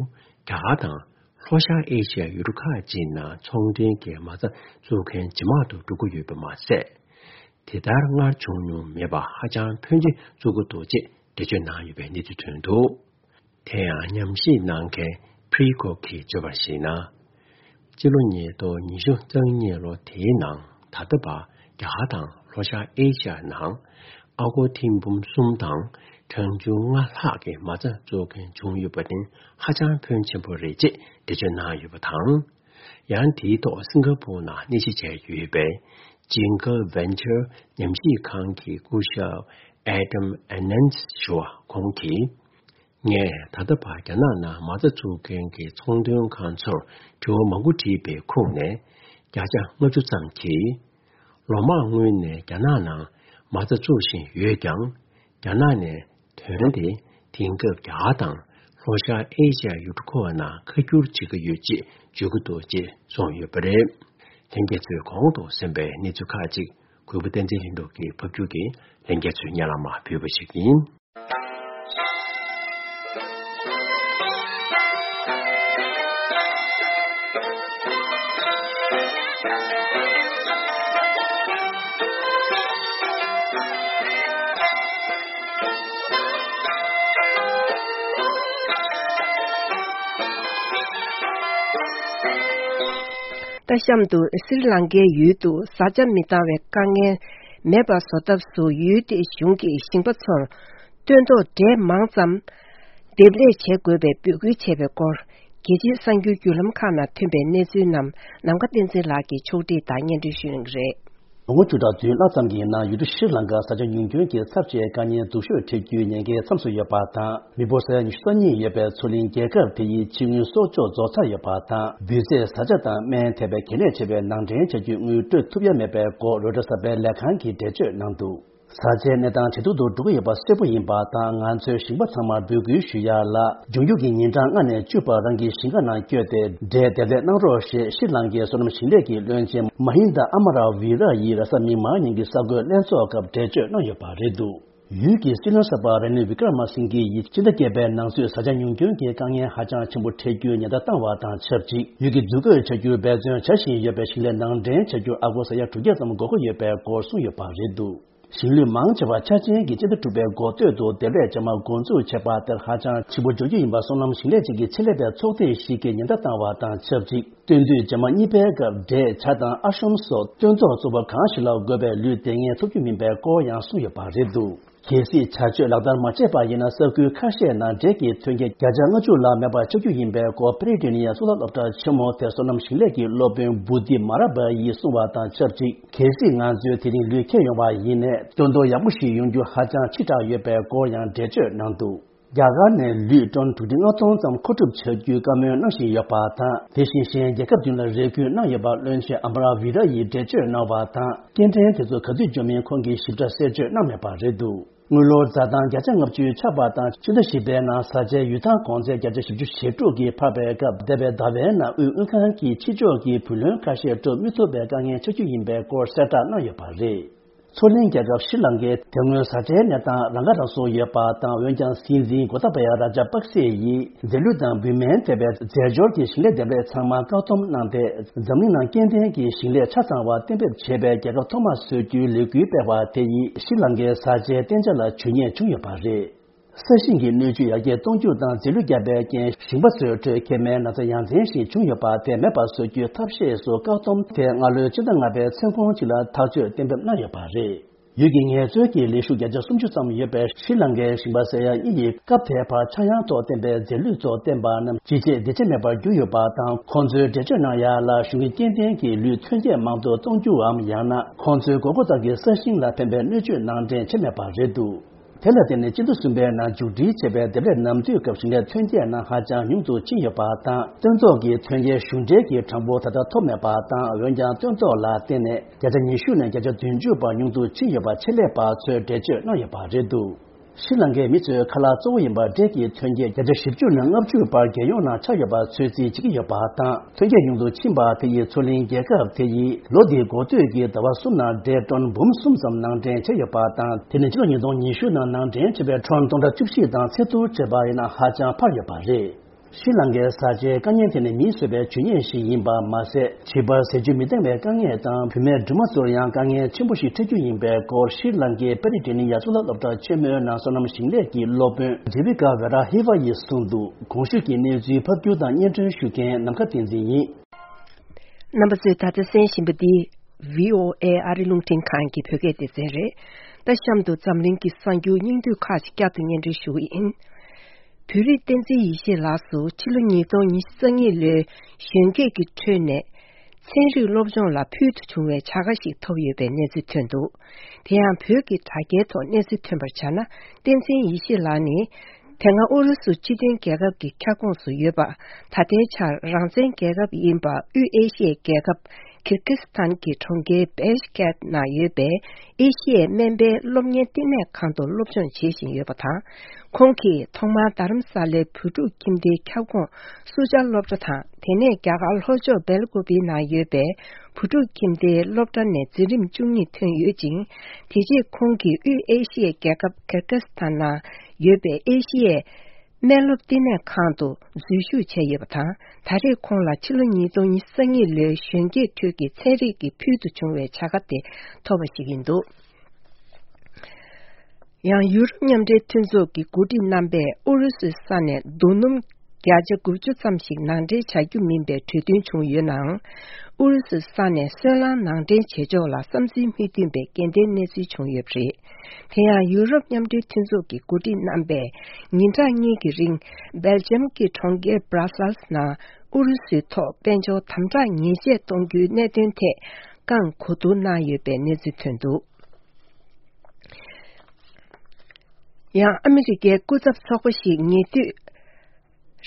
རྒྱ་གར་དང་ལྷོ་ཤར་ཨེ་ཤི་ཡའི་ཡུལ་གྲུ་ཁག་ཅིག་ནང་ཚོང་དོན་གྱི་མ་རྩ་བཙུགས་མཁན་ཇེ་མང་དུ་འགྲོ་གི་ཡོད་པ་མ་ཟད། དེ་ལྟར་སྔར་བྱུང་མྱོང་མེད་པ་ཧ་ཅང་ཕོན་ཆེ་བཙུགས་ཀྱི་འདུག་ཅེས་འགྲེལ་བརྗོད་གནང་ཡོད་པའི་གནས་ཚུལ་ཐོན་འདུག་དེ་ཡང་ཉམས་ཞིབ་གནང་མཁན་Prico གིས་བརྗོད་པར་གཞིགས་ན། སྤྱི་ལོ་ཉིས་སྟོང་ཉི་ཤུ་རྩ་གཉིས་ལོ་དེའི་ནང་། ད་ལྟ་བར་རྒྱ་གར་དང་ལྷོ་ཤར་ཨེ་ཤི་ཡ་ནང་ཨ་སྒོར་ཐེར་འབུམ་གསུམ་དང་གྲངས་ཆུང་ལྔ་ལྷག་གི་མ་རྩ་བཙུགས་མཁན་བྱུང་ཡོད་པ་ནི་ཧ་ཅང་ཕོན་ཆེན་པོ་རེད་ཅེས་འགྲེལ་བརྗོད་གནང་ཡོད་པ་དང་། ཡང་དེའི་ཐོག་སིང་ག་པུར་ནང་གནས་གཞི་བྱས་ཡོད་པའི་Jingle Venture ཉམས་ཞིབ་ཁང་གི་སྐུ་ཞབས་Adam Anand ཞུ་བ་ཁོང་གིས། ངས་ད་ལྟ་བར་རྒྱ་ནག་ནང་མ་རྩ་བཙུགས་མཁན་གྱི་ཚོང་དོན་ཁང་ཚོར་དྲི་བ་མང་པོ་དྲིས་པའི་ཁུངས་ནས། བརྒྱ་ཆ་ལྔ་བཅུ་ཙམ་གྱིས། ལོ་མང་སྔོན་ནས་རྒྱ་ནག་ནང་མ་རྩ་བཙུགས་བཞིན་ཡོད་ཀྱང་། རྒྱ་ནག་ནས་ཐོན་ཏེ་དེང་སྐབས་རྒྱ་གར་དང་ལྷོ་ཤར་ཨེ་ཤི་ཡ་ཡུལ་གྲུ་ཁག་ནང་ཁ་བསྒྱུར་བྱེད་ཀྱི་ཡོད་ཅེས་བརྗོད་ཀྱི་འདུག་ཅེས་གསུངས་ཡོད་པ་རེད། ལྷན་རྒྱས་ཚོས་གོང་དུ་གསན་པའི་གནས་ཚུལ་ཁག་ཅིག་གུས་པ་བསྟན་འཛིན་ལྷུན་གྲུབ་ཀྱིས་ཕབ་བསྒྱུར་གྱིས་ལྷན་རྒྱས་ཚོའི་སྙན་ལམ་ཕུལ་བ་ཞིག་ཡིན། ད་གཤམ་དུ་སི་རི་ལང་ཀའི་ཡུལ་དུ་བཟའ་བཅའ་མི་འདང་བའི་དཀའ་ངལ་མེད་པ་བཟོ་ཐབས་སུ་ཡུལ་དེའི་གཞུང་གིས་ཞིང་པ་ཚོར་སྟོན་ཐོག་འབྲས་མང་ཙམ་འདེབས་ལས་བྱེད་དགོས་པའི་འབོད་སྐུལ་བྱས་པའི་སྐོར། རྒྱལ་སྤྱིའི་གསར་འགྱུར་བརྒྱུད་ལམ་ཁག་ནང་ཐོན་པའི་གནས་ཚུལ་རྣམས་ནམ་མཁའ་བསྟན་འཛིན་ལགས་ཀྱིས་ཕྱོགས་སྒྲིག་དང་སྙན་སྒྲོན་ཞུ་གནང་གི་རེད། ལོ་ངོ་བཅུ་ཕྲག་བདུན་ལྷག་ཙམ་གྱི་ནང་ཡུལ་གྲུ་ཤྲི་ལང་ཀར་བཟའ་བཅའ་ཉུང་སྐྱོན་གྱི་ཚབས་ཆེའི་དཀའ་ངལ་སྡུག་ཤོས་འཕྲད་རྒྱུའི་ཉེན་ཁའི་མཚམས་སུ་ཡོད་པ་དང་། མི་འབོར་ས་ཡ་ཉི་ཤུ་རྩ་གཉིས་ཡོད་པའི་མཚོ་གླིང་རྒྱལ་ཁབ་དེ་ཡི་ཕྱི་དངུལ་གསོག་འཇོག་རྫོགས་ཚར་ཡོད་པ་དང་། འབུད་རྫས། བཟའ་བཅའ་དང་སྨན་ཐེ་བའི་གལ་གནད་ཆེ་བའི་ནང་འདྲེན་བྱ་རྒྱུའི་དངུལ་སྤྲོད་ཐུབ་ཡ་མེད་པའི་སྐོར་རོའི་ཊར་གསར་པའི་ལས་ཁང་གིས་འགྲེལ་བརྗོད་གནང་འདུག་བཟའ་བཅའི་གནས་སྟངས་ཇེ་སྡུག་ཏུ་འགྲོ་གི་ཡོད་པ་གསལ་པོ་ཡིན་པ་དང་། ང་ཚོས་ཞིང་པ་ཚང་མར་འབོད་སྐུལ་ཞུ་ཡ་ལ། འབྱུང་འགྱུར་གྱི་ཉིན་གྲངས་ལྔ་ནས་བཅུ་བར་རང་གི་ཞིང་ཁ་ནང་བསྐྱོད་དེ་འབྲས་འདེབས་ལས་གནང་རོགས་ཞེས་ཤྲི་ལང་ཀའི་སོ་ནམ་ཞིང་ལས་ཀྱི་བློན་ཆེན་མ་ཧིན་དཱ་ཨ་མ་ར་ཝི་ར་ཡིས་རེས་གཟའ་མིག་དམར་ཉིན་གྱི་གསར་འགོད་ལྷན་ཚོགས་སྐབས་འགྲེལ་བརྗོད་གནང་ཡོད་པ་རེད་འདུག་ཡུལ་གྱི་སྲིད་བློན་གསར་པ་ར་ནིལ་བི་ཀྲ་མ་སིང་གྷེ་ཡིས་ཕྱི་ཟླ་བརྒྱད་པའི་ནང་ཚུད་བཟའ་བཅའ་ཉུང་སྐྱོན་གྱི་དཀའ་ངལ་ཧ་ཅང་ཆེན་པོ་འཕྲད་རྒྱུའི་ཉེན་བརྡ་བཏང་བ་དང་ཆབས་ཅིག་ཡུལ་གྱི་འཛུལ་དགོས་བྱ་རྒྱུར་འབད་བརྩོན་བྱ་བཞིན་ཡོད་པའི་ཞིང་ལས་ནང་འདྲེན་བྱ་རྒྱུར་ཨ་སྒོར་ས་ཡ་དྲུག་བརྒྱ་ཙམ་དགོས་མཁོ་ཡོད་པའི་སྐོར་གསུངས་ཡོད་པ་རེད་འདུག་ཞིང་ལུད་མང་ཆེ་བ་ཆ་ཅན་གྱི་སྤྱི་ཟླ་དྲུག་པའི་འགོ་སྟོད་དུ་འདེབས་ལས་རྗེས་མ་འགོ་འཛུགས་བྱས་པ་དེར་ཧ་ཅང་ལྗིད་པོ་འཇོག་རྒྱུ་ཡིན་པ་སོ་ནམ་ཞིང་ལས་ཅན་གྱི་ཆེད་ལས་པའི་ཚོགས་སྡེ་ཞིག་གིས་ཉེན་བརྡ་བཏང་བ་དང་ཆབས་ཅིག་སྟོན་དུས་རྗེས་མ་གཉིས་པའི་སྐབས་འབྲས། ཇ་དང་ཨ་ཤོམ་སོགས་སྟོན་ཐོག་གཙོ་བོ་གང་ཞིག་ལ་དགོས་པའི་ལུད་དེ་སྔའི་ཐོབ་རྒྱུ་མིན་པའི་སྐོར་ཡང་གསུངས་ཡོད་པ་རེད་འདུག་གལ་སྲིད་བྱ་སྤྱོད་ལག་བསྟར་མ་བྱས་པ་ཡིན་ན། ས་ཁུལ་ཁ་ཤས་ནང་འབྲས་ཀྱི་ཐོན་སྐྱེད་བརྒྱ་ཆ་ལྔ་བཅུ་ལ་མེད་པ་ཆགས་རྒྱུ་ཡིན་པའི་སྐོར་པེ་རི་ཏི་ནི་ཡའི་གཙུག་ལག་སློབ་གྲྭ་ཆེན་མོ་དེར་སོ་ནམ་ཞིང་ལས་ཀྱི་སློབ་དཔོན་བུ་དི་མ་ར་བ་ཡིས་གསུངས་བ་དང་ཆབས་ཅིག་གལ་སྲིད་ང་ཚོས་དེ་རིང་ལུད་ཁྱེར་ཡོང་བ་ཡིན་ནའི། སྟོན་ཐོག་ཡག་པོ་ཞིག་ཡོང་རྒྱུ་ཧ་ཅང་ཕྱི་དྲགས་ཡོད་པའི་སྐོར་ཡང་འགྲེལ་བརྗོད་གནང་འདུག་རྒྱ་གར་ནས་ལུད་ཊོན་དྲུག་ཁྲི་ལྔ་སྟོང་ཙམ་མཁོ་སྒྲུབ་བྱ་རྒྱུའི་བཀའ་མོལ་གནང་བཞིན་ཡོད་པ་དང་། དེ་བཞིན་གཞན་རྒྱལ་ཁབ་བདུན་ལ་རེ་སྐུལ་གནང་ཡོད་པ་བློན་ཆེན་ཨ་མ་ར་ཝི་ར་ཡིས་འགྲེལ་བརྗོད་གནང་བ་དང་། སྐྱེལ་འདྲེན་དེ་ཚོ་ག་དུས་འབྱོར་མིན་ཁོང་གིས་ཞིབ་ཕྲ་གསལ་བརྗོད་གནང་མེད་པ་རེད་འདུག་དངུལ་ལོར་འཛའ་ཐང་བརྒྱ་ཆ་ལྔ་བཅུའི་ཆག་པ་དང་། ཕྱི་ཟླ་བཞི་པའི་ནང་བཟའ་བཅའི་ཡུལ་ཐང་གོང་ཚད་བརྒྱ་ཆ་བཞི་བཅུ་ཞེ་དྲུག་གིས་འཕར་བའི་སྐབས། འདས་པའི་ཟླ་བའི་ནང་དབུས་དངུལ་ཁང་གིས་ཕྱི་ཕྱོགས་ཀྱི་བུ་ལོན་ཁ་ཤས་སྤྲོད་མི་ཐུབ་པའི་དཀའ་ངལ་ཆགས་རྒྱུ་ཡིན་པའི་སྐོར་གསལ་བསྒྲགས་གནང་ཡོད་པ་རེད། མཚོ་གླིང་རྒྱལ་ཁབ་ཤྲི་ལང་ཀའི་དེ་སྔོན་བཟའ་བཅའི་གནས་སྟངས་རང་ཁ་རང་གསོ་ཡོད་པ་དང་། འོན་ཀྱང་། སྲིད་འཛིན་གོ་ཏཱ་བ་ཡ་ར་ཇ་པག་སེ་ཡིས་རྫས་ལུད་དང་བུད་མེད་ཐེ་བའི་རྫས་སྦྱོར་གྱི་ཞིང་ལས་འདེབས་ལས་ཚང་མ་བཀག་སྡོམ་གནང་སྟེ། འཛམ་གླིང་ནང་སྐྱེ་ལྡན་གྱི་ཞིང་ལས་ཆ་ཚང་བ་གཏན་འབེབས་བྱེད་པའི་རྒྱལ་ཁབ་ཐོག་མ་བཟོ་རྒྱུའི་ལས་འགུལ་སྤེལ་བ་དེ་ཡིས་ཤྲི་ལང་ཀའི་བཟའ་བཅའི་བསྟན་འཇགས་ལ་བྱུས་ཉེས་བྱུང་ཡོད་པ་རེད། ས་ཞིང་གི་སྣོད་བཅུད་ཡར་རྒྱས་གཏོང་རྒྱུ་དང་རྫས་ལུད་བརྒྱབ་པའི་རྐྱེན། ཞིང་པ་ཚོའི་ཁྲོད་མཁལ་མའི་ན་ཚ་ཡ་མཚན་ཞིག་བྱུང་ཡོད་པ་དེ་མེད་པ་བཟོ་རྒྱུའི་ཐབས་ཤེས་སུ་བཀག་སྡོམ་དེ་སྔ་ལོའི་ཕྱི་ཟླ་ལྔ་པའི་མཚན་གུང་ཅིག་ལ་ཐག་གཅོད་གཏན་འབེབས་གནང་ཡོད་པ་རེད། ཡུལ་གྱི་ངལ་རྩོལ་གྱི་ལས་ཞུགས་བརྒྱ་ཆ་སུམ་ཅུ་ཙམ་ཡོད་པའི་ཤྲི་ལང་ཀའི་ཞིང་པ་ཟེར་ཡག་གཉིས་ཡིས་སྐབས་དེའི་བར་ཆག་ཡང་ཐོག་བསྟན་པའི་རྫས་ལུད་ཚོ་བསྟེན་པ་རྣམས་ཇི་བྱས་འདི་བྱས་མེད་པར་གྱུར་ཡོད་པ་དང་། ཁོང་ཚོའི་འགྲེལ་བརྗོད་གནང་ཡག་ལ་གཞུང་གི་སྐྱེ་ལྡན་གྱི་ལུད་ཐོན་སྐྱེད་མང་དུ་གཏོང་རྒྱུའམ་ཡང་ན་ཁོང་ཚོའི་དགོས་མཁོ་ལྟར་གྱི་ས་ཞིང་ལ་ཕན་པའི་གནོད་སྤྱོད་ནང་འདྲེན་བྱས་མེད་པ་རེད་འདུག་དེ་ལ་བརྟེན་ནས་སྤྱི་ཟླ་གསུམ་པའི་ནང་མཇུག་སྒྲིལ་བྱས་པའི་འདེབས་ལས་ནམ་དུས་སྐབས་ཞིང་ལས་ཐོན་སྐྱེད་ནང་ཧ་ཅང་ཉུང་དུ་ཕྱིན་ཡོད་པ་དང་། སྟོན་ཐོག་གི་ཐོན་སྐྱེད་གཞུང་འབྲེལ་གྱི་གྲངས་འབོར་ད་ལྟ་ཐོབ་མེད་པ་དང་། འོན་ཀྱང་སྟོན་ཐོག་ལ་བརྟེན་ནས་བརྒྱ་ཆ་ཉི་ཤུ་ནས་བརྒྱ་ཆ་བདུན་ཅུ་བར་ཉུང་དུ་ཕྱིན་ཡོད་པ་ཆེད་ལས་པ་ཚོས་འགྲེལ་བརྗོད་གནང་ཡོད་པ་རེད་འདུག་ཤྲི་ལང་ཀའི་མི་ཚོའི་ཁ་ལག་གཙོ་བོ་ཡིན་པ་འབྲས་ཀྱི་ཐོན་སྐྱེད་བརྒྱ་ཆ་བཞི་བཅུ་ནས་ལྔ་བཅུ་བར་རྒྱལ་ཡོངས་ནང་ཆགས་ཡོད་པ་ཚོད་རྩིས་བྱེད་ཀྱི་ཡོད་པ་དང་། ཐོན་སྐྱེད་ཉུང་དུ་ཕྱིན་པ་དེ་ཡིས་མཚོ་གླིང་རྒྱལ་ཁབ་དེ་ཡིས་ལོ་འདིའི་འགོ་སྟོད་ཀྱི་ཟླ་བ་གསུམ་ནང་འབྲས་ཊོན་འབུམ་གསུམ་ཙམ་ནང་འདྲེན་བྱས་ཡོད་པ་དང་། དེ་ནི་ཕྱི་ལོ་ཉིས་སྟོང་ཉི་ཤུ་ནང་ནང་འདྲེན་བྱས་པའི་ཊོན་སྟོང་ཕྲག་བཅུ་བཞི་དང་ཚད་བསྡུར་བྱས་པ་ཡིན་ན་ཧ་ཅང་འཕར་ཡོད་པ་རེད། ཤྲི་ལང་ཀའི་བཟའ་བཅའི་དཀའ་ངལ་དེ་ནི་མིས་བཟོས་པའི་ཇུས་ཉེས་ཤིག་ཡིན་པ་མ་ཟད། བྱིས་པར་ཟས་བཅུད་མི་འདང་བའི་དཀའ་ངལ་དང་། བུད་མེད་སྦྲུམ་མ་ཚོར་ཡང་དཀའ་ངལ་ཆེན་པོ་ཞིག་འཕྲད་རྒྱུ་ཡིན་པའི་སྐོར་ཤྲི་ལང་ཀའི་པེ་རི་ཏི་ནི་ཡ་གཙུག་ལག་སློབ་གྲྭ་ཆེན་མོའི་ནང་སོ་ནམ་ཞིང་ལས་ཀྱི་སློབ་དཔོན་ཇེ་བི་ཀ་ཝེ་ར་ཧི་ཝ་ཡིས་གསུངས་འདུག་གོང་ཞུས་ཀྱི་གནས་ཚུལ་ཕབ་སྒྱུར་དང་སྙན་སྒྲོན་ཞུ་མཁན་ནམ་མཁའ་བསྟན་འཛིན་ཡིན། རྣམ་པ་ཚོས་ད་ལྟ་གསན་བཞིན་པ་འདི་བྷི་ཨོ་ཨེ་ཨ་རི་རླུང་འཕྲིན་ཁང་གི་བོད་སྐད་སྡེ་ཚན་རེད། ད་གཤམ་དུ་འཛམ་གླིང་གི་གསར་འགྱུར་སྙིང་བསྡུས་ཁག་ཅིག་བསྐྱར་དུ་སྙན་སྒྲོན་ཞུ་གི་ཡིན། བོད་རིགས་བསྟན་འཛིན་ཡེ་ཤེས་ལགས་སུ་ཕྱི་ལོ་ཉིས་སྟོང་ཉི་ཤུ་རྩ་གཉིས་ལོའི་གཞོན་སྐྱེས་ཀྱི་ཁྲོད་ནས་ཚན་རིག་སློབ་སྦྱོང་ལ་ཕུལ་དུ་བྱུང་བའི་བྱ་དགའ་ཞིག་ཐོབ་ཡོད་པའི་གནས་ཚུལ་ཐོན་འདུག་དེ་ཡང་བོད་ཀྱི་དྲ་རྒྱའི་ཐོག་གནས་ཚུལ་ཐོན་པར་བྱས་ན། བསྟན་འཛིན་ཡེ་ཤེས་ལགས་ནི་དེ་སྔ་ཨུ་རུ་སུ་སྤྱི་མཐུན་རྒྱལ་ཁབ་ཀྱི་ཁྱབ་ཁོངས་སུ་ཡོད་པ། ད་ལྟའི་ཆར་རང་བཙན་རྒྱལ་ཁབ་ཡིན་པ་དབུས་ཨེ་ཤི་ཡའི་རྒྱལ་ཁབ་ཁིར་ཀི་སི་ཐན་གྱི་གྲོང་ཁྱེར་བེཤ་ཀེད་ནང་ཡོད་པའི་ཨེ་ཤི་ཡའི་སྨན་པའི་སློབ་གཉེར་བསྟི་གནས་ཁང་དུ་སློབ་སྦྱོང་བྱེད་བཞིན་ཡོད་པ་དང་། ཁོང་གིས་ཐོག་མར་རྡ་རམ་ས་ལའི་བོད་ཕྲུག་ཁྱིམ་སྡེའི་ཁྱབ་ཁོངས་སུ་ཇཱ་སློབ་གྲྭ་དང་། དེ་ནས་རྒྱ་གར་ལྷོ་ཕྱོགས་སྦེལ་ཀོབ་ནང་ཡོད་པའི་བོད་ཕྲུག་ཁྱིམ་སྡེའི་སློབ་གྲྭ་ནས་འཛིན་རིམ་བཅུ་གཉིས་ཐོན་ཡོད་ཅིང་། དེ་རྗེས་ཁོང་གིས་དབུས་ཨེ་ཤི་ཡའི་རྒྱལ་ཁབ་ཁིར་ཀི་སི་ཐན་ནང་ཡོད་པའི་ཨེ་ཤི་ཡའི་སྨན་སློབ་བསྟི་གནས་ཁང་དུ་འཛུལ་ཞུགས་བྱས་ཡོད་པ་དང་། ད་རེས་ཁོང་ལ་ཕྱི་ལོ་ཉིས་སྟོང་ཉི་ཤུ་རྩ་གཉིས་ལོའི་གཞོན་སྐྱེས་ཁྲོད་ཀྱི་ཚན་རིག་གི་ཕུལ་དུ་བྱུང་བའི་བྱ་དགའ་དེ་ཐོབ་པ་ཞིག་ཡིན་འདུག་ཡང་ཡུ་རོབ་མཉམ་འབྲེལ་མཐུན་ཚོགས་ཀྱི་འགོ་ཁྲིད་རྣམ་པས་ཨུ་རུ་སུའི་ས་ནས་རྡོ་སྣུམ་བརྒྱ་ཆ་དགུ་བཅུ་ཙམ་ཞིག་ནང་འདྲེན་བྱ་རྒྱུ་མིན་པའི་གྲོས་མཐུན་བྱུང་ཡོད་ནའང་། ཨུ་རུ་སུའི་ས་ནས་སོལ་རླངས་ནང་འདྲེན་བྱེད་ཕྱོགས་ལ་བསམ་ཚུལ་མི་མཐུན་པའི་རྐྱེན་ལྡན་གནས་ཚུལ་བྱུང་ཡོད་པ་རེད། དེ་ཡང་ཡུ་རོབ་མཉམ་འབྲེལ་མཐུན་ཚོགས་ཀྱི་འགོ་ཁྲིད་རྣམ་པས་ཉིན་གྲངས་གཉིས་ཀྱི་རིང་སྦེལ་ཇམ་གྱི་གྲོང་ཁྱེར་སྦྲ་སལ་ནང་ཨུ་རུ་སུའི་ཐོག་དཔལ་འབྱོར་དམ་དྲག་ཉེས་ཆད་གཏོང་རྒྱུའི་གནད་དོན་ཐད་བཀའ་གོ་བསྡུར་གནང་ཡོད་པའི་གནས་ཚུལ་ཐོན་འདུག་ཡང་ཨ་མི་རི་ཀའི་སྐུ་ཚབ་ཚོགས་པ་ཞིག་ཉེ་དུས་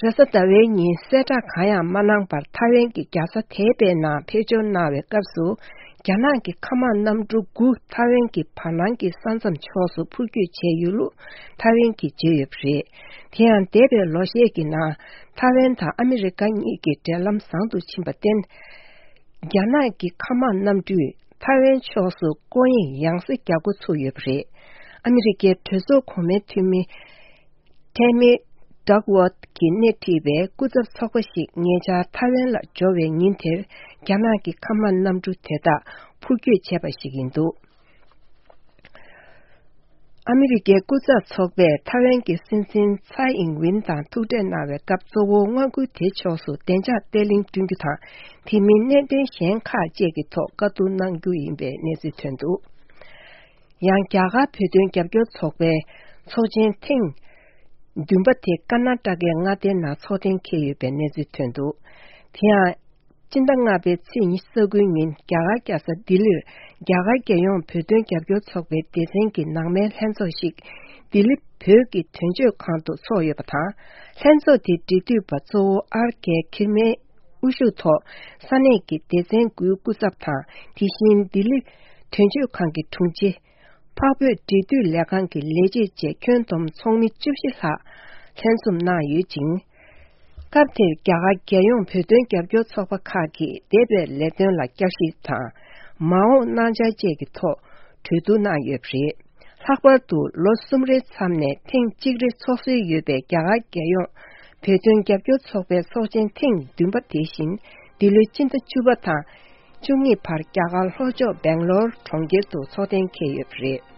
རེས་གཟའ་ཟླ་བའི་ཉིན་གསལ་བསྒྲགས་གང་ཡང་མ་གནང་བར་ཐའེ་ཝན་གྱི་རྒྱལ་ས་ཐའེ་པེ་ནང་ཕེབས་འབྱོར་གནང་བའི་སྐབས་སུ། རྒྱ་ནག་གི་མཁའ་དམག་གནམ་གྲུ་དགུ་ཐའེ་ཝན་གྱི་བར་སྣང་གི་ས་མཚམས་ཕྱོགས་སུ་འཕུར་སྐྱོད་བྱས་ཡོད་ལུགས་ཐའེ་ཝན་གྱིས་བརྗོད་ཡོད་པ་རེད། དེ་ཡང་འདས་པའི་ལོ་ཤས་ཀྱི་ནང་ཐའེ་ཝན་དང་ཨ་མི་རི་ཀ་གཉིས་ཀྱི་འབྲེལ་ལམ་བཟང་དུ་ཕྱིན་པར་བརྟེན། རྒྱ་ནག་གི་མཁའ་དམག་གནམ་གྲུས་ཐའེ་ཝན་ཕྱོགས་སུ་སྐོར་གཡེང་ཡང་སེ་རྒྱག་འགོ་ཚུགས་ཡོད་པ་རེད། ཨ་མི་རི་ཀའི་གྲོས་ཚོགས་གོང་མའི་འཐུས་མི་ཐེ་མི་ཌག་ཝོད་ཀྱིས་སྣེ་ཁྲིད་པའི་སྐུ་ཚབ་ཚོགས་པ་ཞིག་ཉེ་ཆར་ཐའེ་ཝན་ལ་འབྱོར་བའི་ཉིན་དེར་རྒྱ་ནག་གི་མཁའ་དམག་གནམ་གྲུ་དེ་དག་འཕུར་སྐྱོད་བྱས་པ་ཞིག་ཡིན་འདུག་ཨ་མི་རི་ཀའི་སྐུ་ཚབ་ཚོགས་པས་ཐའེ་ཝན་གྱི་སྲིད་འཛིན་ཚའེ་ཨིང་ཝིན་དང་ཐུག་འཕྲད་གནང་བའི་སྐབས། གཙོ་བོ་མངའ་ཁུལ་དེ་ཕྱོགས་སུ་བདེ་འཇགས་བརྟན་ལྷིང་བསྐྲུན་རྒྱུ་དང་། དེ་མིན་གནད་དོན་གཞན་ཁག་བཅས་ཀྱི་ཐོག་བཀའ་བསྡུར་གནང་རྒྱུ་ཡིན་པའི་གནས་ཚུལ་ཐོན་འདུག་ཡང་རྒྱ་གར་བོད་དོན་རྒྱབ་སྐྱོར་ཚོགས་པའི་ཚོགས་ཆེན་ཐེངས་བདུན་པ་དེ་ཀར་ན་ཊ་ཀའི་མངའ་སྡེའི་ནང་ཚོགས་གཏན་འཁེལ་ཡོད་པའི་གནས་ཚུལ་ཐོན་འདུག་དེ་ཡང་། སྤྱི་ཟླ་ལྔ་པའི་ཚེས་ཉི་ཤུ་རྩ་དགུའི་ཉིན་རྒྱ་གར་རྒྱལ་ས་ལྡི་ལིར་རྒྱ་གར་རྒྱལ་ཡོངས་བོད་དོན་རྒྱབ་སྐྱོར་ཚོགས་པའི་སྡེ་ཚན་གྱི་ནང་མའི་ལྷན་ཚོགས་ཤིག་ལྡི་ལི་བོད་ཀྱི་དོན་གཅོད་ཁང་དུ་ཚོགས་ཡོད་པ་དང་། ལྷན་ཚོགས་དེའི་འབྲེལ་མཐུད་པ་གཙོ་བོ་ཨར་ཀེ་ཁིར་མའི་དབུ་བཞུགས་ཐོག་ས་གནས་ཀྱི་སྡེ་ཚན་དགུའི་སྐུ་ཚབ་དང་། དེ་བཞིན་ལྡི་ལི་དོན་གཅོད་ཁང་གི་དྲུང་ཆེ། འཕགས་བོད་འབྲེལ་མཐུད་ལས་ཁང་གི་ལས་བྱེད་བཅས་ཁྱོན་བསྡོམས་ཚོགས་མི་བཅུ་བཞི་ལྷག་ལྷན་འཛོམས་གནང་ཡོད་ཅིང་། སྐབས་དེར་རྒྱ་གར་རྒྱལ་ཡོངས་བོད་དོན་རྒྱབ་སྐྱོར་ཚོགས་པ་ཁག་གིས་འདས་པའི་ལས་དོན་ལ་བསྐྱར་ཞིབ་དང་། མ་འོངས་གནང་འཆར་བཅས་ཀྱི་ཐོག་གྲོས་བསྡུར་གནང་ཡོད་པ་རེད། ལྷག་པར་དུ་ལོ་གསུམ་རེའི་མཚམས་ནས་ཐེངས་གཅིག་རེ་ཚོགས་སྲོལ་ཡོད་པའི་རྒྱ་གར་རྒྱལ་ཡོངས་བོད་དོན་རྒྱབ་སྐྱོར་ཚོགས་པའི་ཚོགས་ཆེན་ཐེངས་བདུན་པ་དེ་བཞིན་འདི་ལོའི་སྤྱི་ཟླ་བཅུ་པ་དང་བཅུ་གཉིས་བར་རྒྱ་གར་ལྷོ་ཕྱོགས་སྦེང་ལོར་གྲོང་ཁྱེར་དུ་ཚོགས་གཏན་འཁེལ་ཡོད་པ་རེད།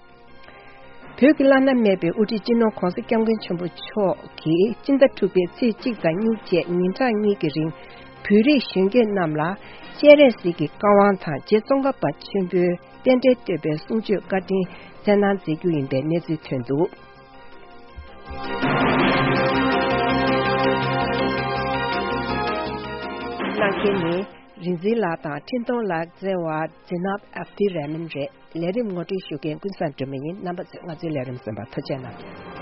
བོད་ཀྱི་བླ་ན་མེད་པའི་དབུ་ཁྲིད་སྤྱི་ནོར་༧གོང་ས་༧སྐྱབས་མགོན་ཆེན་པོ་མཆོག་གིས་སྤྱི་ཟླ་དྲུག་པའི་ཚེས་གཅིག་དང་གཉིས་བཅས་ཉིན་གྲངས་གཉིས་ཀྱི་རིང་ བོད་རིགས་གཞོན་སྐྱེས་རྣམས་ལ་སྤྱན་རས་གཟིགས་ཀྱི་བཀའ་དབང་དང་རྗེ་ཙོང་ཁ་པ་ཆེན་པོའི་རྟེན་འབྲེལ་བསྟོད་པའི་གསུང་ཆོས་བཀའ་དྲིན་སྩལ་གནང་མཛད་རྒྱུ་ཡིན་པའི་གནས་ཚུལ་ཐོན་འདུག། གནང་མཁན་ནི་རིག་འཛིན་ལགས་དང་འཕྲིན་གཏོང་ལགས་བརྩེ་བ་ཛི་ནབ་ཨབ་དི་རེ་མན་རེད། ལས་རིམ་ངོ་སྤྲོད་ཞུ་མཁན་ཀུན་བཟང་སྒྲོལ་མ་ཡིན། རྣམ་པ་ཚོས་ང་ཚོའི་ལས་རིམ་གསན་པར་ཐུགས་རྗེ་གནང་།